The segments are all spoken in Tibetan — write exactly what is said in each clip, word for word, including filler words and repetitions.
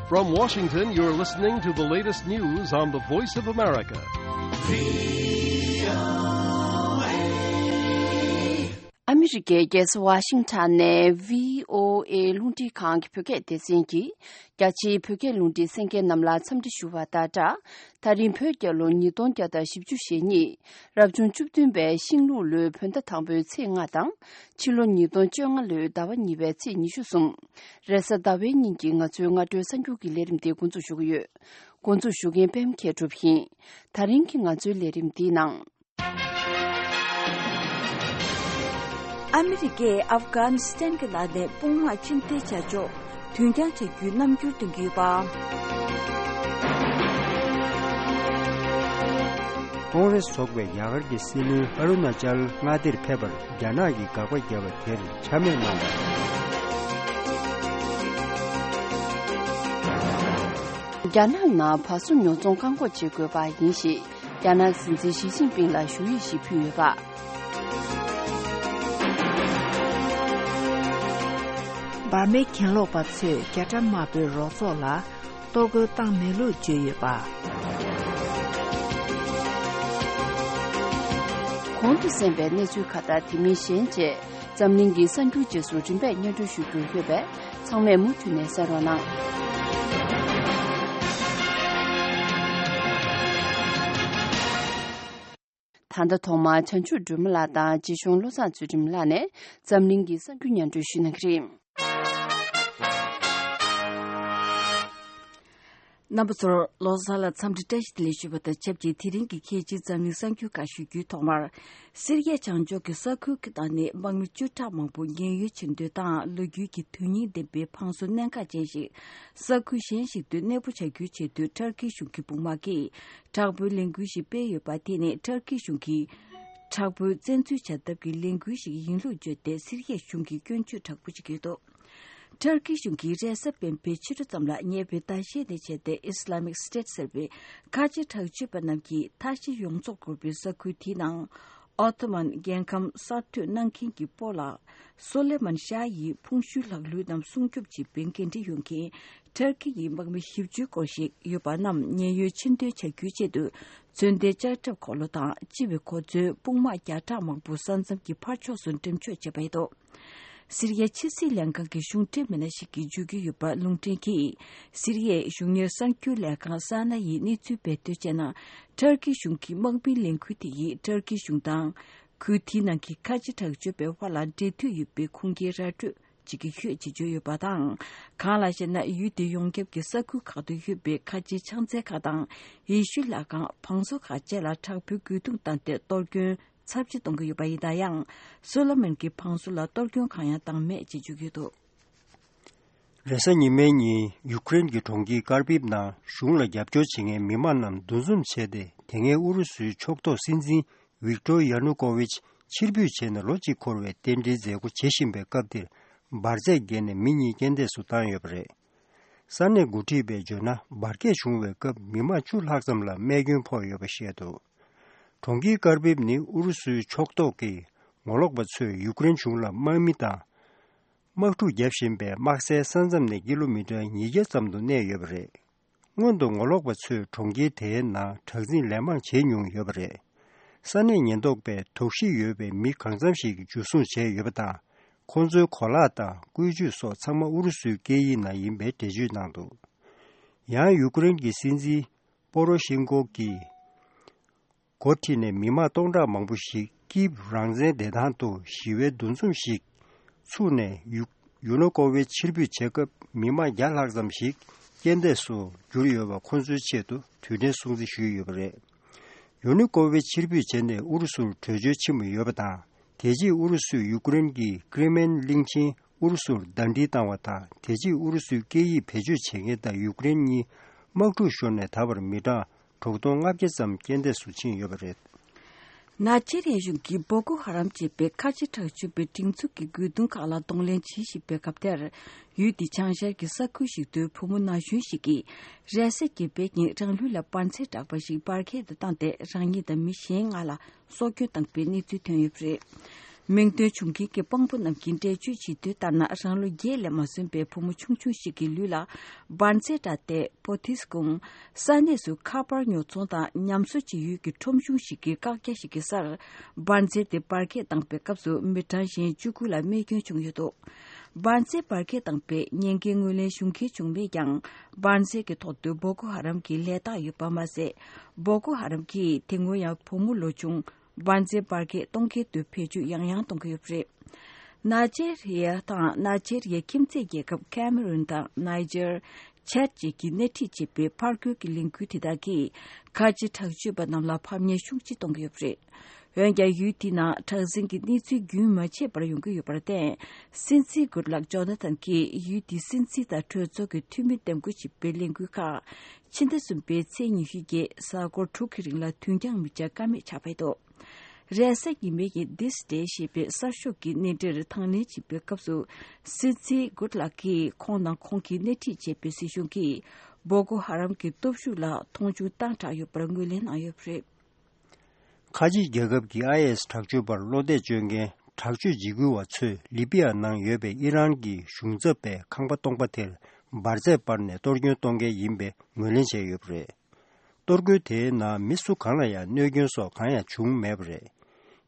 From Washington, you're listening to the latest news on the Voice of America. ཨ་མི་རི་ཀའི་རྒྱལ་ས་ཝ་ཤིང་ཊོན་ནས་བྷི་ཨོ་ཨེ་རླུང་འཕྲིན་ཁང་གི་བོད་སྐད་སྡེ་ཚན་གྱིས། རྒྱ་ཆེའི་བོད་སྐད་རླུང་འཕྲིན་གསན་མཁན་རྣམས་ལ་འཚམས་འདྲི་ཞུ་བ་དང་སྦྲགས། ད་རིང་བོད་རྒྱལ་ལོ་ཉིས་སྟོང་བརྒྱ་དང་བཞི་བཅུ་ཞེ་གཉིས། རབ་བྱུང་བཅུ་བདུན་པའི་ཤིང་ལུག་ལོའི་བོད་ཟླ་དང་པོའི་ཚེས་ལྔ་དང་། ཕྱི་ལོ་ཉིས་སྟོང་བཅོ་ལྔ་ལོའི་ཟླ་བ་གཉིས་པའི་ཚེས་ཉི་ཤུ་གསུམ། རེས་གཟའ་ཟླ་བའི་ཉིན་གྱི་ང་ཚོའི་སྔ་དྲོའི་གསར་འགྱུར་གྱི་ལས་རིམ་དེ་འགོ་འཛུགས་ཞུ་གི་ཡོད། འགོ་འཛུགས་ཞུ་མཁན་པད་མ་མཁས་གྲུབ་ཡིན། ད་རིང་གི་ང་ཚོའི་ལས་རིམ་འདིའི་ནང་། ཨ་མི་རི་ཀས་ཨབ་གྷ་ནི་སི་ཐན་གྱི་ལག་ནས་དཔུང་དམག་ཕྱིར་འཐེན་བྱ་ཕྱོགས་དུས་འགྱངས་བྱ་རྒྱུའི་རྣམ་འགྱུར་སྟོན་གྱི་ཡོད་པ། ཀོང་རེས་ཚོགས་པས་རྒྱ་གར་གྱི་སྲིད་བློན་ཨ་རུ་ན་ཅལ་མངའ་སྡེར་ཕེབས་པར་རྒྱ་ནག་གིས་དགག་པ་བརྒྱབ་པ་དེར་ཆ་མེད་གནང་བ། རྒྱ་ནག་ནང་བ་སོ་ཉོ་ཚོང་བཀག་འགོག་བྱེད་དགོས་པ་ཡིན་ཞེས། རྒྱ་ནག་སྲིད་འཛིན་ཞི་ཅིན་ཕིང་ལ་ཞུ་ཡིག་ཞིག་ཕུལ་ཡོད་པ། འབར་མའི་གྱེན་ལོག་པ་ཚོས་རྒྱ་གྲམ་དམར་པོའི་རོགས་ཚོགས་ལ་གཏོར་རྒོལ་བཏང་མེད་ལུགས་བརྗོད་ཡོད་པ། གོང་དུ་གསན་པའི་གནས་ཚུལ་ཁག་དང་དེ་མིན་གཞན་བཅས། འཛམ་གླིང་གི་གསར་འགྱུར་རྗེས་སུ་རིམ་པས་སྙན་སྒྲོན་ཞུ་རྒྱུ་ཡོད་པས། ཚང་མས་མུ་མཐུད་ནས་གསན་རོགས་གནང་། ད་ལྟ་ཐོག་མར་བྱང་ཆུབ་སྒྲོལ་མ་ལགས་དང་རྗེ་གཞུང་བློ་བཟང་ཚུལ་ཁྲིམས་ལགས་ནས་འཛམ་གླིང་གི་གསར་འགྱུར་སྙན་སྒྲོན་ཞུ་གནང་གི་རེད། རྣམ་པ་ཚོར་བློ་བཟང་ལ་འཚམས་འདྲི་བཀྲ་ཤིས་བདེ་ལེགས་ཞུ་བ་དང་ཆབས་ཅིག་དེ་རིང་གི་ཁྱེད་ཀྱི་འཛམ་གླིང་གསར་འགྱུར་ཁག་ཞུ་རྒྱུའི་ཐོག་མར། སི་རི་ཡའི་བྱང་ཕྱོགས་ཀྱི་ས་ཁུལ་གྱི་ནང་ནས་དམག་མི་བཅུ་ཕྲག་མང་པོ་ཉེན་གཡོལ་ཕྱིན་དོན་དང་ལོ་རྒྱུས་ཀྱི་དོན་སྙིང་ལྡན་པའི་ཕངས་སེལ་གནད་འགག་ཅན་ཞིག་ས་ཁུལ་གཞན་ཞིག་ཏུ་གནས་སྤོ་བྱ་རྒྱུའི་ཆེད་དུ་ཊར་ཀི་གཞུང་གི་དཔུང་དམག་གིས་དྲག་པོའི་ལས་འགུལ་ཞིག་སྤེལ་ཡོད་པ་དེ་ནི་ཊར་ཀི་གཞུང་གིས་དྲག་པོའི་བཙན་འཛུལ་བྱ་ཐབས་ཀྱི་ལས་འགུལ་ཞིག་ཡིན་ལུགས་བརྗོད་དེ་སི་རི་ཡའི་གཞུང་གིས་སྐྱོན་བརྗོད་དྲག་པོ་བྱེད་ཀྱི་འདུག་ཊར་ཀི་གཞུང་གིས་རེས་གཟའ་སྤེན་པའི་ཕྱི་དྲོ་ཙམ་ལ་ཉེ་བའི་ཟླ་ཤས་ནས་བྱས་ཏེ་ཨི་སི་ལ་མིག་སི་ཊེཊ་ཟེར་བའི་ཁ་ཆེ་དྲག་སྤྱོད་པ་རྣམས་ཀྱིས་མཐའ་བཞི་ཡོངས་རྫོགས་བསྐོར་བའི་ས་ཁུལ་དེའི་ནང་། ཨོ་ཏོ་མན་རྒྱལ་ཁམས་གསར་གཏོད་གནང་མཁན་གྱི་སྤོ་ལགས་སོ་ལེ་མན་ཤཱ་ཡི་ཕུང་ཤུལ་ལག་ལུས་རྣམས་སྲུང་སྐྱོབ་བྱེད་པའི་འགན་འཁྲི་ཡོད་མཁན་ཊར་ཀི་ཡི་དམག་མི་བཞི་བཅུའི་སྐོར་ཞིག་ཡོད་པ་རྣམས་ཉེན་གཡོལ་ཕྱིན་འདོན་བྱ་རྒྱུའི་ཆེད་དུ། མཚོན་ལྡན་ལྕགས་ཁྲབ་འཁོར་ལོ་དང་སྤྱི་བའི་གོ་མཚོན་དཔུང་དམག་བརྒྱ་ཕྲག་མང་པོ་ས་མཚམས་ཀྱི་ཕར་ཕྱོགས་སུ་འགྲེམས་འཇོག་བྱས་པ་ཡིན་འདུག་སི་རི་ཡའི་ཕྱི་སྲིད་ལྷན་ཁང་གི་གཞུང་འབྲེལ་མི་སྣ་ཞིག་གིས་བརྗོད་ཀྱི་ཡོད་པ་ལུང་འདྲེན་གྱིས། སི་རི་ཡའི་གཞུང་གཉེར་གསར་འགྱུར་ལས་ཁང་ས་ན་ཡིས་གནས་ཚུལ་སྤེལ་དོན་བྱས་ན། ཊར་ཀི་གཞུང་གི་དམག་མིའི་ལས་འགུལ་དེ་ཡིས་ཊར་ཀི་གཞུང་དང་། ཁུལ་དེའི་ནང་གི་ཁ་ཆེ་དྲག་སྤྱོད་པའི་དབར་ལ་འབྲེལ་མཐུད་ཡོད་པའི་ཁུངས་སྐྱེལ་ར་སྤྲོད་བྱེད་ཀྱི་ཡོད་ཅེས་བརྗོད་ཡོད་པ་དང་། གང་ལགས་ཤེ་ན་ཡུལ་དེའི་ཡོངས་ཁྱབ་ཀྱི་ས་ཁུལ་ཁག་ཏུ་ཡོད་པའི་ཁ་ཆེའི་ཕྱག་འཚལ་ཁག་དང་ཡེ་ཤུའི་ལྷ་ཁང་བང་བཟོ་ཁག་བཅས་ལ་དྲག་པོའི་རྒོལ་རྡུང་བཏང་སྟེ་གཏོར་སྐྱོན་ཚབས་ཆེ་གཏོང་གི་ཡོད་པ་ཡིན་ན་ཡང་། སོ་ལོ་མོན་གྱི་བང་བཟོ་ལ་གཏོར་སྐྱོན་གང་ཡང་བཏང་མེད་ཅེས་བརྗོད་ཀྱི་འདུག་རེས་གཟའ་ཉི་མའི་ཉིན་ཡུཀ་རེན་གྱི་གྲོང་ཁྱེར་ཀར་བིབ་ནང་གཞུང་ལ་རྒྱབ་སྐྱོར་བྱེད་མཁན་མི་མང་རྣམས་འདུ་འཛོམས་བྱས་ཏེ། དེ་སྔའི་ཨུ་རུ་སུའི་ཕྱོགས་གཏོགས་སྲིད་འཛིན་ཝིག་ཏོར་ཡ་ནུ་ཀོ་ཝིཆ་ཕྱིར་འབུད་བྱས་ནས་ལོ་གཅིག་འཁོར་བའི་རྟེན་འབྲེལ་མཛད་སྒོ་བྱེད་བཞིན་པའི་སྐབས་དེར། འབར་རྫས་བརྒལ་ནས་མི་གཉིས་རྐྱེན་འདས་སུ་བཏང་ཡོད་པ་རེད། ས་གནས་འགོ་ཁྲིད་པས་བརྗོད་ན། འབར་གས་བྱུང་བའི་སྐབས་མི་མང་བཅུ་ལྷག་ཙམ་ལ་རྨས་སྐྱོན་ཕོག་ཡོད་པ་བཤད་འདུག་གྲོང་ཁྱེར་ཀར་བིབ་ནི་ཨུ་རུ་སུའི་ཕྱོགས་གཏོགས་ཀྱི་ངོ་ལོག་པ་ཚོས་ཡུཀ་རེན་གཞུང་ལ་དམག་མི་དང་། དམག་འཁྲུག་བརྒྱབ་བཞིན་པའི་དམག་སའི་ས་མཚམས་ནས་ཀི་ལོ་མི་ཊར་ཉིས་བརྒྱ་ཙམ་དུ་གནས་ཡོད་པ་རེད། སྔོན་དུ་ངོ་ལོག་པ་ཚོས་གྲོང་ཁྱེར་དེའི་ནང་དྲག་འཛིང་ལན་མང་བྱེད་མྱོང་ཡོད་པ་རེད། ས་གནས་ཉེན་རྟོག་པས་དོགས་གཞི་ཡོད་པའི་མི་གང་འཚམ་ཞིག་འཇུ་བཟུང་བྱས་ཡོད་པ་དང་། ཁོང་ཚོའི་གོ་ལག་དང་བཀོལ་སྤྱོད་སོགས་ཚང་མ་ཨུ་རུ་སུའི་སྐད་ཡིག་ནང་ཡིན་པའི་འགྲེལ་བརྗོད་གནང་འདུག་ཡང་ཡུཀ་རེན་གྱི་སྲིད་འཛིན་པོ་རོ་ཤིན་ཀོ་གིས། འགོ་ཁྲིད་ནས་མི་མང་སྟོང་ཕྲག་མང་པོ་ཞིག་ཀིབ་རང་བཙན་བདེ་ཐང་དུ་ཞི་བའི་འདུ་འཛོམས་ཤིག་ཚུགས་ནས་ཡུ་ཡུ་ནུ་ཀོ་ཝིཆ་ཕྱིར་འབུད་བྱེད་སྐབས། མི་མང་བརྒྱ་ལྷག་ཙམ་ཞིག་རྐྱེན་འདས་སུ་གྱུར་ཡོད་པ་ཁོ་ཚོའི་ཆེད་དུ་དུས་དྲན་སྲུང་བརྩི་ཞུས་ཡོད་པ་རེད། ཡུ་ནུ་ཀོ་ཝིཆ་ཕྱིར་འབུད་བྱས་ནས་ཨུ་རུ་སུར་བྲོས་བྱོལ་ཕྱིན་པ་ཡོད་པ་དང་། དེ་རྗེས་ཨུ་རུ་སུས་ཡུཀ་རེན་གྱི་ཀྲི་མེན་གླིང་ཆེན་ཨུ་རུ་སུར་ཟླ་སྒྲིལ་བཏང་བ་དང་། དེ་རྗེས་ཨུ་རུ་སུའི་སྐད་ཡིག་བེད་སྤྱོད་བྱེད་མཁན་དང་ཡུཀ་རེན་གཉིས་དམག་འཁྲུག་ཤོར་ནས་ད་བར་མི་གྲངས་དྲུག་སྟོང་ལྔ་བརྒྱ་ཙམ་རྐྱེན་འདས་སུ་ཕྱིན་ཡོད་པ་རེད། ནཱ་ཇེ་རི་ཡ་གཞུང་གིས་བོ་ཀོ་ཧ་རམ་ཅེས་པའི་ཁ་ཆེ་དྲག་སྤྱོད་པའི་སྒྲིག་འཛུགས་ཀྱི་རྒོལ་རྡུང་ཁག་ལ་གདོང་ལེན་བྱེད་བཞིན་པའི་སྐབས་དེར། ཡུལ་དེའི་བྱང་ཤར་གྱི་ས་ཁུལ་ཞིག་ཏུ་བུ་མོ་ན་གཞོན་ཞིག་གིས་རེས་གཟའ་གི་པའི་ཉིན་རང་ལུས་ལ་འབར་རྫས་འདྲ་པ་ཞིག་འབར་གས་དུ་བཏང་སྟེ་རང་ཉིད་དང་མི་གཞན་ལྔ་ལ་སྲོག་སྐྱོན་བཏང་པའི་གནས་ཚུལ་ཐོན་ཡོད་པ་རེད། མིང་འདོན་བྱུང་མཁན་གྱི་དཔང་པོ་རྣམས་ཀྱིས་འགྲེལ་བརྗོད་བྱེད་དུས་ལྟར་ན། རང་ལོ་བརྒྱད་ལས་མ་སོན་པའི་བུ་མོ་ཆུང་ཆུང་ཞིག་གི་ལུས་ལ་འབར་རྫས་འདྲ་སྟེ་པོ་ཏིས་ཀུང་ས་གནས་སུ་ཁ་པར་ཉོ་ཚོང་དང་ཉམས་གསོ་བྱེད་ཡུལ་གྱི་ཁྲོམ་གཞུང་ཞིག་གི་བཀག་རྒྱ་ཞིག་གི་སར་འབར་རྫས་དེ་འབར་གས་བཏང་པའི་སྐབས་སུ་མི་གྲངས་གཞན་བཅུ་དགུ་ལ་རྨས་སྐྱོན་བྱུང་ཡོད་འདུག་འབར་རྫས་འབར་གས་བཏང་པའི་ཉེན་ཁའི་ངོས་ལེན་ཞུ་མཁན་བྱུང་མེད་ཀྱང་། འབར་རྫས་ཀྱི་ཐོག་ཏུ་བོ་ཀོ་ཧ་རམ་གྱི་ལས་རྟགས་ཡོད་པ་མ་ཟད། བོ་ཀོ་ཧ་རམ་གྱིས་དེ་སྔོན་ཡང་བུ་མོ་ལོ་ཆུང་འབར་རྫས་འབར་གས་གཏོང་མཁན་དུ་བེད་སྤྱོད་ཡང་ཡང་གཏོང་གི་ཡོད་པ་རེད། ནཱི་ཇེ་རི་ཡ་དང་ནཱི་ཇེ་རི་ཡའི་ཁྱིམ་མཚེས་རྒྱལ་ཁབ་ཁེ་མ་རུན་དང་ནཱི་ཇར། ཆད་བཅས་ཀྱིས་སྣེ་ཁྲིད་བྱེད་པའི་ཕར་རྒོལ་གྱི་ལས་འགུལ་དེ་དག་གིས་ཁ་ཆེ་དྲག་སྤྱོད་པ་རྣམས་ལ་ཕམ་ཉེས་ཤུགས་ཆེ་གཏོང་གི་ཡོད་པ་རེད། འོན་ཀྱང་ཡུལ་དེའི་ནང་དྲག་ཟིང་གི་གནས་ཚུལ་རྒྱུན་མ་ཆད་པར་ཡོང་གི་ཡོད་པར་བརྟེན། སྲིད་འཛིན་གུད་ལག་ཇོ་ན་ཐན་གྱིས་ཡུལ་དེའི་སྲིད་འཛིན་དང་གྲོས་ཚོགས་ཀྱི་འཐུས་མི་འདེམས་བསྐོ་བྱེད་པའི་ལས་འགུལ་ཁག་ཕྱི་ཟླ་གསུམ་པའི་ཚེས་ཉི་ཤུ་བརྒྱད་གཟའ་འཁོར་དྲུག་གི་རིང་ལ་དུས་འགྱངས་མི་བྱ་ཀ་མེད་ཆགས་པ་རེད་འདུག་རེས་གཟའ་ཉི་མའི་ཉིན་This Day ཞེས་པའི་གསར་ཤོག་གི་སྣེ་འདྲེན་དང་ལེན་བྱེད་པའི་སྐབས་སུ། སྲིད་འཛིན་གུད་ལག་གིས་ཁོང་དང་ཁོང་གིས་སྣེ་ཁྲིད་བྱེད་པའི་སྲིད་གཞུང་གིས་བོ་ཀོ་ཧ་རམ་གྱི་སྟོབས་ཤུགས་ལ་མཐོང་ཆུང་བཏང་དྲགས་ཡོད་པར་ངོས་ལེན་གནང་ཡོད་པ་རེད། ཁ་ཆེ་རྒྱལ་ཁབ་ཀྱི་ཨའི་ཨེས་དྲག་སྤྱོད་པར་བློ་གཏད་བཅོལ་མཁན་དྲག་སྤྱོད་འཇིགས་སྐུལ་བ་ཚོས་ལི་པི་ཡ་ནང་ཡོད་པའི་ཨི་རན་གྱི་གཞུང་ཚབ་པའི་ཁང་པ་སྟོང་པ་དེར་འབར་རྫས་སྤར་ནས་གཏོར་སྐྱོན་གཏོང་མཁན་ཡིན་པའི་ངོས་ལེན་བྱས་ཡོད་པ་རེད། གཏོར་རྒོལ་དེའི་ནང་མི་སུ་གང་ལ་ཡང་གནོད་སྐྱོན་སོགས་གང་ཡང་བྱུང་མེད་པ་རེད།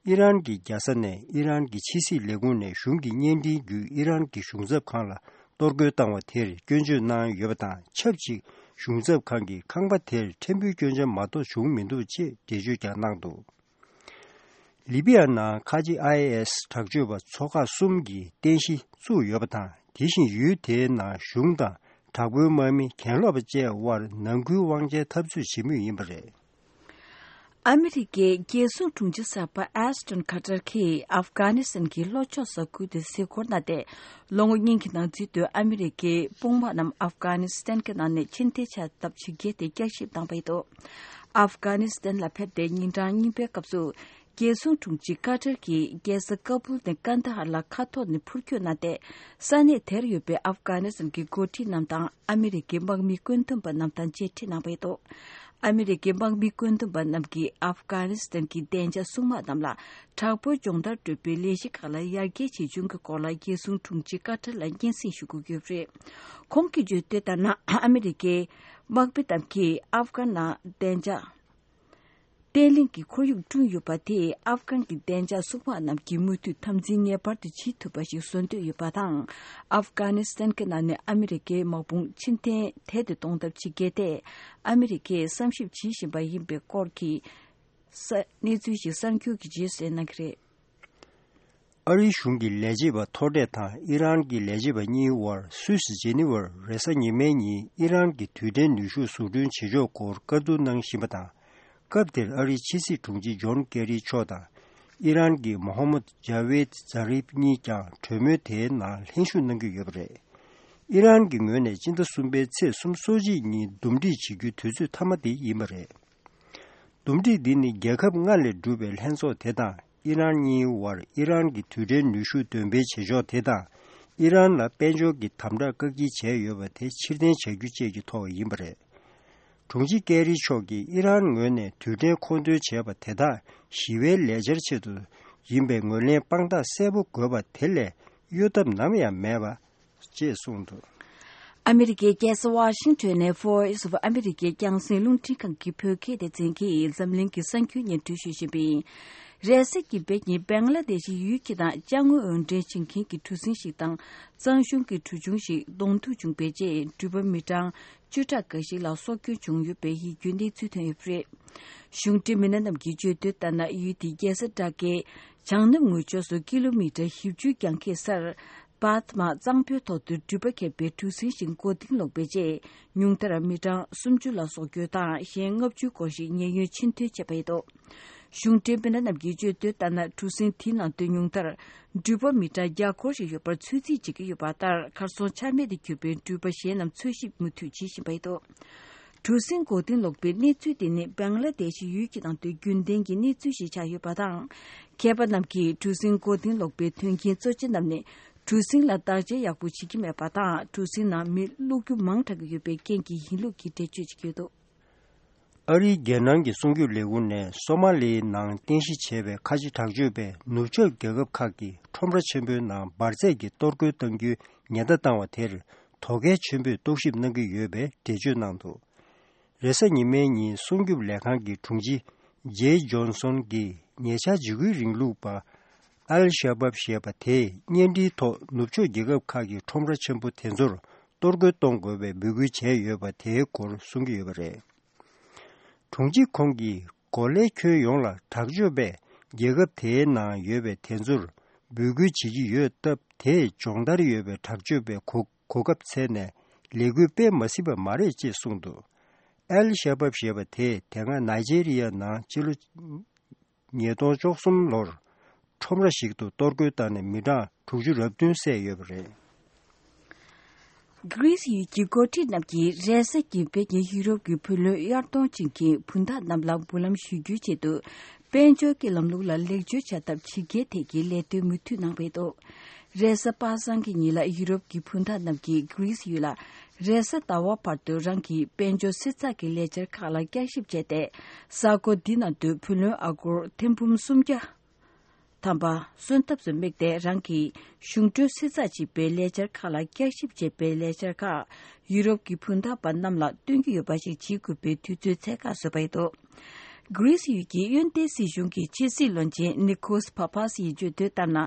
ཨི་རན་གྱི་རྒྱལ་ས་ནས་ཨི་རན་གྱི་ཕྱི་སྲིད་ལས་ཁུངས་ནས་གཞུང་གི་བརྙན་འཕྲིན་བརྒྱུད་ཨི་རན་གྱི་གཞུང་ཚབ་ཁང་ལ་གཏོར་རྒོལ་བཏང་བ་དེར་སྐྱོན་བརྗོད་གནང་ཡོད་པ་དང་ཆབས་ཅིག་གཞུང་ཚབ་ཁང་གིས་ཁང་པ་དེར་ཕྲན་བུའི་སྐྱོན་ཆ་མ་གཏོགས་བྱུང་མི་འདུག་ཅེས་འགྲེལ་བརྗོད་ཀྱང་གནང་འདུག་ལི་པི་ཡ་ནང་ཁ་ཆེ་ཨའི་ཨེས་དྲག་སྤྱོད་པ་ཚོ་ཁག་གསུམ་གྱིས་རྟེན་གཞི་བཙུགས་ཡོད་པ་དང་། དེ་བཞིན་ཡུལ་དེའི་ནང་གཞུང་དང་དྲག་པོའི་དམག་མི་གྱེན་ལོག་པ་བཅས་དབར་ནང་ཁུལ་དབང་ཆའི་འཐབ་རྩོད་བྱེད་མུས་ཡིན་པ་རེད། ཨ་མི་རི་ཀའི་རྒྱལ་སྲུང་དྲུང་ཆེ་གསར་པ་ཨེས་ཏོན་ཁ་ཏར་གྱིས་ཨབ་གྷ་ནི་སི་ཐན་གྱི་ལྷོ་ཕྱོགས་ས་ཁུལ་དུ་གཟིགས་སྐོར་གནང་སྟེ། ལོ་ངོ་གཉིས་ཀྱི་ནང་ཚུད་དུ་ཨ་མི་རི་ཀའི་དཔུང་དམག་རྣམས་ཨབ་གྷ་ནི་སི་ཐན་གྱི་ནང་ནས་ཕྱིར་འཐེན་བྱ་ཐབས་བྱེད་རྒྱུ་དེ་བསྐྱར་ཞིབ་བཏང་པ་ཡིན་འདུག་ཨབ་གྷ་ནི་སི་ཐན་ལ་ཕེབས་ཏེ་ཉིན་གྲངས་གཉིས་པའི་སྐབས་སུ། རྒྱལ་སྲུང་དྲུང་ཆེ་ཀ་ཏར་གྱིས་རྒྱལ་ས་ཀ་བུལ་ནས་ཀན་དྷ་ཧར་ལ་མཁའ་ཐོག་ནས་འཕུར་སྐྱོད་གནང་སྟེ། ས་གནས་དེར་ཡོད་པའི་ཨབ་གྷ་ནི་སི་ཐན་གྱི་འགོ་ཁྲིད་རྣམས་དང་ཨ་མི་རི་ཀའི་དམག་མི་བཀོད་འདོམས་པ་རྣམས་དང་མཇལ་འཕྲད་གནང་བ་ཡིན་འདུག་ཨ་མི་རི་ཀའི་དམག་མི་བཀོད་འདོམས་པ་རྣམས་ཀྱིས་ཨབ་གྷ་ནི་སི་ཐན་གྱི་བདེ་འཇགས་སྲུང་དམག་རྣམས་ལ་དྲག་པོའི་སྦྱོང་བརྡར་སྤྲོད་པའི་ལས་གཞི་ཁག་ལ་ཡར་རྒྱས་བྱེད་བཅུག་གི་སྐོར་ལ་རྒྱལ་སྲུང་དྲུང་ཆེ་ཀ་ཏར་ལ་སྙན་སེང་ཞུ་དགོས་ཀྱི་ཡོད་པ་རེད། ཁོང་གིས་བརྗོད་དོན་ལྟར་ན། ཨ་མི་རི་ཀའི་དམག་མི་རྣམས་ཀྱིས་ཨབ་གྷ་ནང་བདེ་འཇགས་བརྟན་ལྷིང་གི་ཁོར་ཡུག་བསྐྲུན་ཡོད་པ་དེས་ཨབ་གྷན་གྱི་བདེ་འཇགས་སྲུང་དམག་རྣམས་ཀྱི་མུ་མཐུད་འཐབ་འཛིང་ངེས་པར་དུ་བྱེད་ཐུབ་པ་ཞིག་བཟོ་འདོད་ཡོད་པ་དང་། ཨབ་གྷ་ནི་སི་ཐན་གྱི་ནང་ནས་ཨ་མི་རི་ཀའི་དམག་དཔུང་ཕྱིར་འཐེན་དལ་དུ་གཏོང་ཐབས་བྱེད་རྒྱུ་དེ་ཨ་མི་རི་ཀས་བསམ་ཞིབ་བྱེད་བཞིན་པ་ཡིན་པའི་སྐོར་གྱི་ས་གནས་ཚུལ་ཞིག་གསར་འགྱུར་གྱི་རྗེས་སུ་གནང་གི་རེད། ཨ་རིའི་གཞུང་གི་ལས་བྱེད་པ་མཐོ་གྲས་དང་ཨི་རན་གྱི་ལས་བྱེད་པ་གཉིས་དབར་སུད་སི་ཇེ་ནི་ཝར་རེས་གཟའ་ཉི་མའི་ཉིན་ཨི་རན་གྱི་རྡུལ་ཕྲན་ནུས་ཤུགས་བཟོ་སྐྲུན་བྱེད་ཕྱོགས་སྐོར་བཀའ་བསྡུར་གནང་བཞིན་པ་དང་། སྐབས་དེར་ཨ་རིའི་ཕྱི་སྲིད་དྲུང་ཆེ་ཇོན་ཀེ་རི་མཆོག་དང་ཨི་རན་གྱི་མོ་ཧམ་མད་ཇ་ཝེད་ཛ་རིབ་གཉིས་ཀྱང་གྲོས་མོལ་དེའི་ནང་ལྷན་ཞུགས་གནང་གི་ཡོད་པ་རེད། ཨི་རན་གྱི་ངོས་ནས་སྤྱི་ཟླ་གསུམ་པའི་ཚེས་སོ་གཅིག་ཉིན་འདུམ་འགྲིག་བྱེད་རྒྱུའི་དུས་ཚོད་མཐའ་མ་དེ་ཡིན་པ་རེད། འདུམ་འགྲིག་འདི་ནི་རྒྱལ་ཁབ་ལྔ་ལས་གྲུབ་པའི་ལྷན་ཚོགས་དེ་དང་ཨི་རན་གཉིས་དབར་ཨི་རན་གྱི་རྡུལ་ཕྲན་ནུས་ཤུགས་འདོན་སྤེལ་བྱེད་ཕྱོགས་དེ་དང་ཨི་རན་ལ་དཔལ་འབྱོར་གྱི་དམ་དྲག་བཀག་སྐྱིལ་བྱས་ཡོད་པ་དེ་ཕྱིར་འཐེན་བྱ་རྒྱུ་བཅས་ཀྱི་ཐོག་ཡིན་པ་རེད། དྲུང་ཆེ་ཀེ་རི་མཆོག་གིས་ཨི་རན་ངོས་ནས་རྡུལ་ཕྲན་མཁོ་འདོན་བྱས་པ་དེ་དག་ཞི་བའི་ལས་འཆར་ཆེད་དུ་ཡིན་པའི་ངོས་ལེན་དཔང་རྟགས་གསལ་པོ་དགོས་པ་དེ་ལས་གཡོལ་ཐབས་ནམ་ཡང་མེད་པ། ཅེས་གསུངས་འདུག་ཨ་མི་རི་ཀའི་རྒྱལ་ས་ཝ་ཤིང་ཊོན་ནས་Voice of America རྒྱང་སྲིང་རླུང་འཕྲིན་ཁང་གི་བོད་སྐད་སྡེ་ཚན་གྱིས་འཛམ་གླིང་གི་གསར་འགྱུར་སྙན་སྒྲོན་ཞུ་བཞིན་པ་ཡིན། རེས་གཟའ་གི་བོད་ཉིན་བེང་ལ་དེ་ཤི་ཡུལ་གྱི་དང་ཅ་དངོས་འོར་འདྲེན་བྱེད་མཁན་གྱི་གྲུ་གཟིངས་ཤིག་དང་གཙང་གཞུང་གི་གྲུ་ཆུང་ཞིག་གདོང་ཐུག་བྱུང་བའི་རྗེས་འགྲུལ་པ་མི་གྲངས་བཅུ་ཕྲག་འགའ་ཞིག་ལ་སྲོག་སྐྱོན་བྱུང་ཡོད་པའི་ཡིད་སྐྱོའི་གནས་ཚུལ་ཐོན་ཡོད་པ་རེད། གཞུང་འབྲེལ་མི་སྣ་རྣམས་ཀྱིས་བརྗོད་དོན་ལྟར་ན། ཡུལ་དེའི་རྒྱལ་ས་དྲ་ཁའི་བྱང་ནུབ་ངོས་ཕྱོགས་སུ་ཀི་ལོ་མི་ཊར་བཞི་བཅུ་གྱང་ཁེ་སར། པཱད་མ་གཙང་པོའི་ཐོག་ཏུ་འགྲུལ་པ་ཁྱེར་བའི་གྲུ་གཟིངས་ཤིག་མགོ་རྟིང་སློག་པའི་རྗེས། ཉུང་མཐར་མི་གྲངས་སུམ་ཅུ་ལ་སྲོག་སྐྱོན་དང་གཞན་ལྔ་བཅུ་སྐོར་ཞིག་ཉེན་གཡོལ་ཕྱིར་འཐེན་བྱས་པ་ཡིན་འདུག་གཞུང་འབྲེལ་མི་སྣ་རྣམས་ཀྱིས་བརྗོད་དོན་ལྟར་ན། གྲུ་གཟིངས་དེའི་ནང་དུ་ཉུང་མཐར་འགྲུལ་པ་མི་གྲངས་བརྒྱ་སྐོར་ཞིག་ཡོད་པར་ཚོད་རྩིས་བྱེད་ཀྱི་ཡོད་པ་ལྟར། གར་སོང་ཆ་མེད་དུ་གྱུར་པའི་འགྲུལ་པ་གཞན་རྣམས་འཚོལ་ཞིབ་མུ་མཐུད་བྱེད་བཞིན་པ་ཡིན་འདུག་གྲུ་གཟིངས་མགོ་རྟིང་སློག་པའི་གནས་ཚུལ་དེ་ནི་བེང་ལ་དེ་ཤི་ཡུལ་གྱི་ནང་དུ་རྒྱུན་ལྡན་གྱི་གནས་ཚུལ་ཞིག་ཆགས་ཡོད་པ་དང་། མཁས་པ་རྣམས་ཀྱིས་གྲུ་གཟིངས་མགོ་རྟིང་སློག་པའི་དོན་རྐྱེན་གཙོ་ཆེ་རྣམས་ནི། གྲུ་གཟིངས་ལ་བརྟག་དཔྱད་ཡག་པོ་བྱེད་ཀྱི་མེད་པ་དང་། གྲུ་གཟིངས་ནང་མི་བླུག་རྒྱུ་མང་དྲགས་ཀྱི་ཡོད་པའི་རྐྱེན་གྱིས་ཡིན་ལུགས་ཀྱི་འགྲེལ་བརྗོད་བྱེད་ཀྱི་ཡོད་འདུག་ཨ་རིའི་རྒྱལ་ནང་གི་སྲུང་སྐྱོབ་ལས་ཁུངས་ནས་སོ་མ་ལིའི་ནང་རྟེན་གཞི་བྱས་པའི་ཁ་ཆེ་དྲག་སྤྱོད་པས་ནུབ་ཕྱོགས་རྒྱལ་ཁབ་ཁག་གི་ཁྲོམ་ར་ཆེན་པོའི་ནང་འབར་རྫས་ཀྱི་གཏོར་རྒོལ་གཏང་རྒྱུའི་ཉེན་བརྡ་བཏང་བ་དེར་དོ་གལ་ཆེན་པོས་རྟོག་ཞིབ་གནང་གི་ཡོད་པའི་འགྲེལ་བརྗོད་གནང་འདུག་རེས་གཟའ་ཉི་མའི་ཉིན་སྲུང་སྐྱོབ་ལས་ཁང་གི་དྲུང་ཆེ་ཇེ་ཇོན་སོན་གྱིས་ཉེ་ཆར་འཇིགས་སྐུལ་རིང་ལུགས་པ་ཨལ་ཤ་བབ་ཞེས་པ་དེས་གཉེན་སྒྲིག་ཐོག་ནུབ་ཕྱོགས་རྒྱལ་ཁབ་ཁག་གི་ཁྲོམ་ར་ཆེན་པོ་དེ་ཚོར་གཏོར་རྒོལ་གཏོང་དགོས་པའི་འབོད་སྐུལ་བྱས་ཡོད་པ་དེའི་སྐོར་གསུང་གི་ཡོད་པ་རེད། དྲུང་ཆེ་ཁོང་གིས་གོ་ལའི་ཁྱོན་ཡོངས་ལ་དྲག་སྤྱོད་པས་རྒྱལ་ཁབ་དེའི་ནང་ཡོད་པའི་དེ་ཚོར་འབོད་སྐུལ་བྱེད་ཀྱི་ཡོད་སྟབས། དེས་སྦྱོང་བརྡར་ཡོད་པའི་དྲག་སྤྱོད་པའི་གོ་གོ་སྐབས་འཚལ་ནས་ལས་འགུལ་སྤེལ་མ་སྲིད་པ་མ་རེད་ཅེས་གསུངས་འདུག་ཨེལ་ཤ་བབ་ཞེས་པ་དེས་དེ་སྔ་ནཱི་ཇེ་རི་ཡ་ནང་ཕྱི་ལོ་ཉིས་སྟོང་བཅུ་གསུམ་ལོར་ཁྲོམ་ར་ཞིག་ཏུ་གཏོར་རྒོལ་བཏང་ནས་མི་གྲངས་དྲུག་ཅུ་རེ་བདུན་བསད་ཡོད་པ་རེད། གྷི་རིས་ཡུལ་གྱི་འགོ་ཁྲིད་རྣམས་ཀྱིས་རེས་གཟའ་གི་བོད་ཀྱི་ཡུ་རོབ་ཀྱི་བུ་ལོན་གཡར་གཏོང་བྱེད་མཁན་བུན་བདག་རྣམས་ལ་འབུལ་ལམ་ཞུ་རྒྱུའི་ཆེད་དུ། དཔལ་འབྱོར་གྱི་ལམ་ལུགས་ལ་ལེགས་བཅོས་བྱ་ཐབས་ཇི་དགེ་ཐད་ཀྱི་ལས་དོན་མུ་མཐུད་གནང་བའི་ཐོག་རེས་གཟའ་པ་སངས་ཀྱི་ཉིན་ལ་ཡུ་རོབ་ཀྱི་བུན་བདག་རྣམས་ཀྱིས་གྷི་རིས་ཡུལ་ལ་རེས་གཟའ་ཟླ་བ་བར་དུ་རང་གི་དཔལ་འབྱོར་གསེར་ཚགས་ཀྱི་ལས་འཆར་ཁག་ལ་བསྐྱར་ཞིབ་བྱས་ཏེ། གཟའ་འཁོར་འདི་ནང་དུ་བུ་ལོན་ཨ་སྒོར་ཐེར་འབུམ་སུམ་བརྒྱ། ཐམ་པ་སོན་ཐབས་སུ་དམིགས་ཏེ་རང་གི་གཞུང་གྲོན་གསེར་ཚགས་བྱེད་པའི་ལས་འཆར་ཁག་ལ་བསྐྱར་ཞིབ་བྱེད་པའི་ལས་འཆར་ཁག་ཡུ་རོབ་ཀྱི་བུན་བདག་པ་རྣམས་ལ་སྟོན་གྱི་ཡོད་པ་ཞིག་བྱེད་དགོས་པའི་དུས་ཚོད་འཚོལ་ཁ་བཟོས་པ་ཡིན་འདུག་གྷི་རིས་ཡུལ་གྱི་གཡོན་ཏེ་སྲིད་གཞུང་གི་ཕྱི་སྲིད་བློན་ཆེན་ནི་ཁོས་ཕ་ཕཱས་ཡིས་བརྗོད་དོན་ལྟར་ན།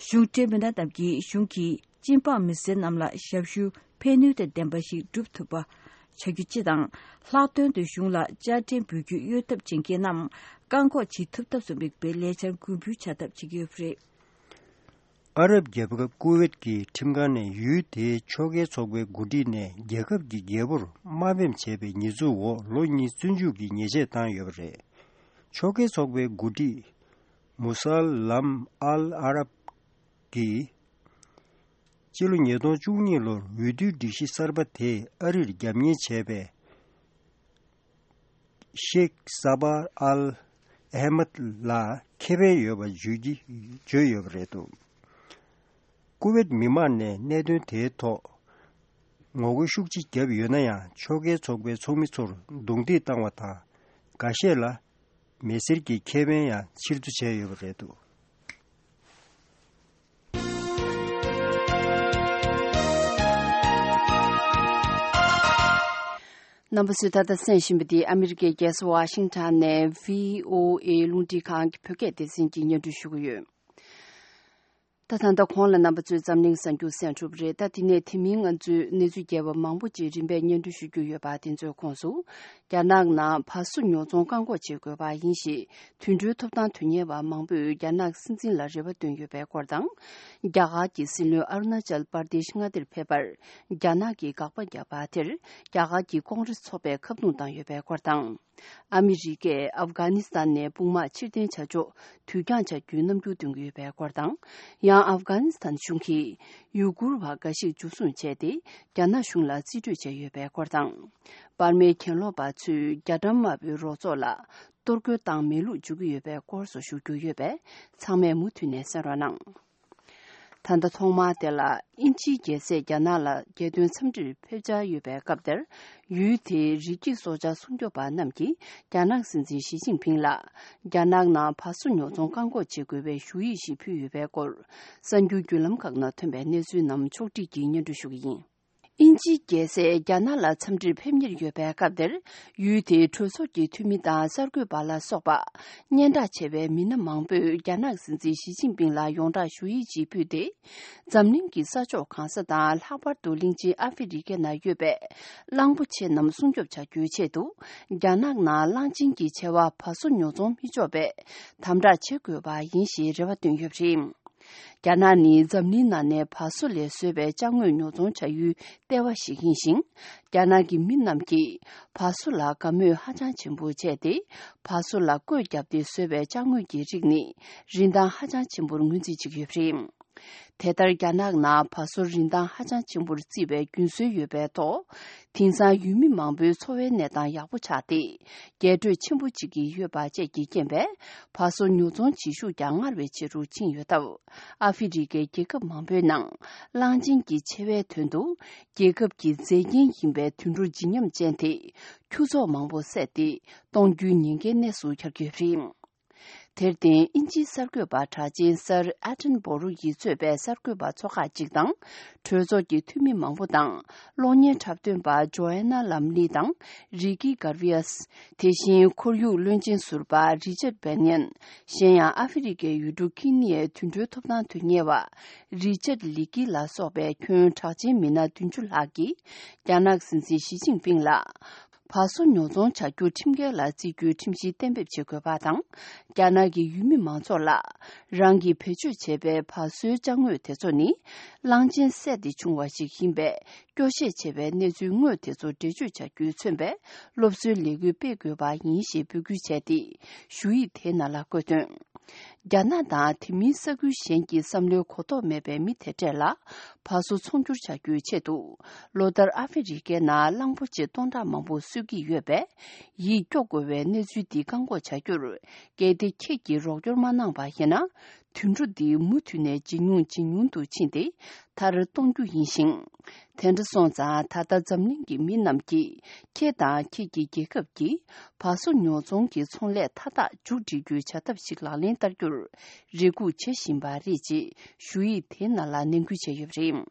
གཞུང་འབྲེལ་མི་སྣ་རྣམས་ཀྱིས་གཞུང་གི་སྤྱི་འབངས་མི་སེར་རྣམས་ལ་ཞབས་ཞུ་ཕན་ནུས་དང་ལྡན་པ་ཞིག་སྒྲུབ་ཐུབ་པ་བྱ་རྒྱུ་སྤྱི་དང་། ལྷག་དོན་དུ་གཞུང་ལ་དཔྱ་ཁྲལ་འབུལ་རྒྱུ་གཡོལ་ཐབས་བྱེད་མཁན་རྣམས་བཀག་འགོག་བྱེད་ཐུབ་ཐབས་སུ་དམིགས་པའི་ལས་འཆར་འགོ་འབུལ་བྱ་ཐབས་བྱེད་ཀྱི་ཡོད་པ་རེད། ཨ་རབ་རྒྱལ་ཁབ་ཀུ་ཝེད་ཀྱི་ཁྲིམས་ཁང་ནས་ཡུལ་དེའི་ཕྱོགས་འགལ་ཚོགས་པའི་འགོ་ཁྲིད་ནས་རྒྱལ་ཁབ་ཀྱི་རྒྱལ་པོར་དམའ་འབེབས་བྱས་པའི་ཉེས་འཛུགས་འོག་ལོ་གཉིས་བཙོན་འཇུག་གི་ཉེས་ཆད་བཏང་ཡོད་པ་རེད། ཕྱོགས་འགལ་ཚོགས་པའི་འགོ་ཁྲིད་མུ་སཱལ་ལམ་ཨལ་ཨ་རབ་ཀྱིས་སྤྱི་ལོ་ཉིས་སྟོང་བཅུ་གཉིས་ལོར་འོས་བསྡུའི་སྒྲིག་གཞི་གསར་པ་དེས་ཨ་རིར་རྒྱབ་གཉེར་བྱས་པའི་ཤེག་ས་བ་ཨལ་ཨེ་མད་ལ་ཁེ་ཕན་ཡོད་པ་བརྗོད་ཀྱི་བརྗོད་ཡོད་པ་རེད་འདུག་ཀུ་ཝེད་མི་མང་ནས་གནད་དོན་དེའི་ཐོག་ངོ་རྒོལ་ཤུགས་ཆེ་བརྒྱབ་ཡོད་ན་ཡང་། ཕྱོགས་འགལ་ཚོགས་པའི་ཚོགས་མི་ཚོར་རྡུང་རྡེག་བཏང་བ་དང་། འགའ་ཤས་ལ་མི་སེར་གྱི་ཁེ་ཕན་ཡང་ཕྱིར་བསྡུ་བྱས་ཡོད་པ་རེད་འདུག་རྣམ་པ་ཚོས་ད་ལྟ་གསན་བཞིན་པ་འདི་ཨ་མི་རི་ཀའི་རྒྱལ་ས་ཝ་ཤིང་ཊོན་ནས་བྷི་ཨོ་ཨེ་རླུང་འཕྲིན་ཁང་གི་བོད་སྐད་སྡེ་ཚན་གྱིས་སྙན་སྒྲོན་ཞུ་གི་ཡོད། ད་ད་ལྟ་གོང་ལ་རྣམ་པ་ཚོས་འཛམ་གླིང་གསར་འགྱུར་གསན་གྲུབ་རེད། ད་དེ་ནས་དེ་མིན་ང་ཚོས་གནས་ཚུལ་རྒྱས་པ་མང་པོ་ཅིག་རིམ་པས་སྙན་སྒྲོན་ཞུ་རྒྱུ་ཡོད་པ་དེ་ཚོའི་ཁོངས་སུ། རྒྱ་ནག་ནང་ཕ་སུ་ཉོ་ཚོང་བཀག་འགོག་བྱེད་དགོས་པ་ཡིན་ཞེས་དུད་འགྲོའི་ཐོབ་ཐང་དོན་གཉེར་བ་མང་པོས་རྒྱ་ནག་སྲིད་འཛིན་ལ་རེ་བ་བཏོན་ཡོད་པའི་སྐོར་དང་། རྒྱ་གར་གྱི་སྲིད་བློན་ཨ་རུ་ན་ཅལ་པར་དེ་ཤི་མངའ་སྡེར་ཕེབས་པར་རྒྱ་ནག་གིས་དགག་པ་བརྒྱབ་པ་དེར་རྒྱ་གར་གྱི་ཀོང་རེས་ཚོགས་པས་ཁ་རྡུང་བཏང་ཡོད་པའི་སྐོར་དང་། ཨ་མི་རི་ཀས་ཨབ་གྷ་ནི་སི་ཐན་ནས་དཔུང་དམག་ཕྱིར་འཐེན་བྱ་ཕྱོགས་དུས་འགྱངས་བྱ་རྒྱུའི་རྣམ་འགྱུར་སྟོན་གྱི་ཡོད་པའི་སྐོར་དང་། ཡང་ཨབ་གྷ་ནི་སི་ཐན་གཞུང་གིས་ཡུ་གུར་བ་འགའ་ཞིག་འཇུ་བཟུང་བྱས་ཏེ་རྒྱ་ནག་གཞུང་ལ་རྩིས་སྤྲོད་བྱས་ཡོད་པའི་སྐོར་དང་། པར་མའི་གྱེན་ལོག་པ་ཚོས་རྒྱ་གྲམ་དམར་པོའི་རོགས་ཚོགས་ལ་གཏོར་རྒོལ་བཏང་མེད་ལུགས་འཇུག་གི་ཡོད་པའི་སྐོར་སོགས་ཞུ་རྒྱུ་ཡོད་པས་ཚང་མས་མུ་མཐུད་ནས་གསན་རོགས་གནང་། ད་ལྟ་ཐོག་མར་དེ་ལ་དབྱིན་ཇིའི་རྒྱལ་སྲས་རྒྱ་ནག་ལ་རྒྱལ་དོན་འཚམས་འདྲིར་ཕེབས་འཆར་ཡོད་པའི་སྐབས་དེར། ཡུལ་དེའི་རི་སྐྱེས་སྲོག་ཆགས་སྲུང་སྐྱོབ་པ་རྣམས་ཀྱིས་རྒྱ་ནག་སྲིད་འཛིན་ཞི་ཅིན་ཕིང་ལ་རྒྱ་ནག་ནང་བ་སོ་ཉོ་ཚོང་བཀག་འགོག་བྱེད་དགོས་པའི་ཞུ་ཡིག་ཞིག་ཕུལ་ཡོད་པའི་སྐོར། གསར་འགྱུར་བརྒྱུད་ལམ་ཁག་ནང་ཐོན་པའི་གནས་ཚུལ་རྣམས་ཕྱོགས་བསྒྲིགས་ཀྱིས་སྙན་སྒྲོན་ཞུ་གི་ཡིན། དབྱིན་ཇིའི་རྒྱལ་སྲས་རྒྱ་ནག་ལ་འཚམས་འདྲིར་ཕེབས་ཉེར་ཡོད་པའི་སྐབས་དེར། ཡུལ་དེའི་གྲོས་ཚོགས་ཀྱི་འཐུས་མི་དང་གསར་འགོད་པ་ལ་སོགས་པ། སྙན་གྲགས་ཆེ་བའི་མི་སྣ་མང་པོས་རྒྱ་ནག་སྲིད་འཛིན་ཞི་ཅིན་ཕིང་ལ་ཡོངས་གྲགས་ཞུ་ཡིག་ཅིག་ཕུལ་ཏེ། འཛམ་གླིང་གི་ས་ཕྱོགས་གང་ས་དང་། ལྷག་པར་དུ་གླིང་ཆེན་ཨ་ཧྥེ་རི་ཁའི་ནང་ཡོད་པའི་གླང་པོ་ཆེ་རྣམས་སྲུང་སྐྱོབ་བྱ་རྒྱུའི་ཆེད་དུ། རྒྱ་ནག་ནང་གླང་ཆེན་གྱི་བྱ་བ་བ་སོ་ཉོ་ཚོང་མི་ཆོག་པའི་དམ་དྲག་བྱེད་དགོས་པ་ཡིན་ཞེས་རེ་བ་བཏོན་ཡོད་པ་རེད། རྒྱ་ནག་ནི་འཛམ་གླིང་ནང་ནས་བ་སོ་ལས་བཟོས་པའི་ཅ་དངོས་ཉོ་ཚོང་བྱ་ཡུལ་ལྟེ་བ་ཞིག་ཡིན་ཞིང་། རྒྱ་ནག་གི་མི་རྣམས་ཀྱིས་བ་སོ་ལ་དགའ་མོས་ཧ་ཅང་ཆེན་པོ་བྱས་ཏེ། བ་སོ་ལ་བཀོད་བརྒྱབ་སྟེ་བཟོས་པའི་ཅ་དངོས་ཀྱི་རིགས་ནི་རིན་ཐང་ཧ་ཅང་ཆེན་པོར་ངོས་འཛིན་བྱེད་ཀྱི་ཡོད་པ་རེད། དེ་ལྟར་རྒྱ་ནག་ནང་བ་སོ་རིན་ཐང་ཧ་ཅང་ཆེན་པོར་བརྩིས་པའི་རྒྱུན་སྲོལ་ཡོད་པའི་ཐོག་དེང་སང་ཡུལ་མི་མང་པོའི་འཚོ་བའི་གནས་སྟངས་ཡག་པོ་ཆགས་ཏེ། རྒྱས་སྤྲོས་ཆེན་པོ་ཅིག་གི་ཡོད་པ་བཅས་ཀྱི་རྐྱེན་པས། བ་སོ་ཉོ་ཚོང་བྱེད་ཤུགས་ཀྱང་སྔར་བས་ཆེ་རུ་ཕྱིན་ཡོད་སྟབས། ཨ་ཧྥེ་རི་ཁའི་རྒྱལ་ཁབ་མང་པོའི་ནང་། གླང་ཆེན་གྱི་ཆེ་བའི་དོན་དུ། རྒྱལ་ཁབ་ཀྱི་མཛེས་རྒྱན་ཡིན་པའི་དུད་འགྲོ་བརྗིད་ཉམས་ཅན་དེ། ཁྱུ་ཚོགས་མང་པོ་བསད་དེ། གཏོང་རྒྱུའི་ཉེན་ཁའི་གནས་སུ་གྱར་གྱི་ཡོད་པ་རེད། དེར་བརྟེན། དབྱིན་ཇིའི་གསར་འགོད་པ་གྲགས་ཅན་སར་ཨ་ཏན་བོ་རུ་ཡིས་གཙོས་པའི་གསར་འགོད་པ་ཚོགས་ཁག་ཅིག་དང་། གྲོས་ཚོགས་ཀྱི་འཐུས་མི་མང་པོ་དང་། གློག་བརྙན་འཁྲབ་སྟོན་པ་ཇོ་ཨན་ན་ལམ་ལི་དང་། རི་ཀི་གར་ཝི་ཡས། དེ་བཞིན་ཁོར་ཡུག་བློན་ཆེན་ཟུར་པ་རི་ཅར་བེན་ཡན། གཞན་ཡང་ཨ་ཧྥེ་རི་ཁའི་ཡུལ་གྲུ་ཁི་ནི་ཡའི་དུད་འགྲོའི་ཐོབ་ཐང་དོན་གཉེར་བ། རི་ཅར་ལི་ཀི་ལ་སོགས་པའི་ཁྱོན་གྲགས་ཅན་མི་སྣ་བདུན་ཅུ་ལྷག་གིས། རྒྱ་ནག་སྲིད་འཛིན་ཞི་ཅིན་ཕིང་ལ། བ་སོ་ཉོ་ཚོང་བྱ་རྒྱུ་ཁྲིམས་འགལ་ལ་བརྩི་རྒྱུའི་ཁྲིམས་གཞི་གཏན་འབེབས་བྱེད་དགོས་པ་དང་། རྒྱ་ནག་གི་ཡུལ་མི་མང་ཚོགས་ལ། རང་གིས་བེད་སྤྱོད་བྱས་པའི་བ་སོའི་ཅ་དངོས་དེ་ཚོ་ནི། གླང་ཆེན་བསད་དེ་བྱུང་བ་ཞིག་ཡིན་པས། སྐྱོ་བཤད་བྱས་པའི་གནས་ཚུལ་དངོས་དེ་ཚོ་འགྲེལ་བརྗོད་བྱ་རྒྱུས་མཚོན་པའི་སློབ་གསོའི་ལས་འགུལ་སྤེལ་དགོས་པ་ཡིན་ཞེས་འབོད་སྐུལ་བྱས་ཏེ། ཞུ་ཡིག་དེའི་ནང་ལ་བཀོད་དོན། རྒྱ་ནག་དང་དེ་མིན་ས་ཁུལ་གཞན་གྱི་བསམ་བློའི་གོ་རྟོགས་མེད་པའི་མི་དེ་འདྲས་ལ། བ་སོ་ཚོང་སྒྱུར་བྱ་རྒྱུའི་ཆེད་དུ། ལོ་ལྟར་ཨ་ཧྥེ་རི་ཁའི་ནང་གླང་པོ་ཆེ་སྟོང་ཕྲག་མང་པོ་གསོད་ཀྱི་ཡོད་པས། ཡིད་སྐྱོ་དགོས་པའི་གནས་ཚུལ་འདི་བཀག་འགོག་བྱ་རྒྱུར། གལ་ཏེ་ཁྱེད་ཀྱིས་རོགས་སྐྱོར་མ་གནང་པ་ཡིན་ན། དུད་འགྲོ་འདི་མུ་མཐུད་ནས་ཇེ་ཉུང་ཇེ་ཉུང་དུ་ཕྱིན་ཏེ། མཐར་གཏོང་རྒྱུ་ཡིན་ཞིང་། དེ་འདྲ་སོང་ཙང་། ད་ལྟ་འཛམ་གླིང་གི་མི་རྣམས་ཀྱིས། ཁྱེད་དང་ཁྱེད་ཀྱི་རྒྱལ་ཁབ་ཀྱིས། བ་སོ་ཉོ་ཚོང་གི་ཚོང་ལས་མཐའ་དག་མཇུག་སྒྲིལ་རྒྱུའི་བྱ་ཐབས་ཤིག་ལག་ལེན་བསྟར་རྒྱུར། རེ་སྒུག་བྱེད་བཞིན་པ་རེད། ཅེས་ཞུ་ཡིག་དེའི་ནང་ལ་ནན་སྐུལ་བྱས་ཡོད་པ་རེད།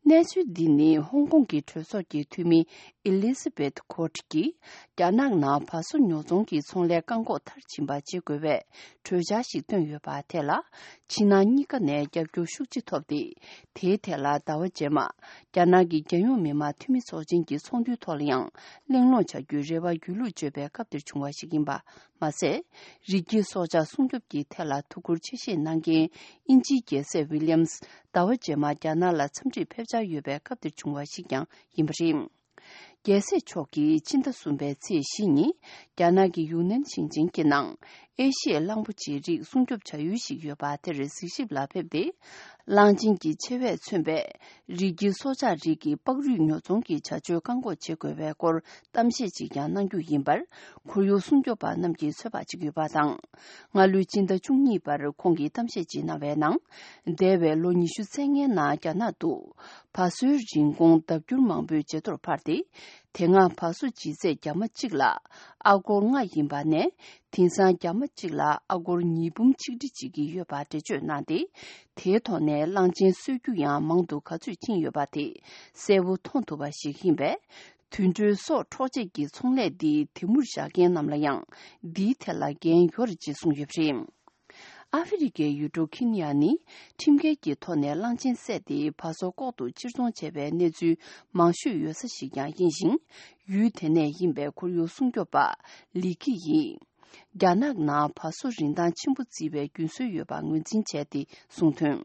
གནས་ཚུལ་འདི་ནི་ཧོང་ཀོང་གི་གྲོས་ཚོགས་ཀྱི་འཐུས་མི། ཨེ་ལི་ཟ་བེད་ཁོར་གྱིས། རྒྱ་ནག་ནང་བ་སོ་ཉོ་ཚོང་གི་ཚོང་ལས་བཀག་འགོག་མཐར་ཕྱིན་པ་བྱེད་དགོས་པའི་གྲོས་འཆར་ཞིག་བཏོན་ཡོད་པ་དེ་ལ། ཕྱི་ནང་གཉིས་ཀ་ནས་རྒྱབ་སྐྱོར་ཤུགས་ཆེ་ཐོབ་སྟེ། དེའི་ཐད་ལ་ཟླ་བ་རྗེས་མ། རྒྱ་ནག་གི་རྒྱལ་ཡོངས་མི་དམངས་འཐུས་མི་ཚོགས་ཆེན་གྱི་ཚོགས་འདུའི་ཐོག་ལ་ཡང་གླེང་སློང་བྱ་རྒྱུའི་རེ་བ་སྒྱིད་ལུག་བརྗོད་པའི་སྐབས་དེར་བྱུང་བ་ཞིག་ཡིན་པ། མ་ཟད། རི་སྐྱེས་སྲོག་ཆགས་སྲུང་སྐྱོབ་ཀྱི་ཐད་ལ་ཐུགས་ཁུར་ཆེ་བཞེས་གནང་མཁན་དབྱིན་ཇིའི་རྒྱལ་སྲས་ཝི་ལི་ཡམ་སི་ཟླ་བ་རྗེས་མ་རྒྱ་ནག་ལ་འཚམས་འདྲིར་ཕེབས་འཆར་ཡོད་པའི་སྐབས་དེར་བྱུང་བ་ཞིག་ཀྱང་ཡིན་པ་རེད། རྒྱལ་སྲས་མཆོག་གིས་ཕྱི་ཟླ་གསུམ་པའི་ཚེས་བཞི་ཉིན། རྒྱ་ནག་གི་ཡུན་ནན་ཞིང་ཆེན་གྱི་ནང་། ཨེ་ཤི་ཡའི་གླང་པོ་ཆེའི་རིགས་སྲུང་སྐྱོབ་བྱ་ཡུལ་ཞིག་ཡོད་པ་དེར་གཟིགས་ཞིབ་ལ་ཕེབས་ཏེ། གླང་ཆེན་གྱི་ཆེ་བས་མཚོན་པའི་རི་སྐྱེས་སྲོག་ཆགས་རིགས་ཀྱི་པགས་རུས་ཉོ་ཚོང་གི་བྱ་སྤྱོད་བཀག་འགོག་བྱེད་དགོས་པའི་སྐོར་གཏམ་བཤད་ཅིག་ཀྱང་གནང་རྒྱུ་ཡིན་པར། ཁོར་ཡུག་སྲུང་སྐྱོབ་པ་རྣམས་ཀྱིས་ཚོད་དཔག་བྱེད་ཀྱི་ཡོད་པ་དང་། སྔ་ལོའི་སྤྱི་ཟླ་བཅུ་གཉིས་པར་ཁོང་གིས་གཏམ་བཤད་ཅིག་གནང་བའི་ནང་། འདས་པའི་ལོ་ཉི་ཤུ་རྩ་ལྔའི་ནང་རྒྱ་ནག་ཏུ། བ་སོའི་རིན་གོང་ལྡབ་འགྱུར་མང་པོས་ཇེ་མཐོར་འཕར་ཏེ། དེ་སྔ་བ་སོ་ལྗིད་ཚད་རྒྱ་མ་གཅིག་ལ་ཨ་སྒོར་ལྔ་ཡིན་པ་ནས། དེང་སང་རྒྱ་མ་གཅིག་ལ་ཨ་སྒོར་ཉིས་འབུམ་ཆིག་ཁྲི་གཅིག་བརྒྱབ་ཡོད་པ་འགྲེལ་བརྗོད་གནང་སྟེ། དེའི་ཐོག་ནས་གླང་ཆེན་གསོད་རྒྱུ་ཡང་མང་དུ་ག་ཚོད་ཕྱིན་ཡོད་པ་དེ་གསལ་པོ་མཐོང་ཐུབ་པ་ཞིག་ཡིན་པས། དུད་འགྲོའི་སྲོག་འཕྲོག་བྱེད་ཀྱི་ཚོང་ལས་འདི་དེ་མུར་བཞག་མཁན་རྣམས་ལ་ཡང་འདིའི་ཐད་ལ་འགན་ཡོད་རེད་ཅེས་གསུངས་ཡོད་པ་རེད། ཨ་ཧྥེ་རི་ཁའི་ཡུལ་གྲུ་ཁི་ནི་ཡ་ནི་ཁྲིམས་འགལ་གྱི་ཐོག་ནས་གླང་ཆེན་བསད་དེ་བ་སོ་ལྐོག་ཏུ་ཕྱིར་ཚོང་བྱས་པའི་གནས་ཚུལ་མང་ཤོས་ཡོད་ས་ཞིག་ཀྱང་ཡིན་ཞིང་། ཡུལ་དེ་ནས་ཡིན་པའི་ཁོར་ཡུག་སྲུང་སྐྱོབ་པ་ལི་ཁི་ཡིས། རྒྱ་ནག་ནང་བ་སོ་རིན་ཐང་ཆེན་པོ་བརྩིས་པའི་རྒྱུན་སྲོལ་ཡོད་པ་ངོས་འཛིན་བྱས་ཏེ་གསུངས་དོན།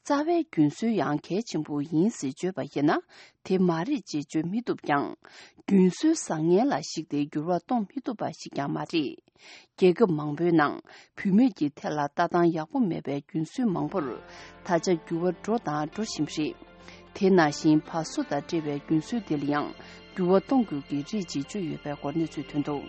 རྩ་བའི་རྒྱུན་སྲོལ་ཡང་གལ་ཆེན་པོ་ཡིན་ཟེར་བརྗོད་པ་ཡིན་ན། དེ་མ་རེད་ཅེས་བརྗོད་མི་ཐུབ་ཀྱང་། རྒྱུན་སྲོལ་བཟང་ངན་ལ་གཞིགས་ཏེ་འགྱུར་བ་གཏོང་མི་ཐུབ་པ་ཞིག་ཀྱང་མ་རེད། རྒྱལ་ཁབ་མང་པོའི་ནང་བུད་མེད་ཀྱི་ཐད་ལ་ལྟ་སྟངས་ཡག་པོ་མེད་པའི་རྒྱུན་སྲོལ་མང་པོར་ད་ཆ་འགྱུར་བ་འགྲོ་དང་འགྲོ་བཞིན་པ་རེད། དེ་ནང་བཞིན་བ་སོ་དང་འབྲེལ་བའི་རྒྱུན་སྲོལ་དེ་ལ་ཡང་འགྱུར་བ་གཏོང་དགོས་ཀྱི་རེད་ཅེས་བརྗོད་ཡོད་པའི་སྐོར་གནས་ཚུལ་ཐོན་འདུག།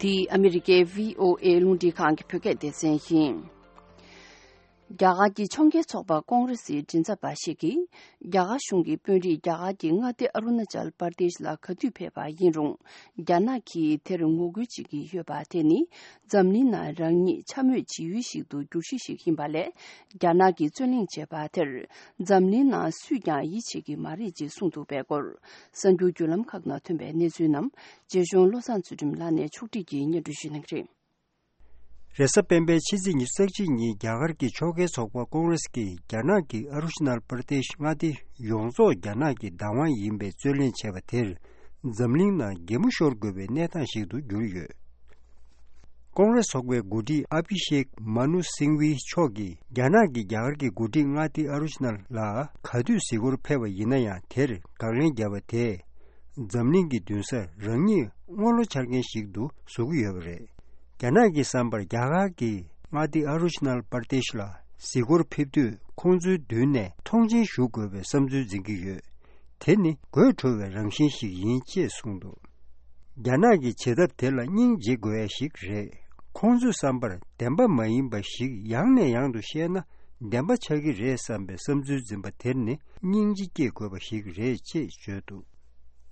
འདི་ཨ་མི་རི་ཀའི་བྷི་ཨོ་ཨེ་རླུང་འཕྲིན་ཁང་གི་བོད་སྐད་སྡེ་ཚན་ཡིན། རྒྱ་གར་གྱི་ཕྱོགས་འགལ་ཚོགས་པ་ཀོང་རེ་སིའི་མགྲིན་ཚབ་པ་ཞིག་གིས། རྒྱ་གར་གཞུང་གི་དཔོན་རིགས་རྒྱ་གར་གྱི་མངའ་སྡེ་ཨ་རུ་ན་ཅལ་པར་དེཤ་ལ་ག་དུས་ཕེབས་པ་ཡིན་རུང་། རྒྱ་ནག་གིས་དེར་ངོ་རྒོལ་བྱེད་ཀྱི་ཡོད་པ་དེ་ནི། འཛམ་གླིང་ནང་རང་ཉིད་འཕྱ་སྨོད་བྱེད་ཡུལ་ཞིག་ཏུ་འགྱུར་གཞི་ཞིག་ཡིན་པ་ལས། རྒྱ་ནག་གིས་རྩོད་གླེང་བྱས་པ་དེར། འཛམ་གླིང་ནང་སུས་ཀྱང་ཡིད་ཆེས་ཀྱི་མ་རེད་ཅེས་གསུངས་འདུག་པའི་སྐོར། གསར་འགྱུར་བརྒྱུད་ལམ་ཁག་ནང་ཐོན་པའི་གནས་ཚུལ་རྣམས། རྗེ་གཞུང་བློ་བཟང་ཚུལ་ཁྲིམས་ལགས་ནས་ཕྱོགས་སྒྲིག་གིས་སྙན་སྒྲོན་ཞུ་གནང་གི་རེད། རེས་གཟའ་སྤེན་པའི་ཕྱི་ཚེས་ཉི་ཤུ་རྩ་གཅིག་ཉིན་རྒྱ་གར་གྱི་ཕྱོགས་འགལ་ཚོགས་པ་ཀོང་རེས་ཀྱིས་རྒྱ་ནག་གི་ཨ་རུ་ཤི་ནལ་པར་དེཤ་མངའ་སྡེ་ཡོངས་རྫོགས་རྒྱ་ནག་གི་བདག་དབང་ཡིན་པའི་རྩོད་གླེང་བྱས་པ་དེར། འཛམ་གླིང་ནང་གད་མོ་ཤོར་དགོས་པའི་གནས་སྟངས་ཤིག་ཏུ་གྱུར་ཡོད། ཀོང་རེ་སི་ཚོགས་པའི་འགོ་ཁྲིད་ཨ་བྷི་ཤེག་མ་ནུ་སིང་ཝི་མཆོག་གིས་རྒྱ་ནག་གིས་རྒྱ་གར་གྱི་འགོ་ཁྲིད་མངའ་སྡེ་ཨ་རུ་ཆི་ནལ་ལ་ག་དུས་གཟིགས་སྐོར་ཕེབས་པ་ཡིན་ན་ཡང་དེར་དགག་ལན་བརྒྱབ་པ་དེས། འཛམ་གླིང་གི་མདུན་སར་རང་ཉིད་དངུལ་ལོ་འཆར་མཁན་ཞིག་ཏུ་བཟོ་གི་ཡོད་པ་རེད། རྒྱ་ནག་གི་བསམ་པར་རྒྱ་གར་གྱི་མངའ་སྡེ་ཨ་རུ་ཆི་ནལ་པར་དེཤ་ལ་གཟིགས་སྐོར་ཕེབས་དུས་ཁོང་ཚོའི་མདུན་ནས་མཐོང་མཆན་ཞུ་དགོས་པའི་བསམ་ཚུལ་འཛིན་གྱི་ཡོད། དེ་ནི་དགོད་བྲོ་བའི་རང་བཞིན་ཞིག་ཡིན་ཅེས་གསུངས་འདུག་རྒྱ་ནག་གི་བྱེད་ཐབས་དེ་ལ་སྙིང་རྗེ་དགོས་ཡ་ཞིག་རེད། ཁོང་ཚོའི་བསམ་པར་བདེན་པ་མ་ཡིན་པ་ཞིག་ཡང་ནས་ཡང་དུ་བཤད་ན་བདེན་པ་ཆགས་ཀྱི་རེད་བསམ་པའི་བསམ་ཚུལ་འཛིན་པ་དེར་ནི་སྙིང་རྗེ་སྐྱེ་དགོས་པ་ཞིག་རེད་ཅེས་བརྗོད་འདུག་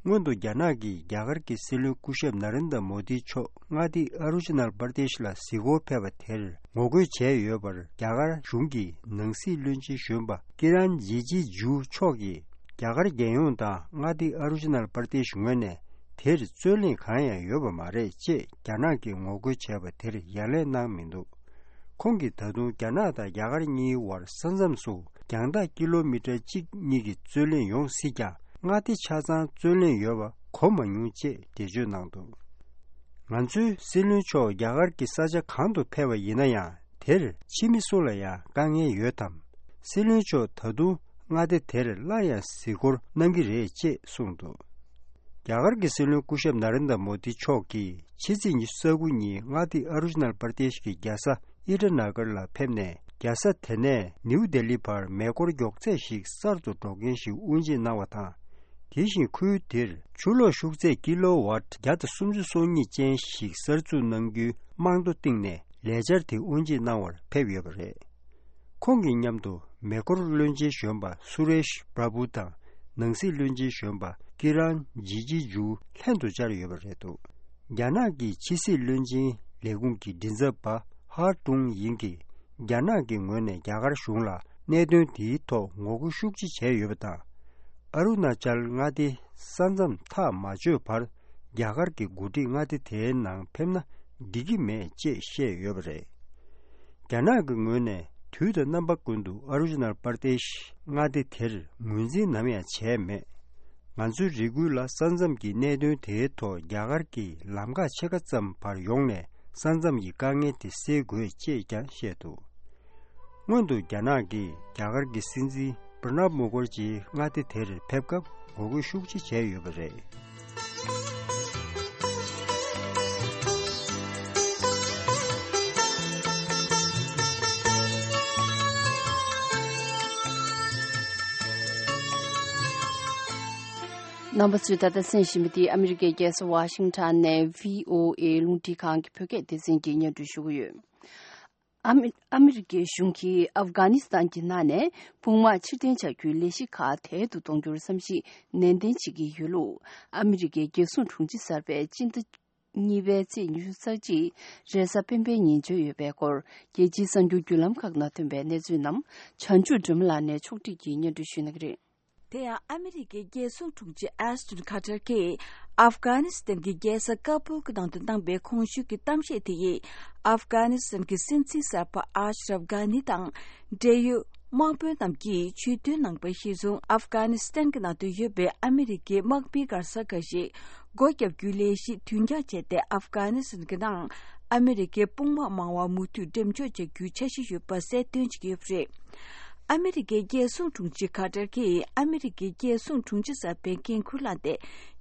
སྔོན་དུ་རྒྱ་ནག་གིས་རྒྱ་གར་གྱི་སྲིད་བློན་སྐུ་ཞབས་ན་རེན་དྲ་མོ་དི་མཆོག་མངའ་སྡེ་ཨ་རུ་ཆི་ནལ་པར་དེཤ་ལ་གཟིགས་སྐོར་ཕེབས་པ་དེར་ངོ་རྒོལ་བྱས་ཡོད་པར་རྒྱ་གར་གཞུང་གི་ནང་སྲིད་བློན་ཆེན་གཞོན་པ་ཀི་རན་ཇི་ཇི་ཇུ་མཆོག་གིས་རྒྱ་གར་རྒྱལ་ཡོངས་དང་མངའ་སྡེ་ཨ་རུ་ཆི་ནལ་པར་དེཤ་ངོས་ནས་དེར་རྩོད་གླེང་གང་ཡང་ཡོད་པ་མ་རེད་ཅེས་རྒྱ་ནག་གིས་ངོ་རྒོལ་བྱས་པ་དེར་ཡ་ལན་གནང་མི་འདུག་ཁོང་གིས་ད་དུང་རྒྱ་ནག་དང་རྒྱ་གར་གཉིས་བར་ས་མཚམས་སུ་རྒྱང་ཐག་ཀི་ལོ་མི་ཊར་གཅིག་གཉིས་ཀྱི་རྩོད་གླེང་ཡོང་སྲིད་ཀྱང་མངའ་སྡེ་ཆ་ཚང་རྩོད་གླེང་ཡོད་པ་གོ་མ་མྱོང་ཅེས་འགྲེལ་བརྗོད་གནང་འདུག་ང་ཚོའི་སྲིད་བློན་མཆོག་རྒྱ་གར་གྱི་ས་ཆ་གང་དུ་ཕེབས་པ་ཡིན་ན་ཡང་དེར་ཕྱི་མི་སུ་ལ་ཡང་དཀའ་ངལ་ཡོད་དམ། སྲིད་བློན་མཆོག་ད་དུང་མངའ་སྡེ་དེར་སླར་ཡང་གཟིགས་སྐོར་གནང་གི་རེད་ཅེས་གསུངས་འདུག་རྒྱ་གར་གྱི་སྲིད་བློན་སྐུ་ཞབས་ན་རེན་དྲ་མོ་དི་མཆོག་གིས་ཕྱི་ཚེས་ཉི་ཤུ་རྩ་དགུ་ཉིན་མངའ་སྡེ་ཨ་རུ་ཆི་ནལ་པར་དེཤ་གི་རྒྱལ་ས་ཨི་ཊ་ན་གར་ལ་ཕེབས་ནས་རྒྱལ་ས་དེ་ནས་ནིའུ་ལྡི་ལི་བར་མེ་འཁོར་མགྱོགས་ཚད་ཞིག་གསར་དུ་འགྲོ་མཁན་ཞིག་དབུ་འབྱེད་གནང་བ་དང་། དེ་བཞིན་ཁུལ་དེར་ཆུ་ལོག་ཤུགས་ཚད་ཀི་ལོ་ཝཊ་བརྒྱ་དང་སུམ་ཅུ་སོ་གཉིས་ཅན་ཞིག་གསར་འཛུགས་གནང་རྒྱུའི་རྨང་རྡོ་བཏིང་ནས་ལས་འཆར་དེ་དབུ་འབྱེད་གནང་བར་ཕེབས་ཡོད་པ་རེད། ཁོང་གི་མཉམ་དུ་མེ་འཁོར་བློན་ཆེན་གཞོན་པ་སུ་རེཤ་པྲ་བྷུ་དང་ནང་སྲིད་བློན་ཆེན་གཞོན་པ་ཀི་རན་ཇི་ཇི་ཇུ་ལྷན་དུ་བཅར་ཡོད་པ་རེད་འདུག་རྒྱ་ནག་གི་ཕྱི་སྲིད་བློན་ཆེན་ལས་ཁུངས་ཀྱི་མགྲིན་ཚབ་པ་ཧར་ཀྲུང་ཡིང་གིས་རྒྱ་ནག་གི་ངོས་ནས་རྒྱ་གར་གཞུང་ལ་གནད་དོན་དེའི་ཐོག་ངོ་རྒོལ་ཤུགས་ཆེ་བྱས་ཡོད་པ་དང་། ཨ་རུ་ན་ཅལ་མངའ་སྡེ་ས་མཚམས་ཐག་མ་ཆོད་བར་རྒྱ་གར་གྱི་འགོ་ཁྲིད་མངའ་སྡེ་དེའི་ནང་ཕེབས་ན་འགྲིག་གི་མེད་ཅེས་བཤད་ཡོད་པ་རེད། རྒྱ་ནག་གི་ངོས་ནས་དུས་དང་རྣམ་པ་ཀུན་ཏུ་ཨ་རུ་ཆི་ནལ་པར་དེཤ་མངའ་སྡེ་དེར་ངོས་འཛིན་ནམ་ཡང་བྱས་མེད། ང་ཚོའི་རེ་སྐུལ་ལ་ས་མཚམས་ཀྱི་གནད་དོན་དེའི་ཐོག་རྒྱ་གར་གྱིས་ལམ་ཁ་ཕྱེད་ཀ་ཙམ་བར་ཡོང་ནས་ས་མཚམས་ཀྱི་དཀའ་ངལ་དེ་སེལ་དགོས་ཅེས་ཀྱང་བཤད་འདུག་སྔོན་དུ་རྒྱ་ནག་གིས་རྒྱ་གར་གྱི་སྲིད་འཛིན་པྲ་ནབ་མུ་ཁར་ཇིའི་མངའ་སྡེ་དེར་ཕེབས་སྐབས་ངོ་རྒོལ་ཤུགས་ཆེ་བྱས་ཡོད་པ་རེད། རྣམ་པ་ཚོས་ད་ལྟ་གསན་བཞིན་པ་འདི་ཨ་མི་རི་ཀའི་རྒྱལ་ས་ཝ་ཤིང་ཊོན་ནས་བྷི་ཨོ་ཨེ་རླུང་འཕྲིན་ཁང་གི་བོད་སྐད་སྡེ་ཚན་གྱིས་སྙན་སྒྲོན་ཞུ་གི་ཡོད། ཨ་མི་ཨ་མི་རི་ཀའི་གཞུང་གིས་ཨབ་གྷ་ནི་སི་ཐན་གྱི་ནང་ནས་དཔུང་དམག་ཕྱིར་འཐེན་བྱ་རྒྱུའི་ལས་གཞི་ཁག་དལ་དུ་གཏོང་རྒྱུར་བསམ་གཞིག་ནན་ཏན་བྱེད་ཀྱི་ཡོད་ལུགས། ཨ་མི་རི་ཀའི་རྒྱལ་སྲུང་དྲུང་ཆེ་གསར་པས་སྤྱི་ཟླ་གཉིས་པའི་ཚེས་ཉི་ཤུ་རྩ་གཅིག་རེས་གཟའ་སྤེན་པའི་ཉིན་བརྗོད་ཡོད་པའི་སྐོར། རྒྱལ་སྤྱིའི་གསར་འགྱུར་བརྒྱུད་ལམ་ཁག་ནང་ཐོན་པའི་གནས་ཚུལ་རྣམས་བྱང་ཆུབ་སྒྲོལ་མ་ལགས་ནས་ཕྱོགས་སྒྲིག་གིས་སྙན་སྒྲོན་ཞུ་གནང་གི་རེད། དེ་ཡང་ཨ་མི་རི་ཀའི་རྒྱལ་སྲུང་དྲུང་ཆེ་ཨེས་ཊོན་ཁ་ཏར་གྱིས་ཨབ་གྷ་ནི་སི་ཐན་གྱི་རྒྱལ་ས་ཀ་བུལ་གྱི་ནང་དུ་གནང་པའི་གོང་ཞུས་ཀྱི་གཏམ་བཤད་དེ་ཡིས་ཨབ་གྷ་ནི་སི་ཐན་གྱི་སྲིད་འཛིན་གསར་པ་ཨ་ཤ་རབ་གྷ་ནི་དང་འབྲེལ་ཡོད་དམག་དཔོན་རྣམས་ཀྱིས་ཇུས་འདོན་གནང་པ་གཞིར་བཟུང་ཨབ་གྷ་ནི་སི་ཐན་གྱི་ནང་དུ་ཡོད་པའི་ཨ་མི་རི་ཀའི་དམག་མིའི་མགར་ས་འགའ་ཞིག་སྒོ་བརྒྱབ་རྒྱུའི་ལས་གཞི་དུས་འགྱངས་བྱས་ཏེ་ཨབ་གྷ་ནི་སི་ཐན་གྱི་ནང་ཨ་མི་རི་ཀའི་དཔུང་དམག་མང་བ་མུ་མཐུད་འགྲེམས་འཇོག་བྱ་རྒྱུའི་འཆར་གཞི་ཡོད་པ་གསལ་སྟོན་བྱེད་ཀྱི་ཡོད་པ་རེད། ཨ་མི་རི་ཀའི་རྒྱལ་སྲུང་དྲུང་ཆེ་ཁ་ཏར་གྱིས་ཨ་མི་རི་ཀའི་རྒྱལ་སྲུང་དྲུང་ཆེ་གསར་པའི་འགན་འཁུར་བླངས་ཏེ།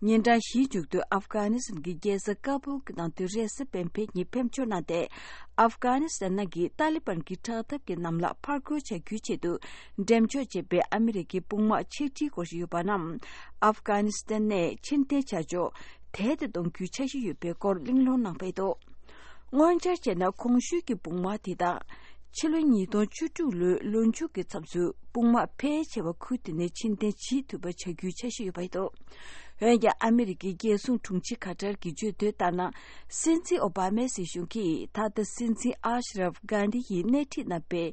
ཉིན་གྲངས་བཞིའི་མཇུག་ཏུ་ཨབ་གྷ་ནི་སི་ཐན་གྱི་རྒྱལ་ས་ཀ་བུལ་གྱི་ནང་དུ་རེས་གཟའ་སྤེན་པའི་ཉིན་ཕེབས་འབྱོར་གནང་སྟེ། ཨབ་གྷ་ནི་སི་ཐན་ནང་གི་ཏཱ་ལི་བན་གྱི་དྲག་འཐབ་ཀྱི་གནམ་ལ་ཕར་རྒོལ་བྱ་རྒྱུའི་ཆེད་དུ་འགྲེམས་འཇོག་བྱས་པའི་ཨ་མི་རི་ཀའི་དཔུང་དམག་ཕྱིར་འཁྲིད་སྐོར་ཞིག་ཡོད་པ་རྣམས་ཨབ་གྷ་ནི་སི་ཐན་ནས་ཕྱིར་འཐེན་བྱ་ཕྱོགས་དལ་དུ་གཏོང་རྒྱུའི་འཆར་གཞི་ཡོད་པའི་སྐོར་གླེང་སློང་གནང་པ་རེད་འདུག་སྔོན་འཆར་བྱས་ན་གོང་ཞུས་ཀྱི་དཔུང་དམག་དེ་དག་ཕྱི་ལོ་ཉིས་སྟོང་བཅུ་དྲུག་ལོའི་ལོ་མཇུག་གི་མཚམས་སུ་དཔུང་དམག་ཕལ་ཆེ་བ་ཁུལ་དེ་ནས་ཕྱིར་འཐེན་བྱེད་ཐུབ་པ་བྱ་རྒྱུའི་འཆར་གཞི་ཡོད་པ་རེད་འདུག་འོན་ཀྱང་ཨ་མི་རི་ཀའི་རྒྱལ་སྲུང་དྲུང་ཆེ་ཁ་ཏར་གྱིས་བརྗོད་དོན་ལྟར་ན། སྲིད་འཛིན་ཨོ་བྷ་མའི་སྲིད་གཞུང་གིས་ད་ལྟ་སྲིད་འཛིན་ཨ་ཤ་རབ་གྷན་དྷི་ཡིས་སྣེ་ཁྲིད་གནང་པའི་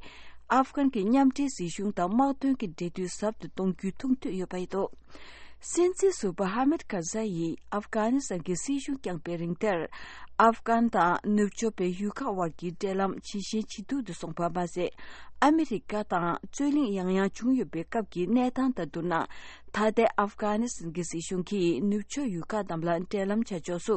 ཨབ་གྷན་གྱི་མཉམ་འབྲེལ་སྲིད་གཞུང་དང་དམག་དོན་གྱི་འབྲེལ་མཐུད་ཟབ་ཏུ་གཏོང་རྒྱུའི་ཐུགས་འདུན་ཡོད་པ་རེད་འདུག་སྲིད་འཛིན་ཟུར་པ་ཧ་མེད་ཀར་ཛའི་ཡིས་ཨབ་གྷ་ནི་སི་ཐན་གྱི་སྲིད་གཞུང་བསྐྱངས་པའི་རིང་དེར། ཨབ་གྷན་དང་ནུབ་ཕྱོགས་པའི་ཡུལ་ཁག་དབར་གྱི་འབྲེལ་ལམ་ཇེ་ཞན་ཇེ་སྡུག་ཏུ་སོང་བ་མ་ཟད། ཨ་མི་རི་ཀ་དང་རྩོད་གླེང་ཡང་ཡང་བྱུང་ཡོད་པའི་སྐབས་ཀྱི་གནས་སྟངས་དང་བསྡུར་ན། ད་ལྟའི་ཨབ་གྷ་ནི་སི་ཐན་གྱི་སྲིད་གཞུང་གིས་ནུབ་ཕྱོགས་ཡུལ་ཁག་རྣམས་ལ་འབྲེལ་ལམ་བྱ་ཕྱོགས་སུ་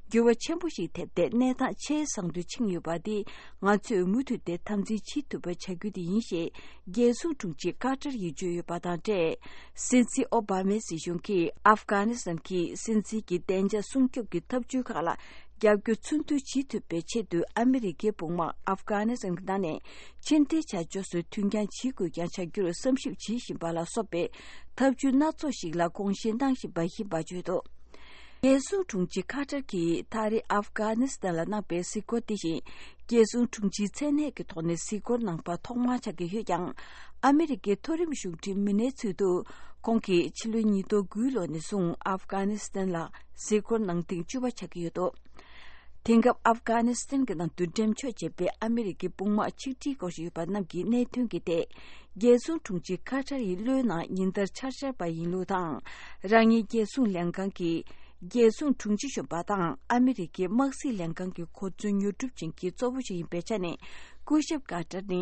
འགྱུར་བ་ཆེན་པོ་ཞིག་ཐེབས་ཏེ། གནས་སྟངས་ཆེས་བཟང་དུ་ཕྱིན་ཡོད་པ་འདི་ང་ཚོས་མུ་མཐུད་དེ་དམ་འཛིན་བྱེད་ཐུབ་པ་བྱ་རྒྱུ་དེ་ཡིན་ཞེས། རྒྱལ་སྲུང་དྲུང་ཆེ་ཀར་ཏར་ཡིས་བརྗོད་ཡོད་པ་དང་འབྲེལ། སྲིད་འཛིན་ཨོ་བྷ་མའི་སྲིད་གཞུང་གིས་ཨབ་གྷ་ནི་སི་ཐན་གྱི་སྲིད་འཛིན་གྱི་བདེ་འཇགས་སྲུང་སྐྱོབ་ཀྱི་ཐབས་བྱུས་ཁག་ལ་རྒྱབ་སྐྱོར་ཚུལ་མཐུན་བྱེད་ཐུབ་པའི་ཆེད་དུ། ཨ་མི་རི་ཀའི་དཔུང་དམག་ཨབ་གྷ་ནི་སི་ཐན་གྱི་ནང་ནས་ཕྱིར་འཐེན་བྱ་ཕྱོགས་སུ་མཐུན་རྐྱང་བྱེད་དགོས་རྐྱང་བྱ་རྒྱུར་བསམ་ཞིབ་བྱེད་བཞིན་པ་ལ་སོགས་པའི་ཐབས་བྱུས་སྣ་ཚོགས་ཤིག་ལ་དགོངས་བཞེས་གནང་བཞིན་པ་ཡིན་པ་བརྗོད་འདུག། རྒྱལ་སྲུང་དྲུང་ཆེ་ཁ་ཏར་གྱིས་ད་རེས་ཨབ་གྷ་ནི་སི་ཐན་ལ་གནང་པའི་གཟིགས་སྐོར་དེ་བཞིན། རྒྱལ་སྲུང་དྲུང་ཆེའི་མཚན་གནས་ཀྱི་ཐོག་ནས་གཟིགས་སྐོར་གནང་པ་ཐོག་མ་ཆགས་ཀྱི་ཡོད་ཀྱང་། ཨ་མི་རི་ཀའི་མཐོ་རིམ་གཞུང་འབྲེལ་མི་སྣའི་ཚུལ་དུ། ཁོང་གིས་ཕྱི་ལོ་ཉིས་སྟོང་དགུའི་ལོ་ནས་བཟུང་ཨབ་གྷ་ནི་སི་ཐན་ལ་གཟིགས་སྐོར་གནང་ཐེངས་བཅུ་པ་ཆགས་ཀྱི་ཡོད་འདུག། དེང་སྐབས་ཨབ་གྷ་ནི་སི་ཐན་གྱི་ནང་དུ་འགྲེམས་འཇོག་བྱས་པའི་ཨ་མི་རི་ཀའི་དཔུང་དམག་ཆིག་ཁྲིའི་སྐོར་ཞིག་ཡོད་པ་རྣམས་ཀྱིས་གནད་དོན་གྱི་ཐད། རྒྱལ་སྲུང་དྲུང་ཆེ་ཁ་ཏར་ཡི་བློའི་ནང་ཉིན་ལྟར་འཆར་འཆར་བ་ཡིན་ལུགས་དང་། རང་ཉིད་རྒྱལ་སྲུང་ལྷན་ཁང་གི་རྒྱལ་སྲུང་དྲུང་ཆེ་གཞོན་པ་དང་ཨ་མི་རི་ཀའི་དམག་སྲིད་ལྷན་ཁང་གི་གོ་མཚོན་ཉོ་སྒྲུབ་ཅན་གྱི་གཙོ་བོ་ཞིག་ཡིན་པའི་ཆ་ནས། སྐུ་ཞབས་ཀར་ཏར་ནི་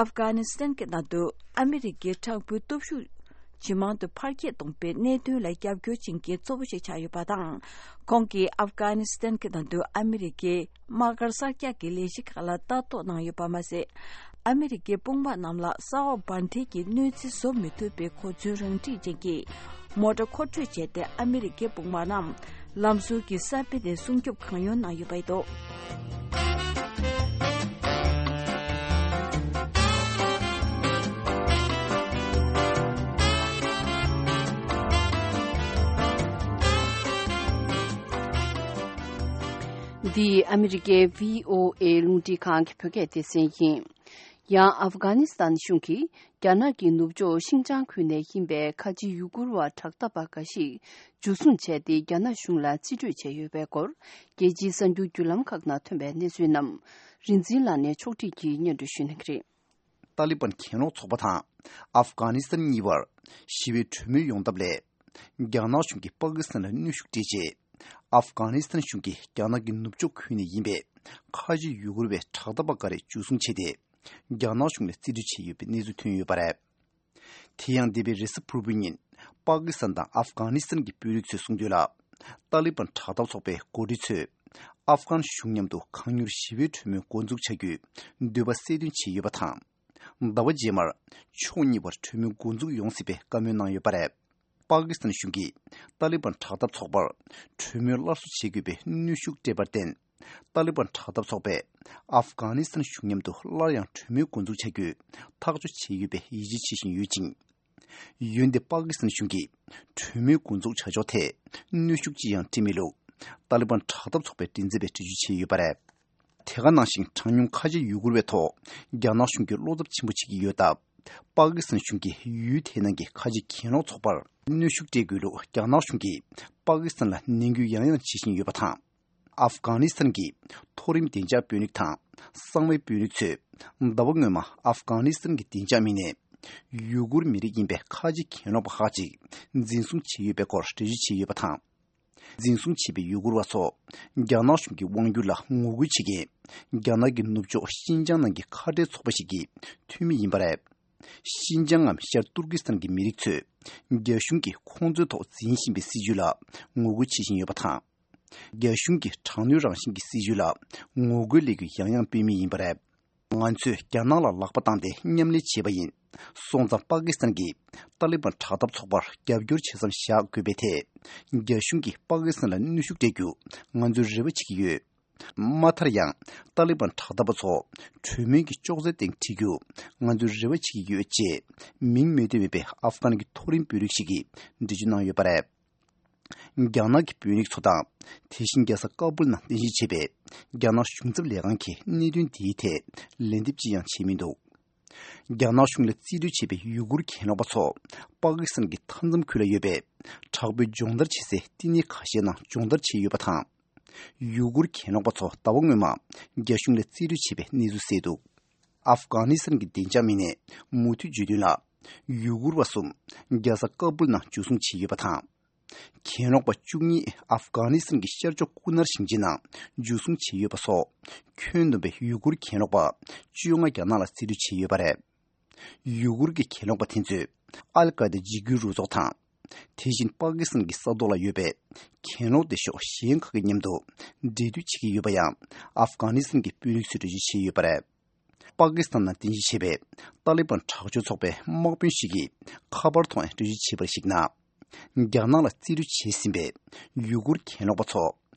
ཨབ་གྷ་ནི་སི་ཐན་གྱི་ནང་དུ་ཨ་མི་རི་ཀའི་དྲག་པོའི་སྟོབས་ཤུགས་ཇེ་མང་དུ་འཕར་སྐྱེད་གཏོང་པའི་གནད་དོན་ལ་རྒྱབ་སྐྱོར་བྱེད་མཁན་གཙོ་བོ་ཞིག་ཆགས་ཡོད་པ་དང་། ཁོང་གིས་ཨབ་གྷ་ནི་སི་ཐན་གྱི་ནང་དུ་ཨ་མི་རི་ཀའི་དམག་སྒར་གསར་རྒྱག་གི་ལས་གཞི་ཁག་ལ་ལྟ་རྟོག་གནང་ཡོད་པ་མ་ཟད། ཨ་མི་རི་ཀའི་དཔུང་དམག་རྣམས་ལ་ས་འོག་འབར་མཐིལ་གྱི་གནོད་འཚེ་བཟོ་མི་ཐུབ་པའི་གོ་མཚོན་རང་འགྲིག་ཅན་གྱི་མོ་ཊ་མཁོ་སྤྲོད་བྱས་ཏེ། ཨ་མི་རི་ཀའི་དཔུང་དམག་རྣམས་ལམ་ཟུར་གྱི་ས་དཔེ་ནས་སྲུང་སྐྱོབ་གང་ཡོང་གནང་ཡོད་པ་རེད་འདུག། འདི་ཨ་མི་རི་ཀའི་བྷི་ཨོ་ཨེ་རླུང་འཕྲིན་ཁང་གི་བོད་སྐད་སྡེ་ཚན་ཡིན། ཡང་ཨབ་གྷ་ནི་སི་ཐན་གཞུང་གིས་རྒྱ་ནག་གི་ནུབ་ཕྱོགས་ཤིན་ཅང་ཁུལ་ནས་ཡིན་པའི་ཁ་ཆེ་ཡུ་གུར་བ་དྲག་འཐབ་པ་འགའ་ཞིག་འཇུ་བཟུང་བྱས་ཏེ། རྒྱ་ནག་གཞུང་ལ་རྩིས་སྤྲོད་བྱས་ཡོད་པའི་སྐོར། རྒྱལ་སྤྱིའི་གསར་འགྱུར་བརྒྱུད་ལམ་ཁག་ནང་ཐོན་པའི་གནས་ཚུལ་རྣམས། རིག་འཛིན་ལགས་ནས་ཕྱོགས་སྒྲིག་གིས་སྙན་སྒྲོན་ཞུ་གནང་གི་རེད། ཏཱ་ལི་བན་གྱེན་ལོག་ཚོགས་པ་དང་ཨབ་གྷ་ནི་སི་ཐན་གཉིས་བར་ཞི་བའི་གྲོས་མོལ་ཡོང་ཐབས་སླད། རྒྱ་ནག་གཞུང་གིས་པ་ཀི་སི་ཐན་ལ་གནོན་ཤུགས་སྤྲད་རྗེས། ཨབ་གྷ་ནི་སི་ཐན་གཞུང་གིས་རྒྱ་ནག་གི་ནུབ་ཕྱོགས་ཁུལ་ནས་ཡིན་པའི་ཁ་ཆེ་ཡུ་གུར་བའི་དྲག་འཐབ་པ་འགའ་རེ་འཇུ་བཟུང་བྱས་ཏེ། རྒྱ་ནག་གཞུང་ལ་རྩིས་སྤྲོད་བྱས་ཡོད་པའི་གནས་ཚུལ་ཐོན་ཡོད་པ་རེད། དེ་ཡང་འདས་པའི་རེས་གཟའ་ཕུར་བུའི་ཉིན། པ་ཀི་སི་ཐན་དང་ཨབ་གྷ་ནི་སི་ཐན་གྱི་དཔོན་རིགས་ཚོས་གསུངས་དོན་ལ། ཏཱ་ལི་བན་དྲག་འཐབ་ཚོགས་པའི་འགོ་ཁྲིད་ཚོས། ཨབ་གྷན་གཞུང་མཉམ་དུ་གང་མྱུར་ཞི་བའི་གྲོས་མོལ་འགོ་འཛུགས་བྱ་རྒྱུའི་འདོད་པ་གསལ་སྟོན་བྱས་ཡོད་པ་དང་། ཟླ་བ་རྗེས་མར་ཕྱོགས་གཉིས་བར་གྲོས་མོལ་འགོ་འཛུགས་ཡོང་སྲིད་པའི་བཀའ་མོལ་གནང་ཡོད་པ་རེད། པ་ཀི་སི་ཐན་གཞུང་གིས་ཏཱ་ལི་བན་དྲག་འཐབ་ཚོགས་པར་གྲོས་མོལ་སླར་གསོ་བྱེད་དགོས་པའི་གནོན་ཤུགས་སྤྲད་པར་བརྟེན། ཏཱ་ལི་བན་དྲག་འཐབ་ཚོགས་པས་ཨབ་གྷ་ནི་སི་ཐན་གཞུང་མཉམ་དུ་སླར་ཡང་གྲོས་མོལ་འགོ་འཛུགས་བྱ་རྒྱུའི་ཐག་གཅོད་བྱས་ཡོད་པའི་ཡིད་ཆེས་བྱེད་བཞིན་ཡོད་ཅིང་། འོན་ཏེ་པ་ཀི་སི་ཐན་གཞུང་གིས་གྲོས་མོལ་འགོ་འཛུགས་བྱ་ཕྱོགས་ཐད་གནོན་ཤུགས་ཅི་ཡང་སྤྲད་མེད་ལུགས། ཏཱ་ལི་བན་དྲག་འཐབ་ཚོགས་པའི་མགྲིན་ཚབ་པས་འགྲེལ་བརྗོད་བྱས་ཡོད་པ་རེད། དེ་ག་ནང་བཞིན། གྲངས་ཉུང་ཁ་ཆེ་ཡུ་གུར་བའི་ཐོག་རྒྱ་ནག་གཞུང་གིས་བློ་འཚབ་ཆེན་པོ་བྱེད་ཀྱི་ཡོད་སྟབས། པ་ཀི་སི་ཐན་གཞུང་གིས་ཡུལ་དེའི་ནང་གི་ཁ་ཆེ་གྱེན་ལོག་ཚོགས་པར་གནོན་ཤུགས་སྤྲད་དགོས་ལུགས་རྒྱ་ནག་གཞུང་གིས་པ་ཀི་སི་ཐན་ལ་ནན་སྐུལ་ཡང་ཡང་བྱེད་བཞིན་ཡོད་པ་དང་། ཨབ་གྷ་ནི་སི་ཐན་གྱི་མཐོ་རིམ་བདེ་འཇགས་དཔོན་རིགས་དང་གསང་བའི་དཔོན་རིགས་ཚོས་ཟླ་བ་སྔོན་མ་ཨབ་གྷ་ནི་སི་ཐན་གྱི་བདེ་འཇགས་མི་སྣས་ཡུ་གུར་མི་རིགས་ཡིན་པའི་ཁ་ཆེ་གྱེན་ལོག་པ་ཁག་ཅིག་འཛིན་བཟུང་བྱས་ཡོད་པའི་སྐོར་འགྲེལ་བརྗོད་བྱས་ཡོད་པ་དང་། འཛིན་བཟུང་བྱས་པའི་ཡུ་གུར་བ་ཚོ་རྒྱ་ནག་གཞུང་གི་དབང་སྒྱུར་ལ་ངོ་རྒོལ་བྱེད་མཁན་རྒྱ་ནག་གི་ནུབ་ཕྱོགས་ཤིན་ཅང་ནང་གི་ཁ་བྲལ་ཚོགས་པ་ཞིག་གི་འཐུས་མི་ཡིན་པ་རེད། ཤིན་ཅང་ངམ་ཤར་ཏུར་ཀི་སི་ཐན་གྱི་མི་རིགས་ཚོས་རྒྱ་གཞུང་གིས་ཁོང་ཚོའི་ཐོག་འཛིན་བཞིན་པའི་སྲིད་བྱུས་ལ་ངོ་རྒོལ་བྱེད་བཞིན་ཡོད་པ་དང་། རྒྱ་གཞུང་གི་དྲག་གནོན་རང་བཞིན་གྱི་སྲིད་བྱུས་ལ་ངོ་རྒོལ་ལས་འགུལ་ཡང་ཡང་སྤེལ་མུས་ཡིན་པ་རེད། ང་ཚོས་རྒྱ་ནག་ལ་ལག་པ་བཏང་སྟེ་མཉམ་ལས་བྱས་པ་ཡིན། སོང་ཙང་པ་ཀི་སི་ཐན་གྱིས་ཏཱ་ལི་བན་དྲག་འཐབ་ཚོགས་པར་རྒྱབ་སྐྱོར་བྱེད་མཚམས་བཞག་དགོས་པའི་ཐད། རྒྱ་གཞུང་གིས་པ་ཀི་སི་ཐན་ལ་གནོན་ཤུགས་སྤྲད་རྒྱུ་ང་ཚོས་རེ་བ་བྱེད་ཀྱི་ཡོད། མ་མཐར་ཡང་ཏཱ་ལི་བན་དྲག་འཐབ་པ་ཚོ་གྲོས་མོལ་གྱི་ཅོག་ཙེའི་སྟེང་ཁྲིད་རྒྱུ་ང་ཚོས་རེ་བ་བྱེད་ཀྱི་ཡོད་ཅེས་མིང་མི་བཏོན་པའི་ཨབ་གྷན་གྱི་མཐོ་རིམ་དཔོན་རིགས་ཤིག་གིས་འགྲེལ་བརྗོད་གནང་ཡོད་པ་རེད། རྒྱ་ནག་གི་དཔོན་རིགས་ཚོ་དང་། དེ་བཞིན་རྒྱལ་ས་ཀ་སྦུལ་ནང་རྟེན་གཞི་བྱས་པའི་རྒྱ་ནག་གཞུང་ཚབ་ལས་ཁང་གིས་གནད་དོན་འདིའི་ཐད་ལན་འདེབས་ཅི་ཡང་བྱས་མི་འདུག། རྒྱ་ནག་གཞུང་ལ་རྩིས་སྤྲོད་བྱས་པའི་ཡུ་གུར་གྱེན་ལོག་པ་ཚོ་པ་ཀི་སི་ཐན་གྱི་མཐའ་མཚམས་ཁུལ་ལ་ཡོད་པའི་དྲག་པོའི་སྦྱོང་བརྡར་བྱེད་སའི་བསྟི་གནས་ཁ་ཤས་ནང་སྦྱོང་བརྡར་བྱས་ཡོད་པ་དང་། ཡུ་གུར་གྱེན་ལོག་པ་ཚོ་ཟླ་བ་སྔོན་མ་རྒྱ་གཞུང་ལ་རྩིས་སྤྲོད་བྱས་པའི་གནས་ཚུལ་གསལ་འདུག། ཨབ་གྷ་ནི་སི་ཐན་གྱི་བདེ་འཇགས་མི་སྣས་མུ་མཐུད་བརྗོད་དོན་ལ། ཡུ་གུར་བ་གསུམ་རྒྱལ་ས་ཀ་སྦུལ་ནང་འཇུ་བཟུང་བྱས་ཡོད་པ་དང་། གྱེན་ལོག་པ་བཅུ་གཉིས་ཨབ་གྷ་ནི་སི་ཐན་གྱི་ཤར་ཕྱོགས་ཀུ་ནར་ཞིང་ཆེན་ནང་འཇུ་བཟུང་བྱས་ཡོད་པ་སོགས། ཁྱོན་བསྡོམས་པའི་ཡུ་གུར་གྱེན་ལོག་པ་བཅོ་ལྔ་རྒྱ་ནག་ལ་རྩིས་སྤྲོད་བྱས་ཡོད་པ་རེད། ཡུ་གུར་གྱི་གྱེན་ལོག་པ་དེ་ཚོས་ཨལ་ཀ་ཡེ་ད་འཇིགས་སྐུལ་རུ་ཚོགས་དང་། དེ་བཞིན་པ་ཀི་སི་ཐན་གྱི་ས་ཐོག་ལ་ཡོད་པའི་གྱེན་ལོག་སྡེ་ཤོག་གཞན་ཁག་གི་མཉམ་དུ་འབྲེལ་མཐུད་བྱེད་ཀྱི་ཡོད་པ་ཡང་ཨབ་གྷ་ནི་སི་ཐན་གྱི་དཔོན་རིགས་ཚོས་འགྲེལ་བརྗོད་བྱས་ཡོད་པ་རེད། པ་ཀི་སི་ཐན་ནང་རྟེན་གཞི་བྱས་པའི་ཏཱ་ལི་བན་དྲག་སྤྱོད་ཚོགས་པའི་དམག་དཔོན་ཞིག་གིས་ཁ་པར་ཐོག་ནས་འགྲེལ་བརྗོད་བྱས་པར་གཞིགས་ན། རྒྱ་ནག་ལ་རྩིས་སྤྲོད་བྱས་ཟིན་པའི་ཡུ་གུར་གྱེན་ལོག་པ་ཚོ་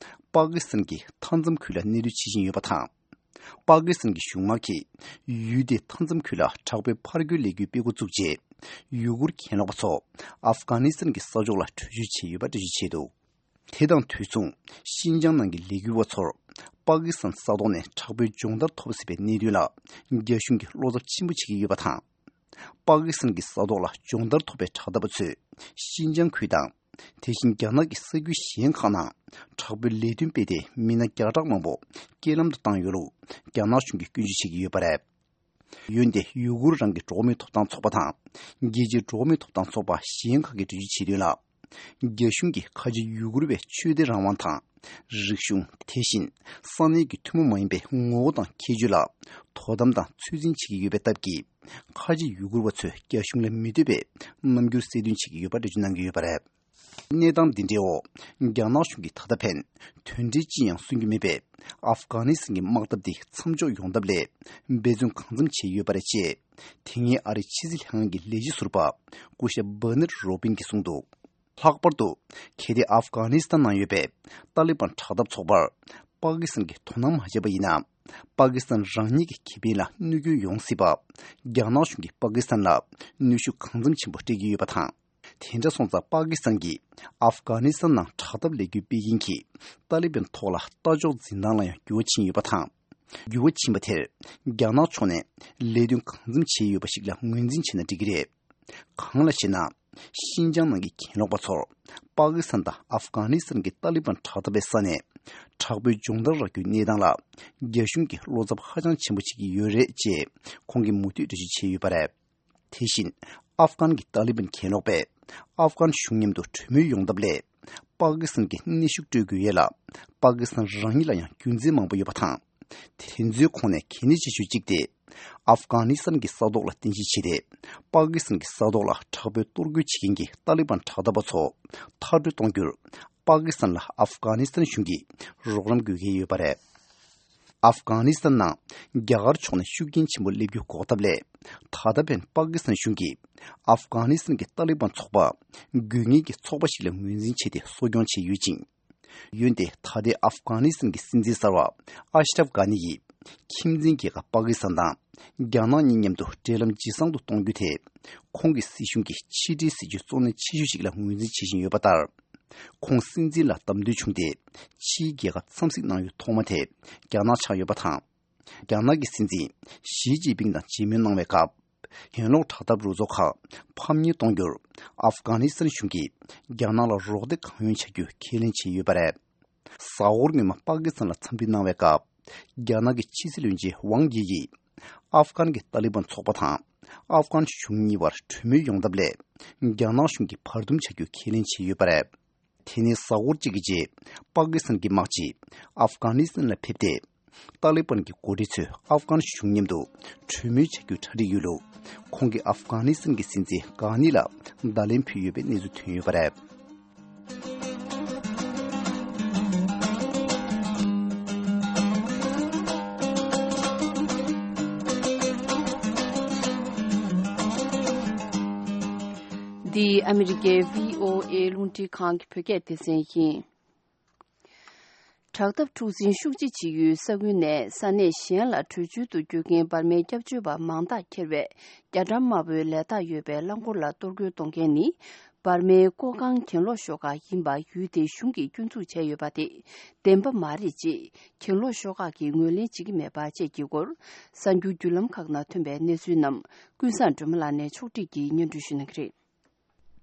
པ་ཀི་སི་ཐན་གྱི་མཐའ་མཚམས་ཁུལ་ལ་གནས་སྡོད་བྱེད་བཞིན་ཡོད་པ་དང་། པ་ཀི་སི་ཐན་གྱི་གཞུང་དམག་གིས་ཡུལ་དེའི་མཐའ་མཚམས་ཁུལ་ལ་དྲག་པོའི་ཕར་རྒོལ་ལས་འགུལ་སྤེལ་འགོ་བཙུགས་རྗེས། ཡུ་གུར་གྱེན་ལོག་པ་ཚོ་ཨབ་གྷ་ནི་སི་ཐན་གྱི་ས་ཕྱོགས་ལ་བྲོས་བྱོལ་བྱས་ཡོད་པ་འགྲེལ་བརྗོད་བྱས་འདུག་དེ་དང་དུས་མཚུངས་ཤིན་ཅང་ནང་གི་ལས་འགུལ་བ་ཚོར་པ་ཀི་སི་ཐན་ས་ཐོག་ནས་དྲག་པོའི་སྦྱོང་བརྡར་ཐོབ་སྲིད་པའི་གནད་དོན་ལ་རྒྱ་གཞུང་གིས་བློ་འཚབ་ཆེན་པོ་བྱེད་ཀྱི་ཡོད་པ་དང་། པ་ཀི་སི་ཐན་གྱི་ས་ཐོག་ལ་སྦྱོང་བརྡར་ཐོབ་པའི་དྲག་འཐབ་པ་ཚོས་ཤིན་ཅང་ཁུལ་དང་། དེ་བཞིན་རྒྱ་ནག་གི་ས་ཁུལ་གཞན་ཁག་ནང་དྲག་པོའི་ལས་དོན་སྤེལ་ཏེ་མི་སྣ་བརྒྱ་ཕྲག་མང་པོ་རྐྱེན་ལམ་དུ་བཏང་ཡོད་ལུགས་རྒྱ་ནག་གཞུང་གིས་སྐྱོན་བརྗོད་བྱེད་ཀྱི་ཡོད་པ་རེད། འོན་ཏེ་ཡུ་གུར་རང་གི་འགྲོ་བ་མིའི་ཐོབ་ཐང་ཚོགས་པ་དང་། རྒྱལ་སྤྱིའི་འགྲོ་བ་མིའི་ཐོབ་ཐང་ཚོགས་པ་གཞན་ཁག་གིས་འགྲེལ་བརྗོད་བྱས་དོན་ལ། རྒྱ་གཞུང་གིས་ཁ་ཆེ་ཡུ་གུར་བའི་ཆོས་དད་རང་དབང་དང་། རིག་གཞུང་། དེ་བཞིན་ས་གནས་ཀྱི་ཐུན་མོང་མ་ཡིན་པའི་ངོ་བོ་དང་ཁྱད་ཆོས་ལ་དོ་དམ་དང་ཚོད་འཛིན་བྱེད་ཀྱི་ཡོད་པའི་སྟབས་ཀྱིས། ཁ་ཆེ་ཡུ་གུར་བ་ཚོས་རྒྱ་གཞུང་ལ་མི་འདོད་པའི་རྣམ་འགྱུར་གསལ་སྟོན་བྱེད་ཀྱི་ཡོད་པ་འགྲེལ་བརྗོད་གནང་གི་ཡོད་པ་རེད། གནས་སྟངས་འདི་འདྲའི་འོག་རྒྱ་ནག་གཞུང་གིས་ད་ལྟ་ཕན་དོན་འབྲས་ཅི་ཡང་སོན་གྱི་མེད་པའི་ཨབ་གྷ་ནི་སི་ཐན་གྱི་དམག་འཐབ་འདི་མཚམས་འཇོག་ཡོང་ཐབས་སླད་འབད་བརྩོན་གང་འཚམ་བྱས་ཡོད་པ་རེད་ཅེས། དེ་སྔའི་ཨ་རིའི་ཕྱི་སྲིད་ལྷན་ཁང་གི་ལས་བྱེད་ཟུར་པ་སྐུ་ཞབས་བྷར་ནེཊ་རོ་བིན་གྱིས་གསུངས་འདུག་ལྷག་པར་དུ། གལ་ཏེ་ཨབ་གྷ་ནི་སི་ཐན་ནང་ཡོད་པའི་ཏཱ་ལི་བན་དྲག་འཐབ་ཚོགས་པར་པ་ཀི་སི་ཐན་གྱིས་དོ་སྣང་མ་བྱས་པ་ཡིན་ན། པ་ཀི་སི་ཐན་རང་ཉིད་ཀྱི་ཁེ་ཕན་ལ་གནོད་སྐྱོན་ཡོང་སྲིད་པ། རྒྱ་ནག་གཞུང་གིས་པ་ཀི་སི་ཐན་ལ་གནོན་ཤུགས་གང་འཚམ་ཆེན་པོ་སྤྲད་ཀྱི་ཡོད་པ་དང་། དེ་འདྲ་སོང་ཙང་པ་ཀི་སི་ཐན་གྱིས་ཨབ་གྷ་ནི་སི་ཐན་ནང་དྲག་འཐབ་ལས་འགུལ་སྤེལ་མཁན་གྱི་ཏཱ་ལི་བན་ཐོག་ལ་ལྟ་ཕྱོགས་འཛིན་སྟངས་ལ་ཡང་འགྱུར་བ་ཕྱིན་ཡོད་པ་དང་། འགྱུར་བ་ཕྱིན་པ་དེར་རྒྱ་ནག་ཕྱོགས་ནས་ལས་དོན་གང་འཚམ་བྱས་ཡོད་པ་ཞིག་ལ་ངོས་འཛིན་བྱས་ན་འགྲིག་གི་རེད། གང་ལགས་ཤེ་ན། ཤིན་ཅང་ནང་གི་གྱེན་ལོག་པ་ཚོར་པ་ཀི་སི་ཐན་དང་ཨབ་གྷ་ནི་སི་ཐན་གྱི་ཏཱ་ལི་བན་དྲག་འཐབ་པའི་ས་ནས་དྲག་པོའི་སྦྱོང་བརྡར་རག་རྒྱུའི་གནས་སྟངས་ལ་རྒྱ་གཞུང་གིས་བློ་འཚབ་ཧ་ཅང་ཆེན་པོ་བྱེད་ཀྱི་ཡོད་རེད་ཅེས་ཁོང་གིས་མུ་མཐུད་འགྲེལ་བརྗོད་བྱས་ཡོད་པ་རེད། དེ་བཞིན་ཨབ་གྷན་གྱི་ཏཱ་ལི་བན་གྱེན་ལོག་པས་ཨབ་གྷན་གཞུང་མཉམ་དུ་གྲོས་མོལ་ཡོང་ཐབས་སླད་པ་ཀི་སི་ཐན་གྱི་གནོན་ཤུགས་སྤྲོད་དགོས་ཡས་ལ་པ་ཀི་སི་ཐན་རང་ཉིད་ལ་ཡང་རྒྱུ་མཚན་མང་པོ་ཡོད་པ་དང་། དེ་ཚོའི་ཁོངས་ནས་གལ་གནད་ཆེ་ཤོས་གཅིག་སྟེ། ཨབ་གྷ་ནི་སི་ཐན་གྱི་ས་ཐོག་ལ་རྟེན་གཞི་བྱས་ཏེ། པ་ཀི་སི་ཐན་གྱི་ས་ཐོག་ལ་དྲག་པོའི་གཏོར་རྒོལ་བྱེད་མཁན་གྱི་ཏཱ་ལི་བན་དྲག་འཐབ་པ་ཚོ་མཐར་སྐྲོད་གཏོང་རྒྱུར། པ་ཀི་སི་ཐན་ལ་ཨབ་གྷ་ནི་སི་ཐན་གཞུང་གིས་རོགས་རམ་དགོས་ཀྱི་ཡོད་པ་རེད། ཨབ་གྷ་ནི་སི་ཐན་ནང་རྒྱ་གར་ཕྱོགས་ནས་ཤུགས་རྐྱེན་ཆེན་པོ་སླེབས་རྒྱུ་འགོག་ཐབས་སླད། ད་ལྟ་ཕན་པ་ཀི་སི་ཐན་གཞུང་གིས་ཨབ་གྷ་ནི་སི་ཐན་གྱི་ཏཱ་ལི་བན་ཚོགས་པ་དགོས་ངེས་ཀྱི་ཚོགས་པ་ཞིག་ལ་ངོས་འཛིན་བྱས་ཏེ་གསོ་སྐྱོང་བྱས་ཡོད་ཅིང་། འོན་ཏེ་ད་ལྟའི་ཨབ་གྷ་ནི་སི་ཐན་གྱི་སྲིད་འཛིན་གསར་བ་ཨ་ཤ་རབ་གྷ་ནི་ཡིས་ཁྱིམ་མཚེས་རྒྱལ་ཁབ་པ་ཀི་སི་ཐན་དང་རྒྱ་ནག་གཉིས་མཉམ་དུ་འབྲེལ་ལམ་ཇེ་བཟང་དུ་གཏོང་རྒྱུ་དེ་ཁོང་གི་སྲིད་གཞུང་གི་ཕྱི་འབྲེལ་སྲིད་ཇུས་གཙོ་གནད་ཆེ་ཤོས་ཤིག་ལ་ངོས་འཛིན་བྱེད་བཞིན་ཡོད་པ་ལྟར། ཁོང་སྲིད་འཛིན་ལ་བདམས་ཐོན་བྱུང་སྟེ་ཕྱིའི་རྒྱལ་ཁབ་འཚམས་གཟིགས་གནང་ཡུལ་ཐོག་མ་དེ་རྒྱ་ནག་ཆགས་ཡོད་པ་དང་། རྒྱ་ནག་གི་སྲིད་འཛིན་ཞི་ཅིན་ཕིང་དང་མཇལ་མོལ་གནང་བའི་སྐབས། གྱེན་ལོག་དྲག་འཐབ་རུ་ཚོགས་ཁག་ཕམ་ཉེས་གཏོང་རྒྱུར་ཨབ་གྷ་ནི་སི་ཐན་གཞུང་གིས་རྒྱ་ནག་ལ་རོགས་འདེགས་གང་ཡོང་བྱ་རྒྱུ་ཁས་ལེན་བྱས་ཡོད་པ་རེད། གཟའ་འཁོར་སྔོན་མ་པ་ཀི་སི་ཐན་ལ་འཚམས་འདྲི་གནང་བའི་སྐབས། རྒྱ་ནག་གི་ཕྱི་སྲིད་བློན་ཆེན་ཝང་དབྱི་ཡིས་ཨབ་གྷན་གྱི་ཏཱ་ལི་བན་ཚོགས་པ་དང་ཨབ་གྷན་གཞུང་གཉིས་བར་གྲོས་མོལ་ཡོང་ཐབས་སླད། རྒྱ་ནག་གཞུང་གིས་བར་འདུམ་བྱ་རྒྱུ་ཁས་ལེན་བྱས་ཡོད་པ་རེད། དེ་ནས་གཟའ་འཁོར་གཅིག་གི་རྗེས། པ་ཀི་སི་ཐན་གྱི་དམག་སྤྱི་ཨབ་གྷ་ནི་སི་ཐན་ལ་ཕེབས་ཏེ། ཏཱ་ལི་བན་གྱི་འགོ་ཁྲིད་ཚོས་ཨབ་གྷན་གཞུང་མཉམ་དུ་གྲོས་མོལ་བྱ་རྒྱུའི་གྲ་སྒྲིག་ཡོད་ལུགས། ཁོང་གིས་ཨབ་གྷ་ནི་སི་ཐན་གྱི་སྲིད་འཛིན་གྷ་ནི་ལ་བརྡ་ལན་ཕུལ་ཡོད་པའི་གནས་ཚུལ་ཐོན་ཡོད་པ་རེད། འདི་ཨ་མི་རི་ཀའི་བྷི་ཨོ་ཨེ་རླུང་འཕྲིན་ཁང་གི་བོད་སྐད་སྡེ་ཚན་ཡིན། དྲག་འཐབ་འཁྲུག་འཛིང་ཤུགས་ཆེ་ཆེ་ཡོད་ས་ཁུལ་ནས་ས་གནས་གཞན་ལ་བྲོས་བྱོལ་དུ་བསྐྱོད་མཁན་འབར་མའི་སྐྱབས་བཅོལ་བ་མང་དག་འཁྱེར་བའི་རྒྱ་གྲམ་དམར་པོའི་ལས་རྟགས་ཡོད་པའི་རླངས་འཁོར་ལ་གཏོར་རྒོལ་གཏོང་མཁན་ནི། འབར་མའི་ཀོ་ཀང་གྱེན་ལོག་ཤོག་ཁག་ཡིན་པ་ཡུལ་དེའི་གཞུང་གིས་སྐྱོན་འཛུགས་བྱས་ཡོད་པ་དེ་བདེན་པ་མ་རེད་ཅེས་གྱེན་ལོག་ཤོག་ཁག་གིས་ངོས་ལེན་བྱེད་ཀྱི་མེད་པ་བཅས་ཀྱི་སྐོར། གསར་འགྱུར་བརྒྱུད་ལམ་ཁག་ནང་ཐོན་པའི་གནས་ཚུལ་རྣམས་ཀུན་བཟང་སྒྲོལ་མ་ལགས་ནས་ཕྱོགས་སྒྲིག་གིས་སྙན་སྒྲོན་ཞུ་གནང་གི་རེད།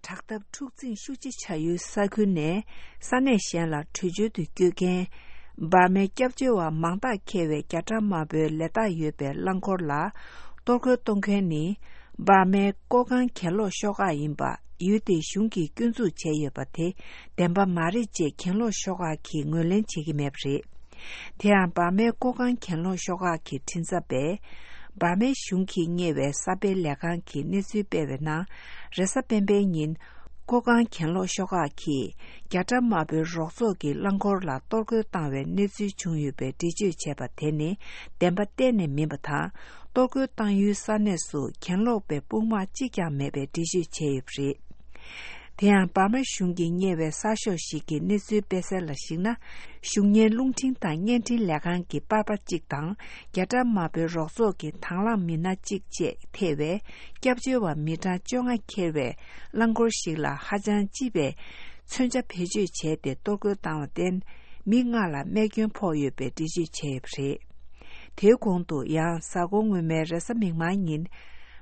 དྲག་འཐབ་འཁྲུག་འཛིང་ཤུགས་ཆེ་ཆགས་ཡུལ་ས་ཁུལ་ནས་ས་གནས་གཞན་ལ་བྲོས་བྱོལ་དུ་བསྐྱོད་མཁན་འབར་མའི་སྐྱབས་བཅོལ་བ་མང་དག་འཁྱེར་བའི་རྒྱ་གྲམ་དམར་པོའི་ལས་རྟགས་ཡོད་པའི་རླངས་འཁོར་ལ་གཏོར་རྒོལ་གཏོང་མཁན་ནི། འབར་མའི་ཀོ་ཀང་གྱེན་ལོག་ཤོག་ཁག་ཡིན་པ་ཡུལ་དེའི་གཞུང་གིས་སྐྱོན་འཛུགས་བྱས་ཡོད་པ་དེ་བདེན་པ་མ་རེད་ཅེས་གྱེན་ལོག་ཤོག་ཁག་གིས་ངོས་ལེན་བྱེད་ཀྱི་མེད་པ་རེད། དེ་ཡང་འབར་མའི་ཀོ་ཀང་གྱེན་ལོག་ཤོག་ཁག་གི་མགྲིན་ཚབ་པས། འབར་མའི་གཞུང་གིས་གཉེར་བའི་གསར་སྤེལ་ལས་ཁང་གིས་གནས་ཚུལ་སྤེལ་བའི་ནང་། རེས་གཟའ་སྤེན་པའི་ཉིན། ཀོ་ཀང་གྱེན་ལོག་ཤོག་ཁག་གིས་རྒྱ་གྲམ་དམར་པོའི་རོགས་ཚོགས་ཀྱི་རླངས་འཁོར་ལ་གཏོར་རྒོལ་བཏང་བའི་གནས་ཚུལ་བྱུང་ཡོད་པའི་འགྲེལ་བརྗོད་བྱས་པ་དེ་ནི་བདེན་པ་གཏན་ནས་མིན་པ་དང་། གཏོར་རྒོལ་བཏང་ཡུལ་ས་གནས་སུ་གྱེན་ལོག་པའི་དཔུང་དམག་གཅིག་ཀྱང་མེད་པའི་འགྲེལ་བརྗོད་བྱས་ཡོད་པ་རེད། དེ་ཡང་འབར་མ་གཞུང་གིས་གཉེར་བའི་གསར་ཤོག་ཞིག་གིས་གནས་ཚུལ་སྤེལ་གསལ་ལ་གཞིགས་ན། གཞུང་གཉེར་རླུང་འཕྲིན་དང་བརྙན་འཕྲིན་ལས་ཁང་གི་པར་པ་གཅིག་དང་རྒྱ་གྲམ་དམར་པོའི་རོགས་ཚོགས་ཀྱི་དང་བླངས་མི་སྣ་གཅིག་བཅས་ཐེ་བའི་སྐྱབས་བཅོལ་བ་མི་གྲངས་བཅོ་ལྔ་འཁྱེར་བའི་རླངས་འཁོར་ཞིག་ལ་ཧ་ཅང་ལྕི་བའི་མཚོན་ཆ་བེད་སྤྱོད་བྱས་ཏེ་གཏོར་རྒོལ་བཏང་བར་བརྟེན། མི་ལྔ་ལ་རྨས་སྐྱོན་ཕོག་ཡོད་པའི་འགྲེལ་བརྗོད་བྱས་ཡོད་པ་རེད། དེའི་གོང་དུ་ཡང་གཟའ་འཁོར་སྔོན་མའི་རེས་གཟའ་མིག་དམར་ཉིན།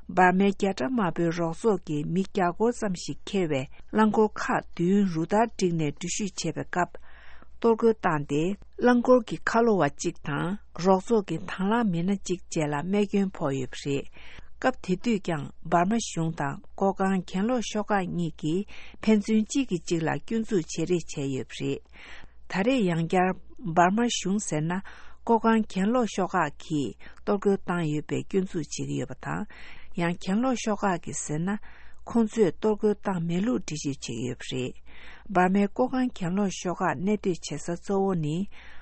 འབར་མའི་རྒྱ་གྲམ་དམར་པོའི་རོགས་ཚོགས་ཀྱི་མི་བརྒྱ་སྐོར་ཙམ་ཞིག་འཁྱེར་བའི་རླངས་འཁོར་ཁག་བདུན་རུ་སྟར་བསྒྲིགས་ནས་འགྲུལ་བཞུད་བྱེད་པའི་སྐབས། གཏོར་རྒོལ་བཏང་སྟེ། རླངས་འཁོར་གྱི་ཁ་ལོ་བ་གཅིག་དང་། རོགས་ཚོགས་ཀྱི་དང་བླངས་མི་སྣ་གཅིག་བཅས་ལ་རྨས་སྐྱོན་ཕོག་ཡོད་པ་རེད། སྐབས་དེ་དུས་ཀྱང་འབར་མ་གཞུང་དང་ཀོ་ཀང་གྱེན་ལོག་ཤོག་ཁག་གཉིས་ཀྱིས་ཕན་ཚུན་གཅིག་གིས་གཅིག་ལ་སྐྱོན་འཛུགས་བྱེད་རེས་བྱས་ཡོད་པ་རེད། ད་རེས་ཡང་བསྐྱར་འབར་མ་གཞུང་ཟེར་ན་ཀོ་ཀང་གྱེན་ལོག་ཤོག་ཁག་གིས་གཏོར་རྒོལ་བཏང་ཡོད་པའི་སྐྱོན་འཛུགས་བྱེད་ཀྱི་ཡོད་པ་དང་། ཡང་གྱེན་ལོག་ཤོག་ཁག་གིས་ཟེར་ན། ཁོང་ཚོས་གཏོར་རྒོལ་བཏང་མེད་ལུགས་འགྲེལ་བརྗོད་བྱེད་ཀྱི་ཡོད་པ་རེད། འབར་མའི་ཀོ་ཀང་གྱེན་ལོག་ཤོག་ཁག་གནས་སྡོད་བྱེད་ས་གཙོ་བོ་ནི།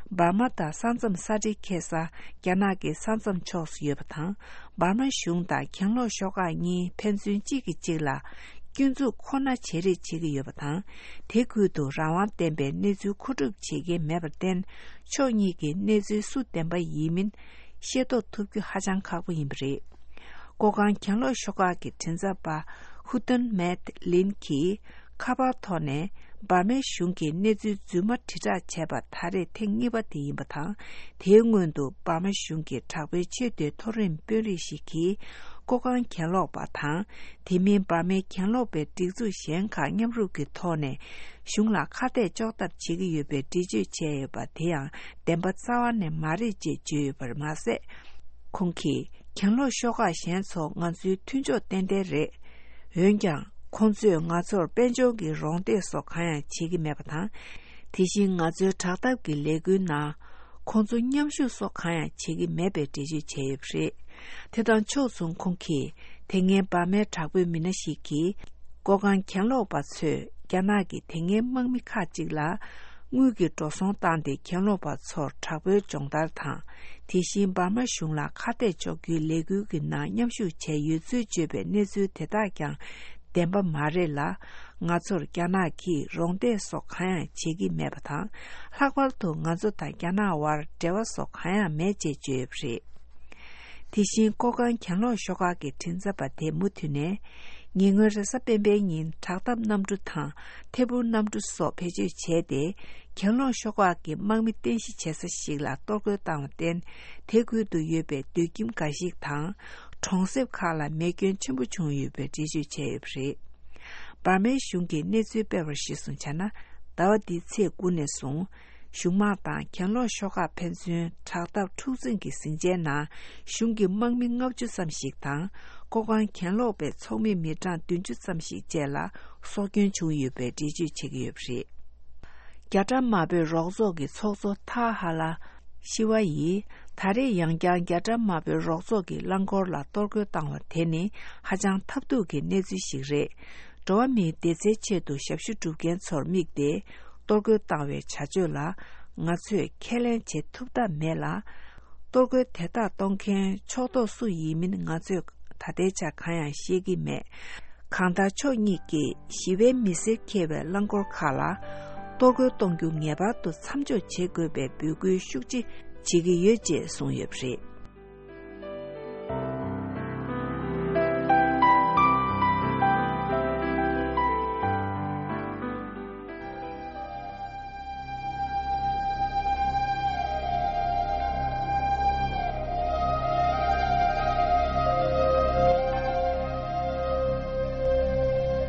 འབར་མ་དང་ས་མཚམས་ས་འབྲེལ་འཁེལ་ས་རྒྱ་ནག་གི་ས་མཚམས་ཕྱོགས་སུ་ཡོད་པ་དང་། འབར་མ་གཞུང་དང་གྱེན་ལོག་ཤོག་ཁག་གཉིས་ཕན་ཚུན་གཅིག་གིས་གཅིག་ལ་སྐྱོན་འཛུགས་ཁོ་ན་བྱེད་རེས་བྱེད་ཀྱི་ཡོད་པ་དང་། དེ་ཁུལ་དུ་རང་དབང་ལྡན་པའི་གནས་ཚུལ་མཁོ་སྒྲུབ་བྱེད་མཁན་མེད་པར་བརྟེན། ཕྱོགས་གཉིས་ཀྱི་གནས་ཚུལ་སུ་བདེན་པ་ཡིན་མིན་ཤེས་རྟོགས་ཐུབ་རྒྱུ་ཧ་ཅང་ཁག་པོ་ཡིན་པ་རེད། ཀོ་ཀང་གྱེན་ལོག་ཤོག་ཁག་གི་མགྲིན་ཚབ་པ་ཧུ་ཏོན་མེད་ལིན་གྱིས་ཁ་པར་ཐོག་ནས་འབར་མའི་གཞུང་གིས་གནས་ཚུལ་རྫུན་མ་དྲིལ་བསྒྲགས་བྱས་པ་ད་རེས་ཐེངས་གཉིས་པ་དེ་ཡིན་པ་དང་། དེའི་སྔོན་དུ་འབར་མ་གཞུང་གི་དྲག་པོའི་ཆེས་མཐོའི་མཐོ་རིམ་དཔོན་རིགས་ཤིག་གིས་ཀོ་ཀང་གྱེན་ལོག་པ་དང་། དེ་མིན་འབར་མའི་གྱེན་ལོག་པའི་སྒྲིག་འཛུགས་གཞན་ཁག་མཉམ་རུབ་ཀྱི་ཐོག་ནས་གཞུང་ལ་ཁ་གཏད་གཅོག་ཐབས་བྱེད་ཀྱི་ཡོད་པའི་འགྲེལ་བརྗོད་བྱས་ཡོད་པ་དེ་ཡང་བདེན་པ་རྩ་བ་ནས་མ་རེད་ཅེས་བརྗོད་ཡོད་པར་མ་ཟད། ཁོང་གིས་གྱེན་ལོག་ཤོག་ཁག་གཞན་ཚོ་ང་ཚོའི་མཐུན་ཕྱོགས་ཏན་ཏན་རེད། འོན་ཀྱང་ཁོང་ཚོས་ང་ཚོར་དཔལ་འབྱོར་གྱི་རོགས་འདེགས་སོགས་གང་ཡང་བྱེད་ཀྱི་མེད་པ་དང་། དེ་བཞིན་ང་ཚོའི་དྲག་འཐབ་ཀྱི་ལས་འགུལ་ནང་ཁོང་ཚོ་མཉམ་ཞུགས་སོགས་གང་ཡང་བྱེད་ཀྱི་མེད་པའི་འགྲེལ་བརྗོད་བྱས་ཡོད་པ་རེད། དེ་དང་ཕྱོགས་མཚུངས་ཁོང་གིས་དེ་སྔའི་འབར་མའི་དྲག་པོའི་མི་སྣ་ཞིག་གིས། ཀོ་ཀང་གྱེན་ལོག་པ་ཚོས་རྒྱ་ནག་གི་དེ་སྔའི་དམག་མི་ཁག་ཅིག་ལ་དངུལ་གྱི་འགྲོ་སོང་བཏང་སྟེ་གྱེན་ལོག་པ་ཚོར་དྲག་པོའི་སྦྱོང་བརྡར་དང་། དེ་བཞིན་འབར་མ་གཞུང་ལ་ཁ་གཏད་གཅོག་རྒྱུའི་ལས་འགུལ་གྱི་ནང་མཉམ་ཞུགས་བྱས་ཡོད་ཚུལ་བརྗོད་པའི་གནས་ཚུལ་དེ་དག་ཀྱང་བདེན་པ་མ་རེད་ལ། ང་ཚོར་རྒྱ་ནག་གིས་རོགས་འདེགས་སོགས་གང་ཡང་བྱེད་ཀྱི་མེད་པ་དང་། ལྷག་པར་དུ་ང་ཚོ་དང་རྒྱ་ནག་དབར་འབྲེལ་བ་སོགས་གང་ཡང་མེད་ཅེས་བརྗོད་ཡོད་པ་རེད། དེ་བཞིན་ཀོ་ཀང་གྱེན་ལོག་ཤོག་ཁག་གི་མགྲིན་ཚབ་པ་དེ་མུ་མཐུད་ནས། ཉེ་སྔོན་རེས་གཟའ་སྤེན་པའི་ཉིན་དྲག་འཐབ་གནམ་གྲུ་དང་ཐད་འཕུར་གནམ་གྲུ་སོགས་བེད་སྤྱོད་བྱས་ཏེ། གྱེན་ལོག་ཤོག་ཁག་གི་དམག་མི་རྟེན་གཞི་བྱེད་ས་ཞིག་ལ་གཏོར་རྒོལ་བཏང་བར་བརྟེན། དེ་ཁུལ་དུ་ཡོད་པའི་སྡོད་ཁྱིམ་འགའ་ཞིག་དང་། གྲོང་གསེབ་ཁག་ལ་མེ་སྐྱོན་ཆེན་པོ་བྱུང་ཡོད་པའི་འགྲེལ་བརྗོད་བྱས་ཡོད་པ་རེད། འབར་མའི་གཞུང་གིས་གནས་ཚུལ་སྤེལ་བར་གཞིར་བཟུང་བྱས་ན། ཟླ་བ་འདིའི་ཚེས་དགུ་ནས་བཟུང་། གཞུང་དམག་དང་གྱེན་ལོག་ཤོག་ཁག་ཕན་ཚུན་དྲག་འཐབ་འཁྲུག་འཛིང་གི་ཟིང་ཆའི་ནང་གཞུང་གི་དམག་མི་ལྔ་བཅུ་ཙམ་ཞིག་དང་། ཀོ་ཀང་གྱེན་ལོག་པའི་ཚོགས་མི་མི་གྲངས་བདུན་ཅུ་ཙམ་ཞིག་བཅས་ལ་སྲོག་སྐྱོན་བྱུང་ཡོད་པའི་འགྲེལ་བརྗོད་བྱེད་ཀྱི་ཡོད་པ་རེད། རྒྱ་གྲམ་དམར་པོའི་རོགས་ཚོགས་ཀྱི་ཚོགས་གཙོ་ཐ་ཧ་ལ་ཤི་ཝ་ཡིས་ད་རེས་ཡང་བསྐྱར་རྒྱ་གྲམ་དམར་པོའི་རོགས་ཚོགས་ཀྱི་རླངས་འཁོར་ལ་གཏོར་རྒོལ་བཏང་བ་དེ་ནི་ཧ་ཅང་ཐབས་སྡུག་གི་གནས་ཚུལ་ཞིག་རེད། འགྲོ་བ་མིའི་བདེ་རྩའི་ཆེད་དུ་ཞབས་ཞུ་སྒྲུབ་མཁན་ཚོར་དམིགས་ཏེ། གཏོར་རྒོལ་བཏང་བའི་བྱ་སྤྱོད་ལ་ང་ཚོས་ཁས་ལེན་བྱེད་ཐུབ་ཐབས་མེད་ལ། གཏོར་རྒོལ་དེ་དག་གཏོང་མཁན་ཕྱོགས་གཏོགས་སུ་ཡིན་མིན་ང་ཚོས་ད་ལྟའི་ཆར་གང་ཡང་ཤེས་ཀྱི་མེད། གང་ལྟར་ཕྱོགས་གཉིས་ཀྱིས་ཞི་བའི་མི་སེར་འཁྱེར་བའི་རླངས་འཁོར་ཁག་ལ་གཏོར་རྒོལ་གཏོང་རྒྱུ་ངེས་པར་དུ་མཚམས་འཇོག་བྱེད་དགོས་པའི་འབོད་སྐུལ་ཤུགས་ཆེ་བྱེད་ཀྱི་ཡོད་ཅེས་གསུངས་ཡོད་པ་རེད།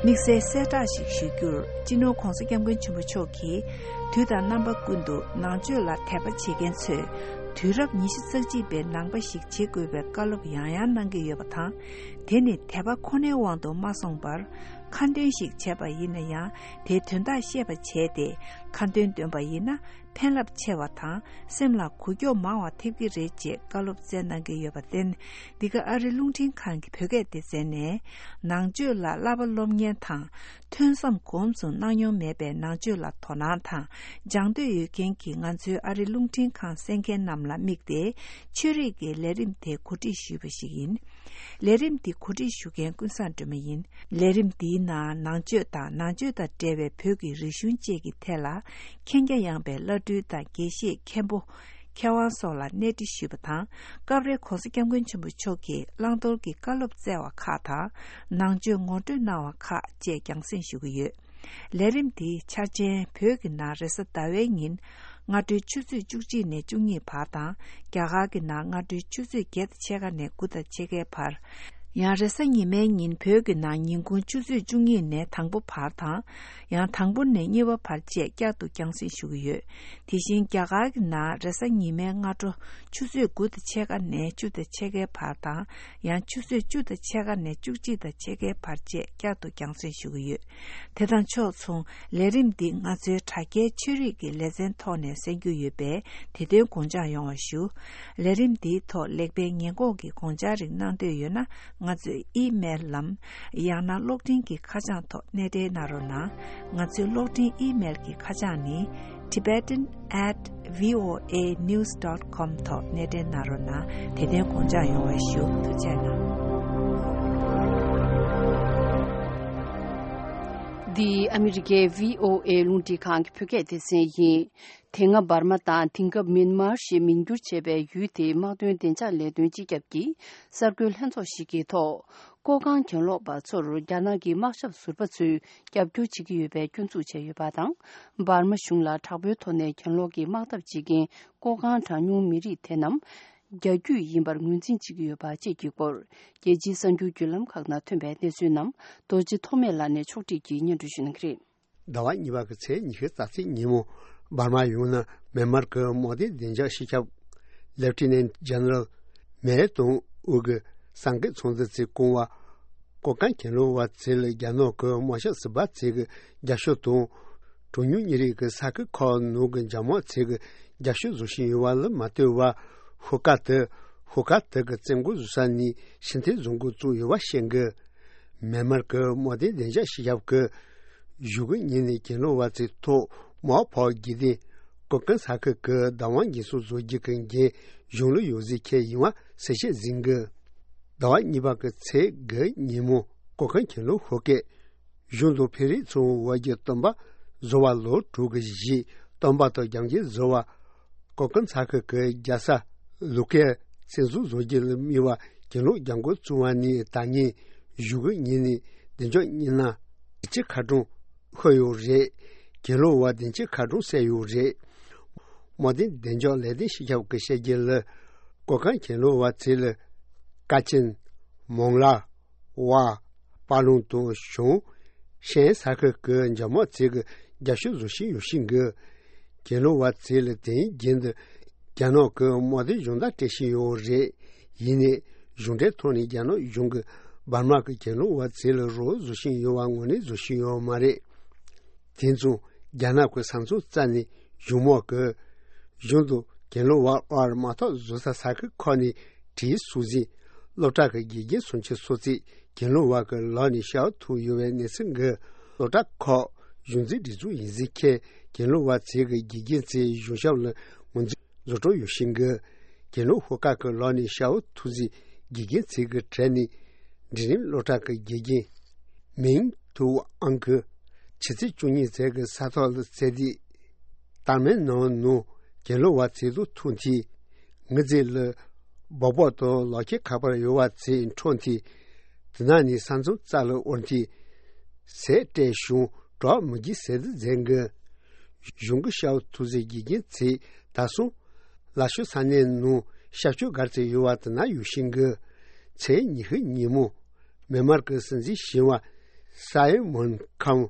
དམིགས་བསལ་གསལ་བསྒྲགས་ཤིག་ཞུ་རྒྱུར། སྤྱི་ནོར་༧གོང་ས་༧སྐྱབས་མགོན་ཆེན་པོ་མཆོག་གིས་དུས་དང་རྣམ་པ་ཀུན་ཏུ་ནང་ཆོས་ལ་དད་པ་བྱེད་མཁན་ཚོས་ དུས་རབས་ཉི་ཤུ་རྩ་གཅིག་པའི་ནང་པ་ཞིག་བྱེད་དགོས་པའི་བཀའ་སློབ་ཡང་ཡང་གནང་གི་ཡོད་པ་དང་། དེ་ནི་དད་པ་ཁོ་ནའི་དབང་དུ་མ་སོང་བར། ཁ་འདོན་ཞིག་བྱས་པ་ཡིན་ན་ཡང་། དེའི་དོན་དག་ཤེས་པ་བྱས་ཏེ། ཁ་འདོན་འདོན་པ་ཡིན་ན། ཕན་རླབས་ཆེ་བ་དང་། སེམས་ལ་འགུག་སྐྱོབ་མང་བ་ཐེབས་ཀྱི་རེད་ཅེས་བཀའ་སློབ་སྩལ་གནང་གི་ཡོད་པར་བརྟེན། འདི་ག་ཨ་རི་རླུང་འཕྲིན་ཁང་གི་བོད་སྐད་སྡེ་ཚན་ནས། ནང་ཆོས་ལ་བསླབ་པ་སློབ་གཉེར་དང་། ཐོས་བསམ་སྒོམ་གསུམ་གནང་མྱོང་མེད་པའི་ནང་ཆོས་ལ་དོ་སྣང་དང་། སྦྱང་འདོད་ཡོད་མཁན་གྱི་ང་ཚོའི་ཨ་རི་རླུང་འཕྲིན་ཁང་གསན་མཁན་རྣམས་ལ་དམིགས་ཏེ། ཆོས་རིག་གི་ལས་རིམ་དེ་གོ་སྒྲིག་ཞུས་པ་ཞིག་ཡིན། ལས་རིམ་འདི་གོ་སྒྲིག་ཞུ་མཁན་ཀུན་བཟང་སྒྲོལ་མ་ཡིན། ལས་རིམ་འདིའི་ནང་ནང་ཆོས་དང་ནང་ཆོས་དང་འབྲེལ་བའི་བོད་ཀྱི་རིག་གཞུང་བཅས་ཀྱི་ཐད་ལ། མཁྱེན་རྒྱ་ཡངས་པའི་བླ་སྤྲུལ་དང་དགེ་བཤེས་མཁན་པོ། མཁས་དབང་སོགས་ལ་གནས་འདྲི་ཞུས་པ་དང་། སྐབས་རེ་༸གོང་ས་༸སྐྱབས་མགོན་ཆེན་པོ་མཆོག་གིས་བླང་དོར་གྱི་བཀའ་སློབ་སྩལ་བ་ཁག་དང་། ནང་ཆོས་ངོ་སྤྲོད་གནང་བ་ཁག་བཅས་རྒྱང་སྲིང་ཞུ་གི་ཡོད། ལས་རིམ་འདིའི་འཆར་ཅན་བོད་ཀྱི་ནང་རེས་གཟའ་ཟླ་བའི་ཉིན། སྔ་དྲོའི་ཆུ་ཚོད་བཅུ་གཅིག་ནས་བཅུ་གཉིས་བར་དང་། རྒྱ་གར་གྱི་ནང་སྔ་དྲོའི་ཆུ་ཚོད་བརྒྱད་དང་ཕྱེད་ཀ་ནས་དགུ་དང་ཕྱེད་ཀའི་བར། ཡང་རེས་གཟའ་ཉི་མའི་ཉིན་བོད་ཀྱི་ནང་ཉིན་གུང་ཆུ་ཚོད་བཅུ་གཉིས་ནས་དང་པོ་བར་དང་། ཡང་དང་པོ་ནས་གཉིས་པ་བར་བཅས་བསྐྱར་དུ་རྒྱང་སྲིང་ཞུ་གི་ཡོད། དེ་བཞིན་རྒྱ་གར་གྱི་ནང་རེས་གཟའ་ཉི་མའི་སྔ་དྲོ་ཆུ་ཚོད་དགུ་དང་ཕྱེད་ཀ་ནས་བཅུ་དང་ཕྱེད་ཀའི་བར་དང་། ཡང་ཆུ་ཚོད་བཅུ་དང་ཕྱེད་ཀ་ནས་བཅུ་གཅིག་དང་ཕྱེད་ཀའི་བར་བཅས་བསྐྱར་དུ་རྒྱང་སྲིང་ཞུ་གི་ཡོད། དེ་དང་ཕྱོགས་མཚུངས། ལས་རིམ་འདི་ང་ཚོའི་དྲ་རྒྱའི་ཆོས་རིག་གི་ལེ་ཚན་ཐོག་ནས་གསན་རྒྱུ་ཡོད་པས། དེ་དོན་དགོངས་འཇགས་ཡོང་བ་ཞུ། ལས་རིམ་འདིའི་ཐོག་ལེགས་སྤེལ་ཉེས་འགོག་གི་དགོངས་འཆར་རིགས་གནང་འདོད་ཡོད་ན། ང་ཚོའི་ཨི་མེལ་ལམ། ཡང་ན་གློག་འཕྲིན་གྱི་ཁ་བྱང་ཐོག་གནས་འབྲེལ་གནང་རོགས་གནང་། ང་ཚོའི་གློག་འཕྲིན་ཨི་མེལ་གྱི་ཁ་བྱང་ནི། tibetan at voanews dot com ཐོག་གནས་འབྲེལ་གནང་རོགས་གནང་། དེ་དོན་དགོངས་འཇགས་ཡོང་བ་ཞུ། ཐུགས་རྗེ་གནང་། འདི་ཨ་མི་རི་ཀའི་བྷི་ཨོ་ཨེ་རླུང་འཕྲིན་ཁང་གི་བོད་སྐད་སྡེ་ཚན་ཡིན། དེ་སྔ་འབར་མ་དང་དེང་སྐབས་མིན་མར་ཞེས་མིང་བསྒྱུར་བྱས་པའི་ཡུལ་དེའི་དམག་དོན་བདེ་འཇགས་ལས་དོན་སྤྱི་ཁྱབ་ཀྱིས་གསར་འགོད་ལྷན་ཚོགས་ཤིག་གི་ཐོག་ཀོ་ཁང་གྱེན་ལོག་པ་ཚོར་རྒྱ་ནག་གི་དམག་ཞབས་ཟུར་པ་ཚོས་རྒྱབ་སྐྱོར་བྱེད་ཀྱི་ཡོད་པའི་སྐྱོན་འཛུགས་བྱས་ཡོད་པ་དང་། འབར་མ་གཞུང་ལ་དྲག་པོའི་ཐོག་ནས་གྱེན་ལོག་གི་དམག་འཐབ་བྱེད་མཁན་ཀོ་ཁང་གྲངས་ཉུང་མི་རིགས་དེ་རྣམས་རྒྱ་རྒྱུད་ཡིན་པར་ངོས་འཛིན་བྱེད་ཀྱི་ཡོད་པ་བཅས་ཀྱི་སྐོར། རྒྱལ་སྤྱིའི་གསར་འགྱུར་བརྒྱུད་ལམ་ཁག་ནང་ཐོན་པའི་གནས་ཚུལ་རྣམས་རྡོ་རྗེ་ཐོགས་མེད་ལགས་ནས་ཕྱོགས་སྒྲིག་གིས་སྙན་སྒྲོན་ཞུ་གནང་གི་རེད། ཟླ་བ་གཉིས་པ་གི་ཚེས་ཉི་ཤུ་རྩ་གཅིག་ཉིན་མོ། འབར་མ་ཡུལ་ནང་མེན་མར་གྱི་དམག་སྡེ་བདེ་འཇགས་སྤྱི་ཁྱབ་Lieutenant General མེ་ཏོང་ཨུ་གི་གསར་འགོད་ཚོགས་འདུ་དེ་སྐོང་བ། ཀོ་ཁང་གྱེན་ལོག་པ་ཚོ་ལ་རྒྱ་ནག་གི་དམག་ཞབས་ཟུར་པ་ཚོ་གི་རྒྱབ་སྐྱོར་དང་། གྲངས་ཉུང་མི་རིགས་ཀྱི་ས་ཁུལ་ཁག་ནང་གི་འཇབ་དམག་ཚོ་གི་རྒྱབ་སྐྱོར་བཟོ་བཞིན་ཡོད་པ་ལ་མ་ལྟོས་པར། ཤོག་ཁག་དེ། ཤོག་ཁག་དེ་གི་བཙན་རྒོལ་བཟོ་ས་ནི་ཕྱི་འཐེན་བཟོ་འགོ་བཙུགས་ཡོད་པ་བཤད་གི། མེན་མར་གྱི་དམག་སྡེ་བདེ་འཇགས་སྤྱི་ཁྱབ་ཀྱིས་གཞུག་གི་ཉིན་ནས་གྱེན་ལོག་པ་ཚོའི་ཐོག་དམག་འཕུར་བ་བརྒྱུད་དེ། ཀོ་ཁང་ས་ཁུལ་གྱི་བདག་དབང་འགན་སྲུང་བཟོ་རྒྱུ་གི་འགན་གཞུང་ལ་ཡོད་ཟེར་འཁྱེར་ཡོང་བ་གསལ་བཤད་ཟིན་གི། ཟླ་བ་གཉིས་པ་གི་ཚེས་དགུ་ཉིན་མོ་ཀོ་ཁང་གྱེན་ལོག་ཤོག་ཁག་གཞུང་དང་བོད་རིགས་ཚོའི་དབར་གྱི་བསྟུན་པ་བཟོ་བ་ལོ་དྲུག་གི་རྗེས་བསྟུན་པ་དང་རྒྱབ་འགལ་བཟོ་བ། ཀོ་ཁང་ས་ཁུལ་གྱི་རྒྱལ་ས་ལུ་ཀའི་བཙན་འཛུལ་བཟོ་རྒྱུ་ལ་དམིགས་པ་གྱེན་ལོག་རྒྱབ་འགོ་བཙུགས་པ་ནས་ད་ཉིན་གཞུག་གི་ཉིན་ནས་བདེ་འཇགས་གཉིས་ན་བདེ་སྐྱིད་ཁ་གྲངས་ཤོར་ཡོད་རེད། གྱེན་ལོག་པ་བདེ་སྐྱིད་ཁ་གྲངས་བསད་ཡོད་རེད། དམག་དོན་བདེ་འཇགས་ལས་དོན་སྤྱི་ཁྱབ་ཀྱིས་བཤད་རྒྱུ་ལ། ཀོ་ཁང་གྱེན་ལོག་པ་ཚོ་ལ་ཀ་ཆེན། མོང་ལ། ཝ། པ་ལུང་དང་གཞུང་། ཤན་ས་ཁུལ་གྱི་འཇབ་དམག་ཚོ་གི་རྒྱབ་སྐྱོར་བཟོ་བཞིན་ཡོད་བཞིན་གི། གྱེན་ལོག་པ་ཚོ་ལ་དེའི་རྒྱུན་དུ་རྒྱ་ནག་གི་དམག་དོན་སྦྱོང་བརྡར་སྤྲད་བཞིན་ཡོད་རེད། ཡིན་ནའི་གཞུང་འབྲེལ་ཐོག་ནས་རྒྱ་ནག་གཞུང་གིས་འབར་མ་གི་གྱེན་ལོག་པ་ཚོ་ལ་རོགས་བཟོ་བཞིན་ཡོད་པ་ངོས་ལེན་བཟོ་བཞིན་ཡོད་མ་རེད། དེ་མཚུངས་རྒྱ་ནག་གི་ས་མཚམས་རྩ་ནས་གཞུང་དམག་གིས་གཞུང་དང་གྱེན་ལོག་པ་དབར་དམག་འཐབ་བཟོ་ས་ས་ཁུལ་ཁག་ནས་བྲིས་སོང་ཟིན། སློབ་གྲྭ་གི་དགེ་རྒན་སུམ་ཅུ་སོ་གཅིག་གྱེན་ལོག་པ་གི་ལག་ནས་ཤི་བ་ཐུག་ཡོད་པའི་གནས་ཚུལ་འགའ། སློབ་གྲྭ་ཁག་གཞུང་འཛིན་སྒྲིག་འཛུགས་ཡིན་ཟེར་འཁྱེར་གྱེན་ལོག་པ་ཚོ་གི་དགེ་རྒན་ཚོས་གཞུང་ཞབས་ལ་ངོས་འཛིན་བཟོ་སྤྲོ་ཡོད་བཞིན་གི། གྱེན་ལོག་ཤོག་ཁག་གི་ལག་ནས་ཤི་བ་ཐུག་ཟིན་དགེ་རྒན་ཚོ་གི་གྲས་ནས་འབྲིང་རིམ་སློབ་གྲྭ་གི་དགེ་རྒན་མིང་ཐུའུ་ཨང་གིས་ཕྱི་ཚེས་བཅུ་གཉིས་ཚེས་ཀྱི་ས་ཐོག་ལ་བཙལ་ཏེ། ཏར་མན་ནང་ནང་གྱེན་ལོག་པ་ཚོ་དང་ཐུག་དུས། ངའི་རྩིབ་ལ་སྦག་སྦག་དང་ལག་ཁྱེར་ཁ་པར་ཡོད་པ་ཚོ་འཕྲོག་དུས། དེ་ནང་ནས་ས་མཚམས་རྩ་ལ་དབོར་དུས། ཟས་སྤྲད་བྱུང་གྲོགས་མི་རྒྱུག་ཟེར་དུ་མཛད་གི། གཞུང་གི་ཤི་བ་ཐུག་ཟིན་དགེ་རྒན་ཚོས་ད་སོང་། ལ་ཤོ་ས་གནས་ནང་ཤར་ཕྱོགས་སྒར་ཚོ་ཡོད་པ་དེ་ན་ཡོད་བཞིན་གི། ཚེས་ཉི་ཤུ་ཉིན་མོ། མེན་མར་གྱི་སྲིད་འཛིན་གཞོན་པ་སའེ་མོན་ཁམ་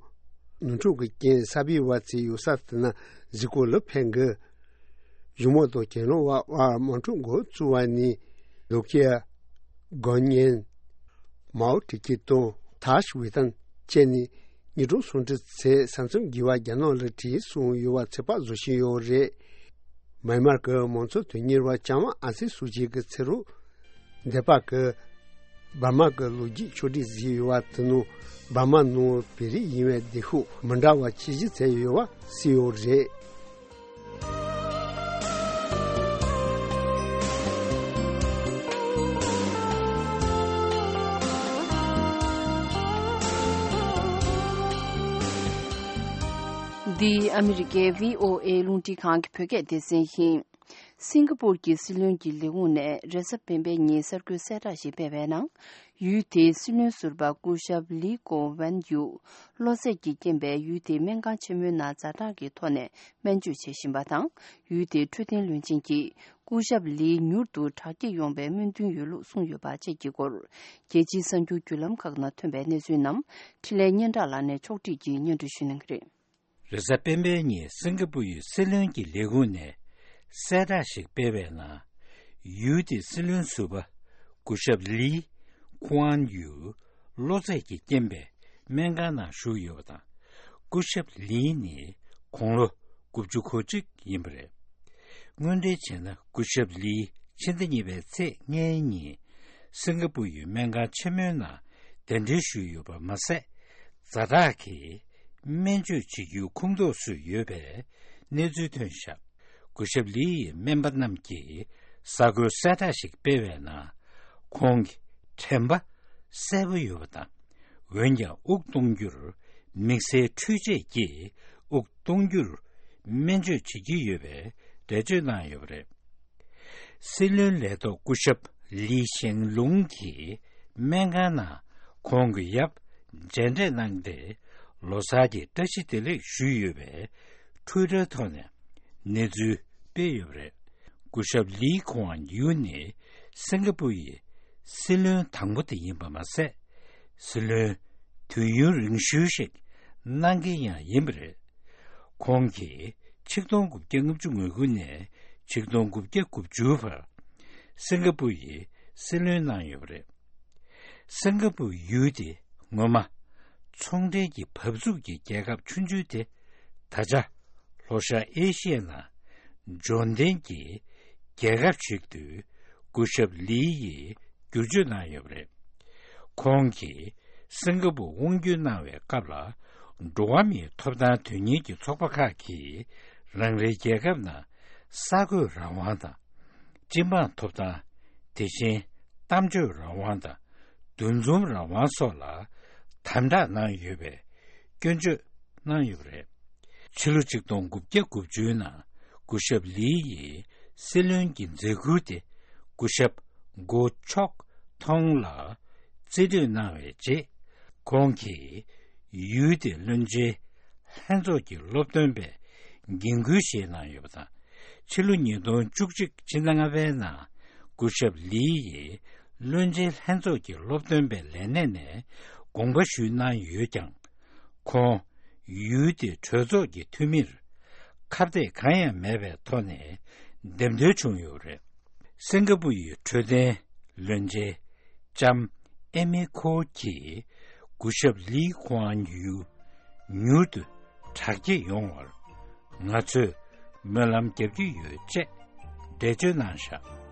ནོར་འཁྲུལ་གྱི་རྐྱེན་གསར་སྤེལ་བ་ཚོའི་ཡོད་ས་དེ་ན་གཟིགས་སྐོར་ལ་ཕེབས་འགི། གཞུང་མང་དང་གྱེན་ལོག་པ་དབར་དམག་འཁྲུག་འགོ་བཙུགས་པ་ནི། ལུ་ཀེ་ཡ། གོ་ཉན། མའོ་ཀྲི་ཀི་དང་ཐཱ་ཤི་ཝེ་ཏན་བཅས་ནི་ཉིས་སྟོང་སུམ་ཅུ་ཚེས་ས་མཚམས་བརྒལ་བ་རྒྱ་ནག་ལ་བྲོས་སོང་ཡོད་པ་ཚོད་དཔག་བཟོ་བཞིན་ཡོད་རེད། མཱ་ཡན་མར་གྱི་མང་གཙོ་དོན་གཉེར་བ་ལྕམ་ཨང་སན་སུའུ་ཅི་གི་ཚེ་རོགས། འདས་པ་གི་འབར་མ་གི་ལོ་རྒྱུས་ཕྱོགས་བསྒྲིགས་བཟོས་ཡོད་པ་དེ་ནང་འབར་མ་ནང་བོད་རིགས་ཡིན་པའི་བདེ་ཤོག་མི་འདྲ་བ་ཆེ་བཞི་བཙལ་ཡོད་པ་གསལ་ཡོད་རེད། འདི་ཨ་མི་རི་ཀའི་བྷི་ཨོ་ཨེ་རླུང་འཕྲིན་ཁང་གི་བོད་སྐད་སྡེ་ཚན་ཡིན། སིང་ག་པུར་གྱི་སྲིད་བློན་གྱི་ལས་ཁུངས་ནས་རེས་གཟའ་སྤེན་པའི་ཉིན་གསར་འགོད་གསལ་བསྒྲགས་ཤིག་སྤེལ་བའི་ནང་། ཡུལ་དེའི་སྲིད་བློན་ཟུར་པ་སྐུ་ཞབས་ལི་ཀོ་ཝན་ཡུ། གློ་ཚད་ཀྱི་རྐྱེན་པས་ཡུལ་དེའི་སྨན་ཁང་ཆེན་མོའི་ནང་ཛ་དྲག་གི་ཐོག་ནས་སྨན་བཅོས་བྱེད་བཞིན་པ་དང་། ཡུལ་དེའི་འཕྲོད་བསྟེན་བློན་ཆེན་གྱིས་སྐུ་ཞབས་ལི་མྱུར་དུ་དྲག་སྐྱེད་ཡོང་བའི་སྨོན་འདུན་ཡོད་ལུགས་གསུངས་ཡོད་པ་བཅས་ཀྱི་སྐོར། རྒྱལ་སྤྱིའི་གསར་འགྱུར་བརྒྱུད་ལམ་ཁག་ནང་ཐོན་པའི་གནས་ཚུལ་རྣམས་འཕྲིན་ལས་སྙན་གྲགས་ལགས་ནས་ཕྱོགས་སྒྲིག་གིས་སྙན་སྒྲོན་ཞུ་གནང་གི་རེད། རེས་གཟའ་སྤེན་པའི་ཉིན་སིང་ག་པུར་ཡུལ་སྲིད་བློན་གྱི་ལས་ཁུངས་ནས་གསལ་བསྒྲགས་ཤིག་སྤེལ་བའི་ནང་། ཡུལ་དེའི་སྲིད་བློན་ཟུར་པ་སྐུ་ཞབས་ལི་ཀུའན་ཡུ་གློ་ཚད་ཀྱི་རྐྱེན་པས་སྨན་ཁང་ནང་བཞུགས་ཡོད་པ་དང་། སྐུ་ཞབས་ལི་ནི་དགུང་ལོ་དགུ་བཅུ་གོ་གཅིག་ཡིན་པ་རེད། སྔོན་འགྲེལ་བྱས་ན། སྐུ་ཞབས་ལི་ཕྱི་ཟླ་གཉིས་པའི་ཚེས་ལྔའི་ཉིན་སིང་ག་པུར་ཡུལ་སྨན་ཁང་ཆེན་མོའི་ནང་གདན་འདྲེན་ཞུས་ཡོད་པ་མ་ཟད། ཛ་དྲག་གི་སྨན་བཅོས་བྱེད་རྒྱུའི་ཁོངས་གཏོགས་སུ་ཡོད་པའི་གནས་ཚུལ་ཐོན་བཞག་སྐུ་ཞབས་ལི་ཡི་སྨན་པ་རྣམས་ཀྱིས་གསར་འགོད་གསལ་བསྒྲགས་ཤིག་སྤེལ་བའི་ནང་། ཁོང་གི་དྲན་པ་གསལ་པོ་ཡོད་པ་དང་། འོན་ཀྱང་དབུགས་གཏོང་རྒྱུར་དམིགས་བསལ་འཕྲུལ་ཆས་ཀྱིས་དབུགས་གཏོང་རྒྱུར་སྨན་བཅོས་བྱེད་ཀྱི་ཡོད་པའི་འགྲེལ་བརྗོད་གནང་ཡོད་པ་རེད། སྲིད་བློན་ལས་ཐོག་སྐུ་ཞབས་ལི་ཞེང་ལུང་གིས་སྨན་ཁང་ནང་ཁོང་གི་ཡབ་མཇལ་འཕྲད་གནང་སྟེ། ལོ་གསར་གྱི་བཀྲ་ཤིས་བདེ་ལེགས་ཞུས་ཡོད་པའི་ཊུའི་ཊར་ཐོག་ནས་གནས་ཚུལ་སྤེལ་ཡོད་པ་རེད། སྐུ་ཞབས་ལི་ཁོང་ཡུ་ནི་སིང་ག་པུར་ཡི་སྲིད་བློན་དང་པོ་དེ་ཡིན་པ་མ་ཟད། སྲིད་བློན་དུས་ཡུན་རིང་ཤོས་ཤིག་གནང་མཁན་ཡང་ཡིན་པ་རེད། ཁོང་གིས་ཆིག་སྟོང་དགུ་བརྒྱ་ལྔ་བཅུ་ང་དགུ་ནས་ཆིག་སྟོང་དགུ་བརྒྱ་དགུ་བཅུ་བར་སིང་ག་པུར་ཡི་སྲིད་བློན་གནང་ཡོད་པ་རེད། སིང་ག་པུར་ཡུལ་དེ་སྔོན་མ་ཚོང་འབྲེལ་གྱི་བབས་ཚུགས་ཀྱི་རྒྱལ་ཁབ་ཆུང་ཆུང་དེ། ད་ཆ་ལྷོ་ཤར་ཨེ་ཤི་ཡའི་ནང་འབྱོར་ལྡན་གྱི་རྒྱལ་ཁབ་ཞིག་ཏུ་སྐུ་ཞབས་ལི་ཡིས་བསྒྱུར་བཅོས་གནང་ཡོད་པ་རེད། ཁོང་གིས་སིང་ག་པུར་དབང་བསྒྱུར་གནང་བའི་སྐབས་ལ། འགྲོ་བ་མིའི་ཐོབ་ཐང་དོན་གཉེར་གྱི་ཚོགས་པ་ཁག་གིས་རང་རེའི་རྒྱལ་ཁབ་ནང་གསར་འགོད་རང་དབང་དང་། སྤྱི་འབངས་ཐོབ་ཐང་། དེ་བཞིན་གཏམ་བརྗོད་རང་དབང་དང་། འདུ་འཛོམས་རང་དབང་སོགས་ལ་དམ་དྲག་གནང་ཡོད་པའི་སྐྱོན་བརྗོད་གནང་ཡོད་པ་རེད། ཕྱི་ལོ་ཆིག་སྟོང་དགུ་བརྒྱ་དགུ་བཅུའི་ནང་སྐུ་ཞབས་ལི་ཡིས་སྲིད་བློན་གྱི་མཛད་ཁུར་དེ་སྐུ་ཞབས་གོ་ཆོག་ཐོང་ལ་རྩིས་སྤྲོད་གནང་བའི་རྗེས། ཁོང་གིས་ཡུལ་དེའི་བློན་ཆེན་ལྷན་ཚོགས་ཀྱི་སློབ་སྟོན་པའི་འགན་ཁུར་བཞེས་གནང་ཡོད་པ་དང་། ཕྱི་ལོ་ཉིས་སྟོང་བཅུ་གཅིག་ཕྱི་ཟླ་ལྔ་པའི་ནང་སྐུ་ཞབས་ལི་ཡིས་བློན་ཆེན་ལྷན་ཚོགས་ཀྱི་སློབ་སྟོན་པའི་ལས་གནས་ནས་དགོངས་པ་ཞུས་གནང་ཡོད་ཀྱང་། ཁོང་ཡུལ་དེའི་གྲོས་ཚོགས་ཀྱི་འཐུས་མིར་ཁ་གཏད་གང་ཡང་མེད་པའི་ཐོག་ནས་འདེམས་ཐོན་བྱུང་ཡོད་པ་རེད། སིང་ག་པུར་ཡི་འཕྲོད་བསྟེན་བློན་ཆེན་ལྕམ་ཨེ་མི་ཁོ་གིས་སྐུ་ཞབས་ལི་ཁོང་ཡུ་མྱུར་དུ་དྲག་སྐྱེད་ཡོང་བར་ང་ཚོས་སྨོན་ལམ་རྒྱབ་ཀྱི་ཡོད་ཅེས་འགྲེལ་བརྗོད་གནང་བཞག་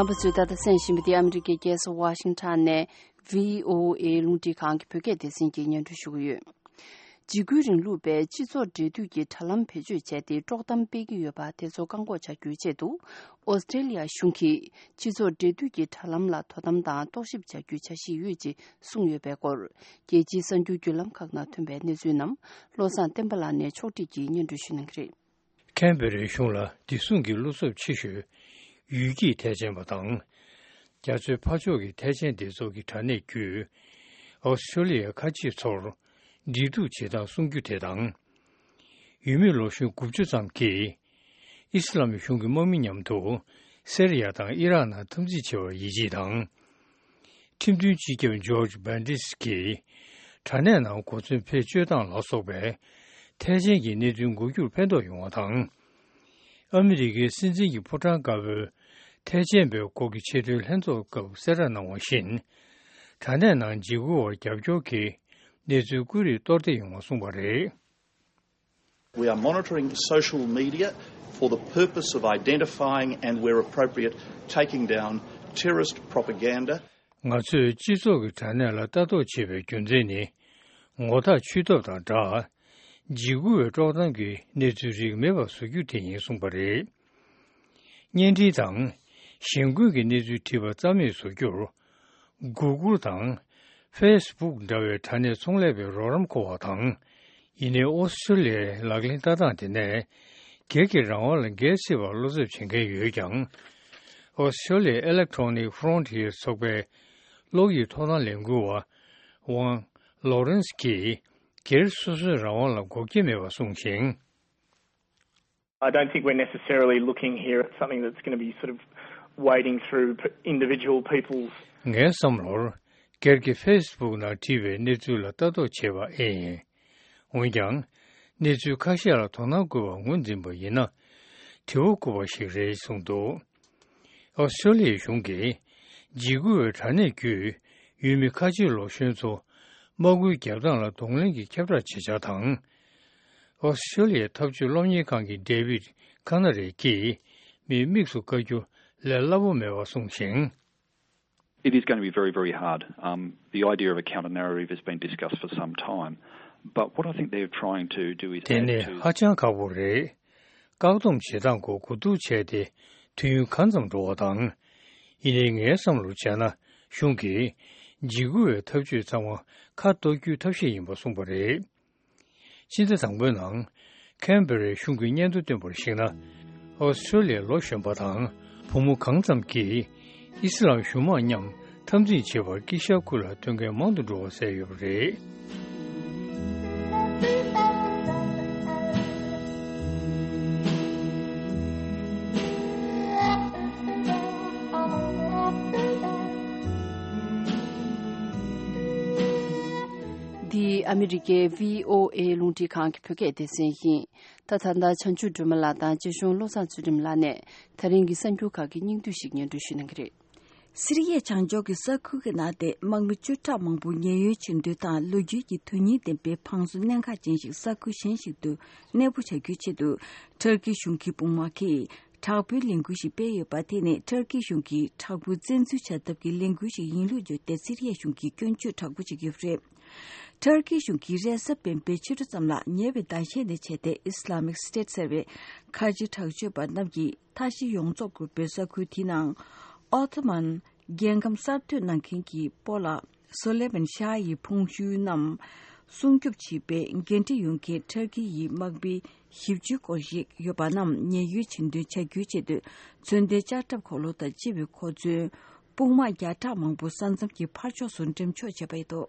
རྣམ་པ་ཚོས་ད་ལྟ་གསན་བཞིན་པ་འདི་ཨ་མི་རི་ཀའི་རྒྱལ་ས་ཝ་ཤིང་ཊོན་ནས་བྷི་ཨོ་ཨེ་རླུང་འཕྲིན་ཁང་གི་བོད་སྐད་སྡེ་ཚན་གྱིས་སྙན་སྒྲོན་ཞུ་གི་ཡོད། འཇིགས་སྐུལ་རིང་ལུགས་པས་སྤྱི་ཚོགས་འབྲེལ་མཐུད་ཀྱི་དྲ་ལམ་བེད་སྤྱོད་བྱས་ཏེ་དཀྲོག་གཏམ་སྤེལ་གྱི་ཡོད་པ་དེ་ཚོ་བཀག་འགོག་བྱ་རྒྱུའི་ཆེད་དུ། ཨོ་སི་ཀྲེ་ལི་ཡ་གཞུང་གིས་སྤྱི་ཚོགས་འབྲེལ་མཐུད་ཀྱི་དྲ་ལམ་ལ་དོ་དམ་དང་རྟོག་ཞིབ་བྱ་རྒྱུའི་འཆར་གཞི་ཡོད་ཅེས་གསུངས་ཡོད་པའི་སྐོར། རྒྱལ་སྤྱིའི་གསར་འགྱུར་བརྒྱུད་ལམ་ཁག་ནང་ཐོན་པའི་གནས་ཚུལ་རྣམས་བློ་བཟང་བསྟན་པ་ལགས་ནས་ཕྱོགས་སྒྲིག་གིས་སྙན་སྒྲོན་ཞུ་གནང་གི་རེད། ཁེན་བྷེ་རའི་གཞུང་ལ་བདེ་སྲུང་གི་བློ་འཚབ་ཆེ་ཤོས་ཡུལ་སྐྱེས་ཐེག་ཆེན་པ་དང་། རྒྱ་མཚོའི་ཕར་ཕྱོགས་ཀྱི་ཐེག་ཆེན་སྡེ་ཚོགས་ཀྱི་དྲ་གནས་བརྒྱུད་ཨོ་སི་ཀྲེ་ལི་ཡའི་ཁ་ཆེ་ཚོར་འབྲེལ་གཏུག་བྱེད་སྟངས་གསུང་རྒྱུ་དེ་དང་། ཡུལ་མི་ལོ་གཞོན་དགུ་བཅུ་ཙམ་གྱིས་ཨི་སི་ལམ་གཞུང་གི་དམག་མི་མཉམ་དུ་ སེ་རི་ཡ་དང་ཨི་རག་ནང་འཐབ་འཛིང་བྱེད་པར་ཡིད་ཆེས་དང་། ཁྲིམས་མཐུན་སྤྱི་ཁྱབ་ཇོརྗ་བྷན་ཌིས་ཀྱིས་དྲ་གནས་ནང་གོ་མཚོན་བེད་སྤྱོད་སྟངས་ལ་སོགས་པའི་ཐེག་ཆེན་གྱི་གནས་ཚུལ་འགོ་རྒྱུར་ཕན་ཐོགས་ཡོང་བ་དང་། ཨ་མི་རི་ཀའི་སྲིད་འཛིན་གྱི་ཕོ་བྲང་དཀར་པོའི་ཐེག་ཆེན་པའི་སྐོར་གྱི་ཆེས་མཐོའི་ལྷན་ཚོགས་སྐབས་གསལ་བསྒྲགས་གནང་བ་བཞིན། དྲ་གནས་ནང་འཇིགས་སྐུལ་བར་རྒྱབ་སྐྱོར་གྱི་གནས་ཚུལ་ཀུན་རིག་གཏོར་བསྡེབས་ཡོང་བ་གསུངས་པ་རེད། We are monitoring social media for the purpose of identifying and, where appropriate, taking down terrorist propaganda. ང་ཚོས་སྤྱི་ཚོགས་ཀྱི་དྲ་གནས་ལ་ལྟ་རྟོག་བྱེད་པའི་རྒྱུ་མཚན་ནི། ངོ་ཐག་ཆོད་ཐབས་དང་སྦྲགས། འཇིགས་སྐུལ་བའི་དཀྲོག་གཏམ་གྱི་གནས་ཚུལ་རིགས་མེད་པར་བཟོ་རྒྱུ་དེ་ཡིན་གསུངས་པ་རེད། བརྙན་འཕྲིན་དང་། གཞེན་སྐུལ་གྱི་གནས་ཚུལ་བྲིས་པ་རྩ་མེད་བཟོ་རྒྱུར། Google དང་། Facebook འདྲ་བའི་དྲ་གནས་ཚོང་ལས་པའི་རོགས་རམ་མཁོ་བ་དང་། ཡིན་ནའི་ཨོ་སི་ཀྲོ་ལི་ཡའི་ལག་ལེན་ལྟ་སྟངས་དེ་ནས། སྒེར་གྱི་རང་དབང་ལ་འགལ་སྲིད་པར་བློ་འཚབ་བྱེད་མཁན་ཡོད་ཀྱང་། ཨོ་སི་ཀྲོ་ལི་ཡའི་Electronic Frontier ཚོགས་པའི་གློག་ཡིག་ཐོབ་ཐང་ལས་འགུལ་བ། ཝང་ལོ་རན་སི་ཀྱིས། སྒེར་སོ་སོའི་རང་དབང་ལ་འགོག་རྐྱེན་མེད་པར་གསུངས་ཤིང་། I don't think we're necessarily looking here at something that's going to be sort of wading through p- individual people's. ངའི་བསམ་བློར། སྒེར་གྱི་ཕེ་སི་བུག་ནང་བྲིས་པའི་གནས་ཚུལ་ལ་ལྟ་རྟོག་བྱེད་པ་ཨེ་ཡིན། འོན་ཀྱང་། གནས་ཚུལ་ཁ་ཤས་ལ་དོ་སྣང་དགོས་པ་ངོས་འཛིན་པ་ཡིན་ན། དྲི་བ་བཀོད་པ་ཞིག་རེད་གསུངས་འདུག་ཨོ་སི་ཀྲོ་ལི་ཡའི་གཞུང་གིས། འཇིགས་སྐུལ་བའི་དྲ་གནས་བརྒྱུད། ཡུལ་མི་ཁ་ཆེ་ལོ་གཞོན་ཚོ། དམག་སྐུལ་རྒྱབ་སྟངས་ལ་གདོང་ལེན་གྱི་ཁྱབ་བསྒྲགས་བྱེད་འཆར་དང་། ཨོ་སི་ཀྲོ་ལི་ཡའི་འཐབ་ཇུས་སློབ་གཉེར་ཁང་གི་ཌེ་ཝིད་ཁ་ན་རེ་ཀྱིས་མི་དམིགས་སུ་བཀར་རྒྱུ་ལས་སླ་པོ་མེད་པ་གསུངས་ཤིང་། It is going to be very, very hard. Um, the idea of a counter narrative has been discussed for some time. But what I think they're trying to do is དེ add ནི to ཧ་ཅང་ཁག་པོ་རེད། བཀག་སྡོམ་བྱེད་སྟངས་སྐོར་གོ་བསྡུར་བྱས་ཏེ་དུས་ཡུན་གང་ཙམ་འགྲོ་བ་དང་། ཡིན་ནའི་ངའི་བསམ་བློར་བྱས་ན་གཞུང་གིས་འཇིགས་སྐུལ་བའི་ཐབས་ཇུས་ཚང་མ་ཁ་གཏོར་རྒྱུའི་ཐབས་ཤེས་ཡིན་པ་གསུངས་པ་རེད། ཕྱི་ཟླ་དང་པོའི་ནང་ཁན་བེ་རའི་གཞུང་གིས་སྙན་ཐོ་བཏོན་པར་གཞིགས་ན། ཨོ་སི་ཀྲོ་ལི་ཡའི་ལོ་གཞོན་པ་དང་བུ་མོ་གང་ཙམ་གྱིས་ཨི་སི་ལམ་གཞུང་དམག་མཉམ་འཐབ་འཛིང་བྱེད་པར་དཀྱིལ་ཤར་ཁུལ་ལ་ཐོན་མཁན་མང་དུ་འགྲོ་བ་གསལ་ཡོད་པ་རེད། འདི་ཨ་མི་རི་ཀའི་བྷི་ཨོ་ཨེ་རླུང་འཕྲིན་ཁང་གི་བོད་སྐད་སྡེ་ཚན་ཡིན། ད་ད་ལྟ་བྱང་ཆུབ་སྒྲོལ་མ་ལགས་དང་རྗེ་གཞུང་བློ་བཟང་ཚུལ་ཁྲིམས་ལགས་ནས་ད་རིང་གི་གསར་འགྱུར་ཁག་གི་སྙིང་བསྡུས་ཤིག་སྙན་སྒྲོན་ཞུ་གནང་གི་རེད། སི་རི་ཡའི་བྱང་ཕྱོགས་ཀྱི་ས་ཁུལ་གྱི་ནང་དེ་དམག་མི་བཅུ་ཕྲག་མང་པོ་ཉེན་གཡོལ་བྱེད་འདོད་དང་ལོ་རྒྱུས་ཀྱི་དོན་སྙིང་ལྡན་པའི་ཕངས་སུ་གནད་འགག་ཅན་ཞིག་ས་ཁུལ་གཞན་ཞིག་ཏུ་གནས་སྤོ་བྱ་རྒྱུའི་ཆེད་དུ་ཊར་ཀི་གཞུང་གི་དཔུང་དམག་གིས་དྲག་པོའི་ལས་འགུལ་ཞིག་སྤེལ་ཡོད་པ། དེ་ནི་ཊར་ཀི་གཞུང་གིས་དྲག་པོའི་བཙན་འཛུལ་བྱ་ཐབས་ཀྱི་ལས་འགུལ་ཞིག་ཡིན་ལུགས་བརྗོད་དེ་སི་རི་ཡའི་གཞུང་གིས་སྐྱོན་བརྗོད་དྲག་པོ་བྱེད་ཀྱི་ཡོད་པ་རེད། ཊར་ཀི་གཞུང་གིས་རེས་གཟའ་སྤེན་པའི་ཕྱི་དྲོ་ཙམ་ལ་ཉེ་བའི་ཟླ་ཤས་ནས་བྱས་ཏེ་ཨི་སི་ལ་མིག་སི་ཊེ་ཊི་ཟེར་བའི་ཁ་ཆེ་དྲག་སྤྱོད་པ་རྣམས་ཀྱིས་མཐའ་བཞི་ཡོངས་རྫོགས་བཀོད་པའི་ས་ཁུལ་དེའི་ནང་ཨོ་ཐོ་མན་རྒྱལ་ཁམས་གསར་གཏོད་གནང་མཁན་གྱི་སྤོ་ལགས་སོ་ལེ་མན་ཤཱ་ཡི་ཕུང་ཤུལ་རྣམས་སྲུང་སྐྱོབ་བྱེད་པའི་འགན་འཁྲི་ཡོད་མཁན་ཊར་ཀི་ཡི་དམག་མི་བཞི་བཅུའི་སྐོར་ཞིག་ཡོད་པ་རྣམས་ཉེན་གཡོལ་བྱེད་འདུན་བྱ་རྒྱུའི་ཆེད་དུ་མཚོན་ལྡན་ལྕགས་ཁྲབ་འཁོར་ལོ་དང་སྤྱི་བའི་གོ་མཚོན། དཔུང་དམག་བརྒྱ་ཕྲག་མང་པོ་ས་མཚམས་ཀྱི་ཕར་ཕྱོགས་སུ་འགྲེམས་འཇོག་བྱས་པ་རེད་འདུག་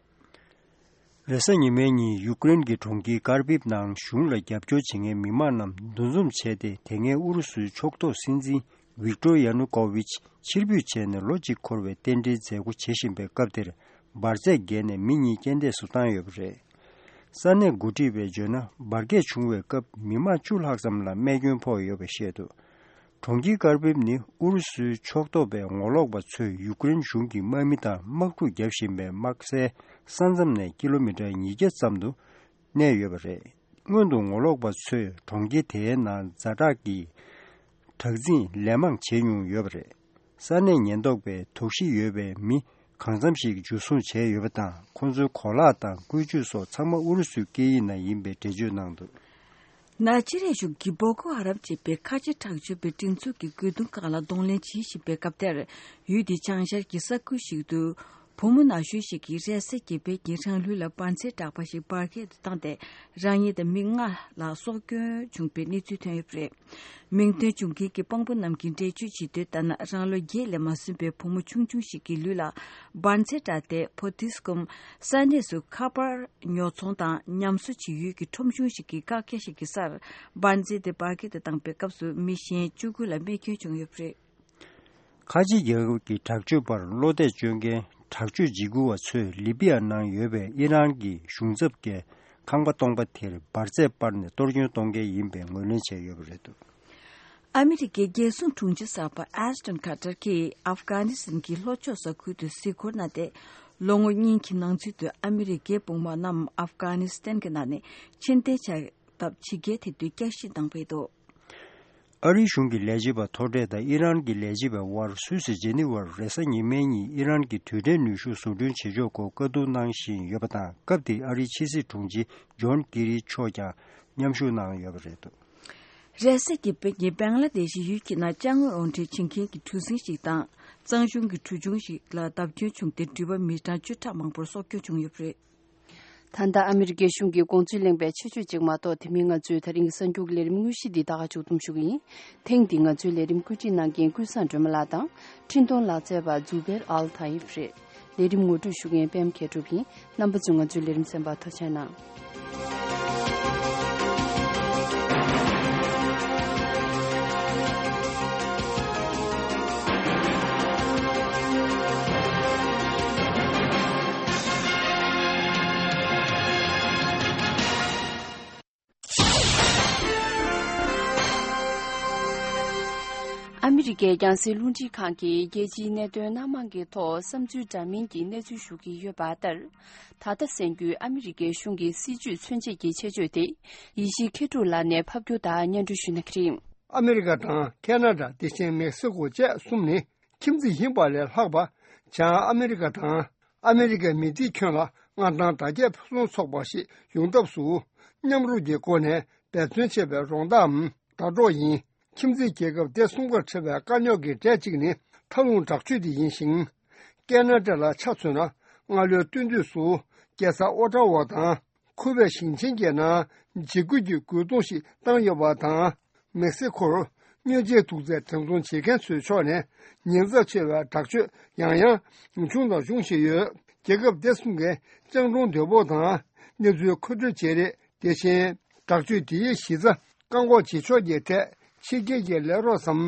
རེས་གཟའ་ཉི་མའི་ཉིན་ཡུཀ་རེན་གྱི་གྲོང་ཁྱེར་ཀར་བིབ་ནང་གཞུང་ལ་རྒྱབ་སྐྱོར་བྱེད་མཁན་མི་མང་རྣམས་འདུ་འཛོམས་བྱས་ཏེ། དེ་སྔའི་ཨུ་རུ་སུའི་ཕྱོགས་གཏོགས་སྲིད་འཛིན་ཝིག་ཏོར་ཡ་ནུ་ཀོ་ཝིཆ་ཕྱིར་འབུད་བྱས་ནས་ལོ་གཅིག་འཁོར་བའི་རྟེན་འབྲེལ་མཛད་སྒོ་བྱེད་བཞིན་པའི་སྐབས་དེར། འབར་རྫས་བརྒལ་ནས་མི་གཉིས་རྐྱེན་འདས་སུ་བཏང་ཡོད་པ་རེད། ས་གནས་འགོ་ཁྲིད་པས་བརྗོད་ན། འབར་གས་བྱུང་བའི་སྐབས་མི་མང་བཅུ་ལྷག་ཙམ་ལ་རྨས་སྐྱོན་ཕོག་ཡོད་པ་བཤད་འདུག་གྲོང་ཁྱེར་ཀར་བིབ་ནི་ཨུ་རུ་སུའི་ཕྱོགས་གཏོགས་པའི་ངོ་ལོག་པ་ཚོས་ཡུཀ་རེན་གཞུང་གི་དམག་མི་དང་དམག་འཁྲུག་བརྒྱབ་བཞིན་པའི་དམག་སའི་ས་མཚམས་ནས་ཀི་ལོ་མི་ཊར་ཉིས་བརྒྱ་ཙམ་དུ་གནས་ཡོད་པ་རེད། སྔོན་དུ་ངོ་ལོག་པ་ཚོས་གྲོང་ཁྱེར་དེའི་ནང་ཛ་དྲག་གི་དྲག་འཛིང་ལན་མང་བྱས་མྱོང་ཡོད་པ་རེད། ས་གནས་ཉེན་རྟོག་པས་དོགས་གཞི་ཡོད་པའི་མི་གང་འཚམ་ཞིག་འཇུ་བཟུང་བྱས་ཡོད་པ་དང་། ཁོང་ཚོའི་གོ་ལག་དང་བཀོལ་སྤྱོད་སོགས་ཚང་མ་ཨུ་རུ་སུའི་སྐད་ཡིག་ནང་ཡིན་པའི་འགྲེལ་བརྗོད་གནང་འདུག་ནཱི་ཇི་རི་ཡ་གཞུང་གིས་བོ་ཀོ་ཧ་རམ་ཅེས་པའི་ཁ་ཆེ་དྲག་སྤྱོད་པའི་སྒྲིག་འཛུགས་ཀྱི་རྒོལ་རྡུང་ཁག་ལ་གདོང་ལེན་བྱེད་བཞིན་པའི་སྐབས་དེར། ཡུལ་དེའི་བྱང་ཤར་གྱི་ས་ཁུལ་ཞིག་ཏུ། བུ་མོ་ན་གཞོན་ཞིག་གིས་རེས་གཟའ་གི་བོད་ཀྱི་རང་ལུས་ལ་འབར་རྫས་དྲག་པ་ཞིག་འབར་གས་སུ་བཏང་སྟེ། རང་ཉིད་དང་མི་ལྔ་ལ་སྲོག་སྐྱོན་བྱུང་བའི་གནས་ཚུལ་ཐོན་ཡོད་པ་རེད། མིང་འདོན་བྱུང་མཁན་གྱི་དཔང་པོ་རྣམས་ཀྱིས་འགྲེལ་བརྗོད་བྱེད་དུས་ལྟར་ན། རང་ལོ་བརྒྱད་ལས་མ་སོན་པའི་བུ་མོ་ཆུང་ཆུང་ཞིག་གི་ལུས་ལ་འབར་རྫས་བཀྲ་སྟེ། བོད་དུས་སྐོམ་ས་གནས་སུ་ཁ་པར་ཉོ་ཚོང་དང་ཉམས་གསོ་བྱེད་ཡུལ་གྱི་ཁྲོམ་གཞུང་ཞིག་གི་བཀག་རྒྱ་ཞིག་གི་སར་འབར་རྫས་དེ་འབར་གས་དུ་བཏང་པའི་སྐབས་སུ་མི་གཞན་བཅུ་དགུ་ལ་རྨས་སྐྱོན་བྱུང་ཡོད་པ་རེད། ཁ་ཆེ་རྒྱལ་ཁབ་ཀྱི་དྲག་སྤྱོད་པར་བློ་གཏད་གཅོད་མཁན་དྲག་སྤྱོད་འཇིགས་སྐུལ་བ་ཚོས་ལི་པི་ཡ་ནང་ཡོད་པའི་ཨི་རན་གྱི་གཞུང་ཚབ་ཀྱི་ཁང་པ་སྟོང་པ་དེར་འབར་རྫས་སྤར་ནས་གཏོར་སྐྱོན་གཏོང་མཁན་ཡིན་པའི་ངོས་ལེན་བྱས་ཡོད་པ་རེད་འདུག། ཨ་མི་རི་ཀའི་རྒྱལ་སྲུང་དྲུང་ཆེ་གསར་པ་ཨེ་སྟོན་ཁ་ཏར་གྱིས་ཨབ་གྷ་ནི་སི་ཐན་གྱི་ལྷོ་ཕྱོགས་ས་ཁུལ་དུ་གཟིགས་སྐོར་གནང་སྟེ། ལོ་ངོ་གཉིས་ཀྱི་ནང་ཚུད་དུ་ཨ་མི་རི་ཀའི་དཔུང་དམག་རྣམས་ཨབ་གྷ་ནི་སི་ཐན་གྱི་ནང་ནས་ཕྱིར་འཐེན་བྱ་ཐབས་ཇི་སྐད་དེ་དུས་བསྐྱར་ཞིབ་གནང་བ་རེད་འདུག། ཨ་རིའི་གཞུང་གི་ལས་བྱེད་པ་མཐོ་གྲས་དང་ཨི་རན་གྱི་ལས་བྱེད་པའི་དབར་སུད་སི་ཇེ་ནི་ཝར་རེས་གཟའ་ཉི་མའི་ཉིན་ཨི་རན་གྱི་དུས་དྲན་ནུས་ཤུགས་བཟོ་སྐྲུན་བྱེད་ཕྱོགས་སྐོར་བཀའ་བསྡུར་གནང་བཞིན་ཡོད་པ་དང་། སྐབས་དེར་ཨ་རིའི་ཕྱི་སྲིད་དྲུང་ཆེ་ཇོན་ཀེ་རི་མཆོག་ཀྱང་མཉམ་ཞུགས་གནང་ཡོད་པ་རེད་འདུག། རེས་གཟའ་ཉི་མའི་ཉིན་བེང་ལ་དེ་ཤི་ཡུལ་གྱི་ནང་ཅ་དངོས་དབང་ཁྲིད་བྱེད་མཁན་གྱི་གྲུ་གཟིངས་ཤིག་དང་གཙང་གཞུང་གི་གྲུ་ཆུང་ཞིག་ལ་བརྡབ་སྐྱོན་བྱུང་སྟེ་འགྲུལ་པ་མི་གྲངས་བཅུ་ཕྲག་མང་པོར་སྲོག་སྐྱོན་བྱུང་ཡོད་པ་རེད། ད་ལྟ་ཨ་མི་རི་ཀའི་གཞུང་གི་དགོངས་ཚུལ་གླེང་བའི་ཆེད་བརྗོད་ཅིག་མ་གཏོགས། དེ་མིན་ང་ཚོའི་ད་རིང་གསར་འགྱུར་ལས་རིམ་དངོས་གཞི་འདི་ད་ག་མཇུག་བསྡོམས་ཞུ་གི་ཡིན། ཐེངས་འདིའི་ང་ཚོའི་ལས་རིམ་བཀོད་སྒྲིག་གནང་མཁན་ཀུན་བཟང་སྒྲོལ་མ་ལགས་དང་། འཕྲིན་གཏོང་ལག་རྩལ་བ་ཛུ་བེར་ཨལ་ཐ་ཡིབ་རེད། ལས་རིམ་ངོ་སྤྲོད་ཞུ་མཁན་པད་མ་མཁས་གྲུབ་ཡིན། རྣམ་པ་ཚོས་ང་ཚོའི་ལས་རིམ་གསན་པར་ཐུགས་རྗེ་གནང་། ཨ་མི་རི་ཀའི་རྒྱང་སྲིང་རླུང་འཕྲིན་ཁང་གིས་རྒྱལ་སྤྱིའི་གནད་དོན་སྣ་མང་གི་ཐོག་བསམ་ཚུལ་འདྲ་མིན་གྱི་གནས་ཚུལ་ཞུ་གི་ཡོད་པ་ལྟར། ད་ལྟ་གསན་རྒྱུའི་ཨ་མི་རི་ཀའི་གཞུང་གི་སྲིད་བྱུས་མཚོན་བྱེད་ཀྱི་ཆེད་བརྗོད་དེ་ཡེ་ཤེས་མཁས་གྲུབ་ལགས་ནས་ཕབ་སྒྱུར་དང་སྙན་སྒྲོན་ཞུ་གནང་གི་རེད། ཨ་མི་རི་ཀ་དང་ཁེ་ན་ཌ། དེ་བཞིན་མེག་སི་ཀོ་བཅས་གསུམ་ནི་ཁྱིམ་མཚེས་ཡིན་པ་ལས་ལྷག་པ། བྱང་ཨ་མི་རི་ཀ་དང་ཨ་མི་རི་ཀའི་མི་སྡེ་ཁྱོན་ལ་མངའ་ཐང་དར་རྒྱས་ཕུན་སུམ་ཚོགས་པ་ཞིག་ཡོང་ཐབས་སུ་མཉམ་རུབ་ཀྱི་སྒོ་ནས་འབད་བརྩོན་བྱེད་པའི་རོགས་ཟླའམ་ཟླ་གྲོགས་ཡིན། ཁྱིམ་མཚེས་རྒྱལ་ཁབ་སྡེ་གསུམ་ཀར་འཕྲད་པའི་དཀའ་རྙོག་གི་གྲས་གཅིག་ནི་མཐའ་ལྷུང་དྲག་སྤྱོད་དེ་ཡིན་ཞིང་། ཁེ་ན་ཌ་ལ་ཆ་མཚོན་ན། སྔ་ལོའི་སྟོན་དུས་སུ་རྒྱལ་ས་ཨོ་ཊ་ཝ་དང་ཁུ་བེ་ཞིང་ཆེན་གྱི་ནང་འཇིགས་སྐུལ་གྱི་རྒོལ་རྡུང་ཞིག་བཏང་ཡོད་པ་དང་། མེག་སི་ཀོར་དངོས་རྗེས་དུག་རྫས་འགྲེམས་ཚོང་བྱེད་མཁན་ཚོའི་ཕྱོགས་ནས་ཉེན་ཚབས་ཆེ་བའི་དྲག་སྤྱོད་ཡང་ཡང་བྱུང་དང་འབྱུང་བཞིན་ཡོད། རྒྱལ་ཁབ་སྡེ་གསུམ་གའི་སྤྱང་གྲུང་དོད་པོ་དང་གནས་ཚུལ་མཁོ་སྤྲོད་བྱེད་རེས། དེ་བཞིན་དྲག་སྤྱོད་དེའི་གཞི་རྩ་བཀག་འགོག་བྱེད་ཕྱོགས་ཀྱི་ཐད་ཕྱི་རྒྱལ་གྱི་ལས་རོགས་སམ་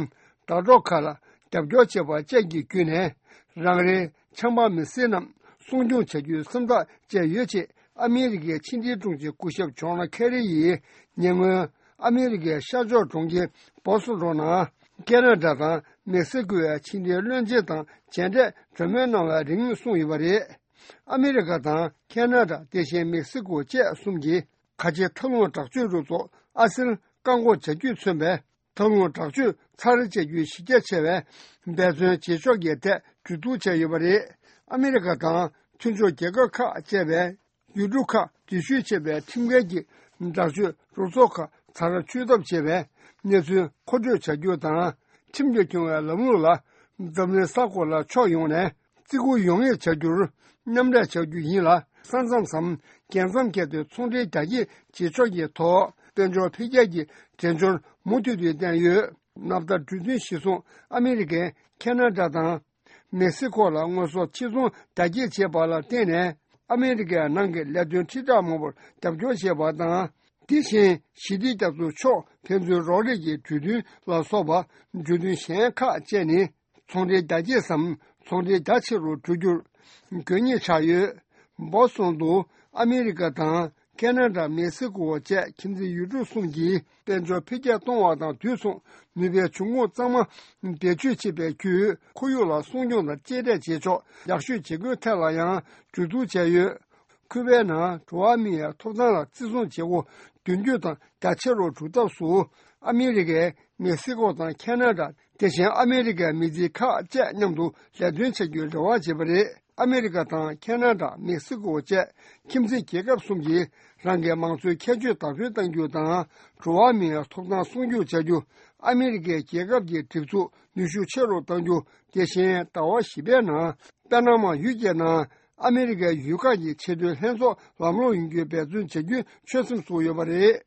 དྲ་གྲོགས་ཁག་ལ་རྒྱབ་སྐྱོར་བྱེད་པ་བཅས་ཀྱི་བརྒྱུད་ནས་རང་རེའི་ཆབ་འབངས་མི་སེར་རྣམས་སྲུང་སྐྱོང་བྱ་རྒྱུའི་སེམས་ཐག་བཅད་ཡོད་ཅེས་ཨ་མི་རི་ཀའི་ཕྱི་འབྲེལ་དྲུང་ཆེ་སྐུ་ཞབས་ཇོན་ཁེ་རི་ཡིས་ཉེ་སྔོན་ཨ་མི་རི་ཀའི་ཤར་ཕྱོགས་གྲོང་ཁྱེར་བོ་སི་ཊོན་ནང་ཁེ་ན་ཌ་དང་མེག་སི་ཀོའི་ཕྱི་འབྲེལ་བློན་ཆེན་དང་མཇལ་འཕྲད་གྲོས་མོལ་གནང་བའི་རིང་གསུངས་ཡོད་པ་རེད། ཨ་མི་རི་ཀ་དང་ཁེ་ན་ཌ། དེ་བཞིན་མེག་སི་ཀོ་བཅས་གསུམ་གྱིས་ཁ་ཆེ་མཐའ་ལྷུང་དྲག་སྤྱོད་རུ་ཚོགས་ཨ་སིར་བཀག་འགོག་བྱ་རྒྱུས་མཚོན་པའི་མཐའ་ལྷུང་དྲག་སྤྱོད་ཚར་བཅད་རྒྱུའི་གཞི་རྒྱ་ཆེ་བའི་འབད་བརྩོན་བྱེད་ཕྱོགས་ཀྱི་ཐད་གྲོས་བསྡུར་བྱས་ཡོད་པ་རེད། ཨ་མི་རི་ཀ་དང་མཐུན་ཕྱོགས་རྒྱལ་ཁབ་ཁག་བཅས་པའི་ཡུལ་གྲུ་ཁག་འཛུལ་ཞུགས་བྱས་པའི་ཁྲིམས་འགལ་གྱི་དྲག་སྤྱོད་རུ་ཚོགས་ཁག་ཚར་གཅོད་ཐབས་བྱས་པའི་གནས་ཚུལ་མཁོ་སྤྲོད་བྱ་རྒྱུ་དང་། ཁྲིམས་ཀྱིས་སྐྱོང་བའི་ལམ་ལུགས་ལ་འཛམ་གླིང་ས་ཁོངས་ལ་ཕྱོགས་ཡོངས་ནས་བརྩི་བཀུར་ཡོང་ངེས་བྱ་རྒྱུར་མཉམ་ལས་བྱ་རྒྱུ་ཡིན་ལ། ས་མཚམས་སམ་རྒྱལ་མཚམས་བརྒལ་ཏེ་ཚོང་འབྲེལ་རྒྱ་སྐྱེད་བྱེད་ཕྱོགས་ཀྱི་ཐོག་དཔལ་འབྱོར་འཕེལ་རྒྱས་ཀྱི་དལ་འབྱོར་མུ་མཐུད་དུ་བསྟན་ཡོད། ནབ་ཐ་གྲོས་མཐུན་གཞིར་བཟུང་ཨ་མི་རི་ཀས་ཁེ་ན་ཌ་དང་མེག་སི་ཀོ་ལ་དངོས་ཟོག་ཕྱིར་ཚོང་རྒྱ་སྐྱེད་བྱས་པ་ལ་བརྟེན་ནས་ཨ་མི་རི་ཀའི་ནང་གི་ལས་དོན་ཁྲི་ཕྲག་མང་པོར་རྒྱབ་སྐྱོར་བྱས་པ་དང་། དེ་བཞིན་ཞི་བདེ་རྒྱ་མཚོ་ཕྱོགས་ཕན་ཚུན་རོགས་རེས་ཀྱི་གྲོས་མཐུན་ལ་སོགས་པ་གྲོས་མཐུན་གཞན་ཁག་བཅས་ནི། ཚོང་འབྲེལ་རྒྱ་སྐྱེད་སམ་ཚོང་འབྲེལ་རྒྱ་ཆེ་རུ་འགྲོ་རྒྱུར་དགོས་ངེས་ཆགས་ཡོད། བོ་སི་ཊོན་དུ་ཨ་མི་རི་ཀ་དང་ཁེ་ན་ཌ། མེག་སི་ཀོ་བཅས་ཁྱིམ་མཚེས་ཡུལ་གྲུ་གསུམ་གྱིས་དཔལ་འབྱོར་འཕེལ་རྒྱས་གཏོང་བ་དང་དུས་མཚུངས་ནུས་པའི་འབྱུང་ཁུངས་གཙང་མ་བེད་སྤྱོད་བྱེད་པའི་བརྒྱུད་ཁོར་ཡུག་ལ་སྲུང་སྐྱོང་དང་གཅེས་སྤྲས་བྱེད་ཕྱོགས་ཡག་ཤོས་བྱེད་སྒོའི་ཐད་ལ་ཡང་གྲོས་བསྡུར་བྱས་ཡོད། ཁུ་བའི་ནང་འགྲོ་བ་མིའི་ཐོབ་ཐང་ལ་བརྩི་སྲུང་བྱེད་སྒོ་དོན་འཁྱོལ་དང་རྒྱ་ཆེ་རུ་འགྲོ་ཐབས་སུ་ཨ་མི་རི་ཀས་མེག་སི་ཀོ་དང་ཁེ་ན་ཌ། དེ་བཞིན་ཨ་མི་རི་ཀའི་མི་སྡེ་ཁག་བཅས་མཉམ་དུ་ལས་དོན་བྱ་རྒྱུའི་རེ་བ་བྱེད་པ་རེད། ཨ་མི་རི་ཀ་དང་ཁེ་ན་ཌ། མེག་སི་ཀོ་བཅས་ཁྱིམ་མཚེས་རྒྱལ་ཁབ་གསུམ་གྱིས་རང་གི་མང་གཙོའི་ཁྱད་ཆོས་དར་སྤེལ་གཏང་རྒྱུ་དང་། འགྲོ་བ་མིའི་ཐོབ་ཐང་སྲུང་སྐྱོབ་བྱ་རྒྱུ། ཨ་མི་རི་ཀའི་རྒྱལ་ཁབ་ཀྱི་སྒྲིག་འཛུགས་ནུས་ཤུགས་ཆེ་རུ་གཏང་རྒྱུ། དེ་བཞིན་ཟླ་བ་བཞི་པའི་ནང་པ་ན་མ་ཡུལ་གྱི་ནང་ཨ་མི་རི་ཀའི་ཡུལ་ཁག་གི་ཆེས་མཐོའི་ལྷན་ཚོགས་ལམ་ལྷོང་ཡོང་རྒྱུའི་འབད་བརྩོན་བྱ་རྒྱུའི་ཆོད་སེམས་བཙུགས་ཡོད་པ་རེད།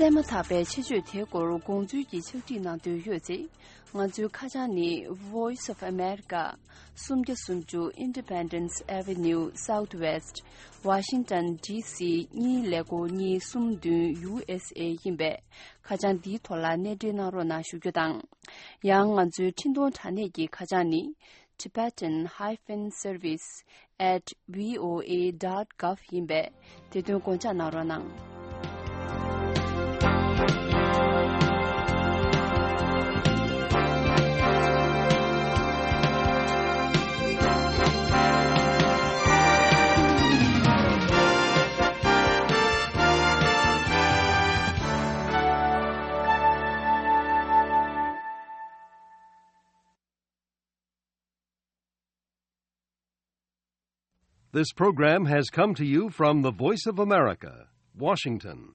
གསན་མ་ཐག་པའི་ཆེད་བརྗོད་དེའི་སྐོར་དགོངས་ཚུལ་གྱི་ཕྱག་བྲིས་གནང་འདོད་ཡོད་ཚེ། ང་ཚོའི་ཁ་བྱང་ནི། Voice of America། སུམ་བརྒྱ་སུམ་ཅུ་Independence Avenue Southwest། Washington D C གཉིས་ཀླད་ཀོར་གཉིས་གསུམ་བདུན་U S A ཡིན་པས། ཁ་བྱང་འདིའི་ཐོག་ལ་གནས་འབྲེལ་གནང་རོགས་གནང་ཞུ་རྒྱུ་དང་། ཡང་ང་ཚོའི་འཕྲིན་གཏོང་དྲ་གནས་ཀྱི་ཁ་བྱང་ནི། Tibetan hyphen service at V O A dot gov ཡིན་པས། དེ་དོན་དགོངས་འཇགས་གནང་རོགས་གནང་། This program has come to you from the Voice of America, Washington.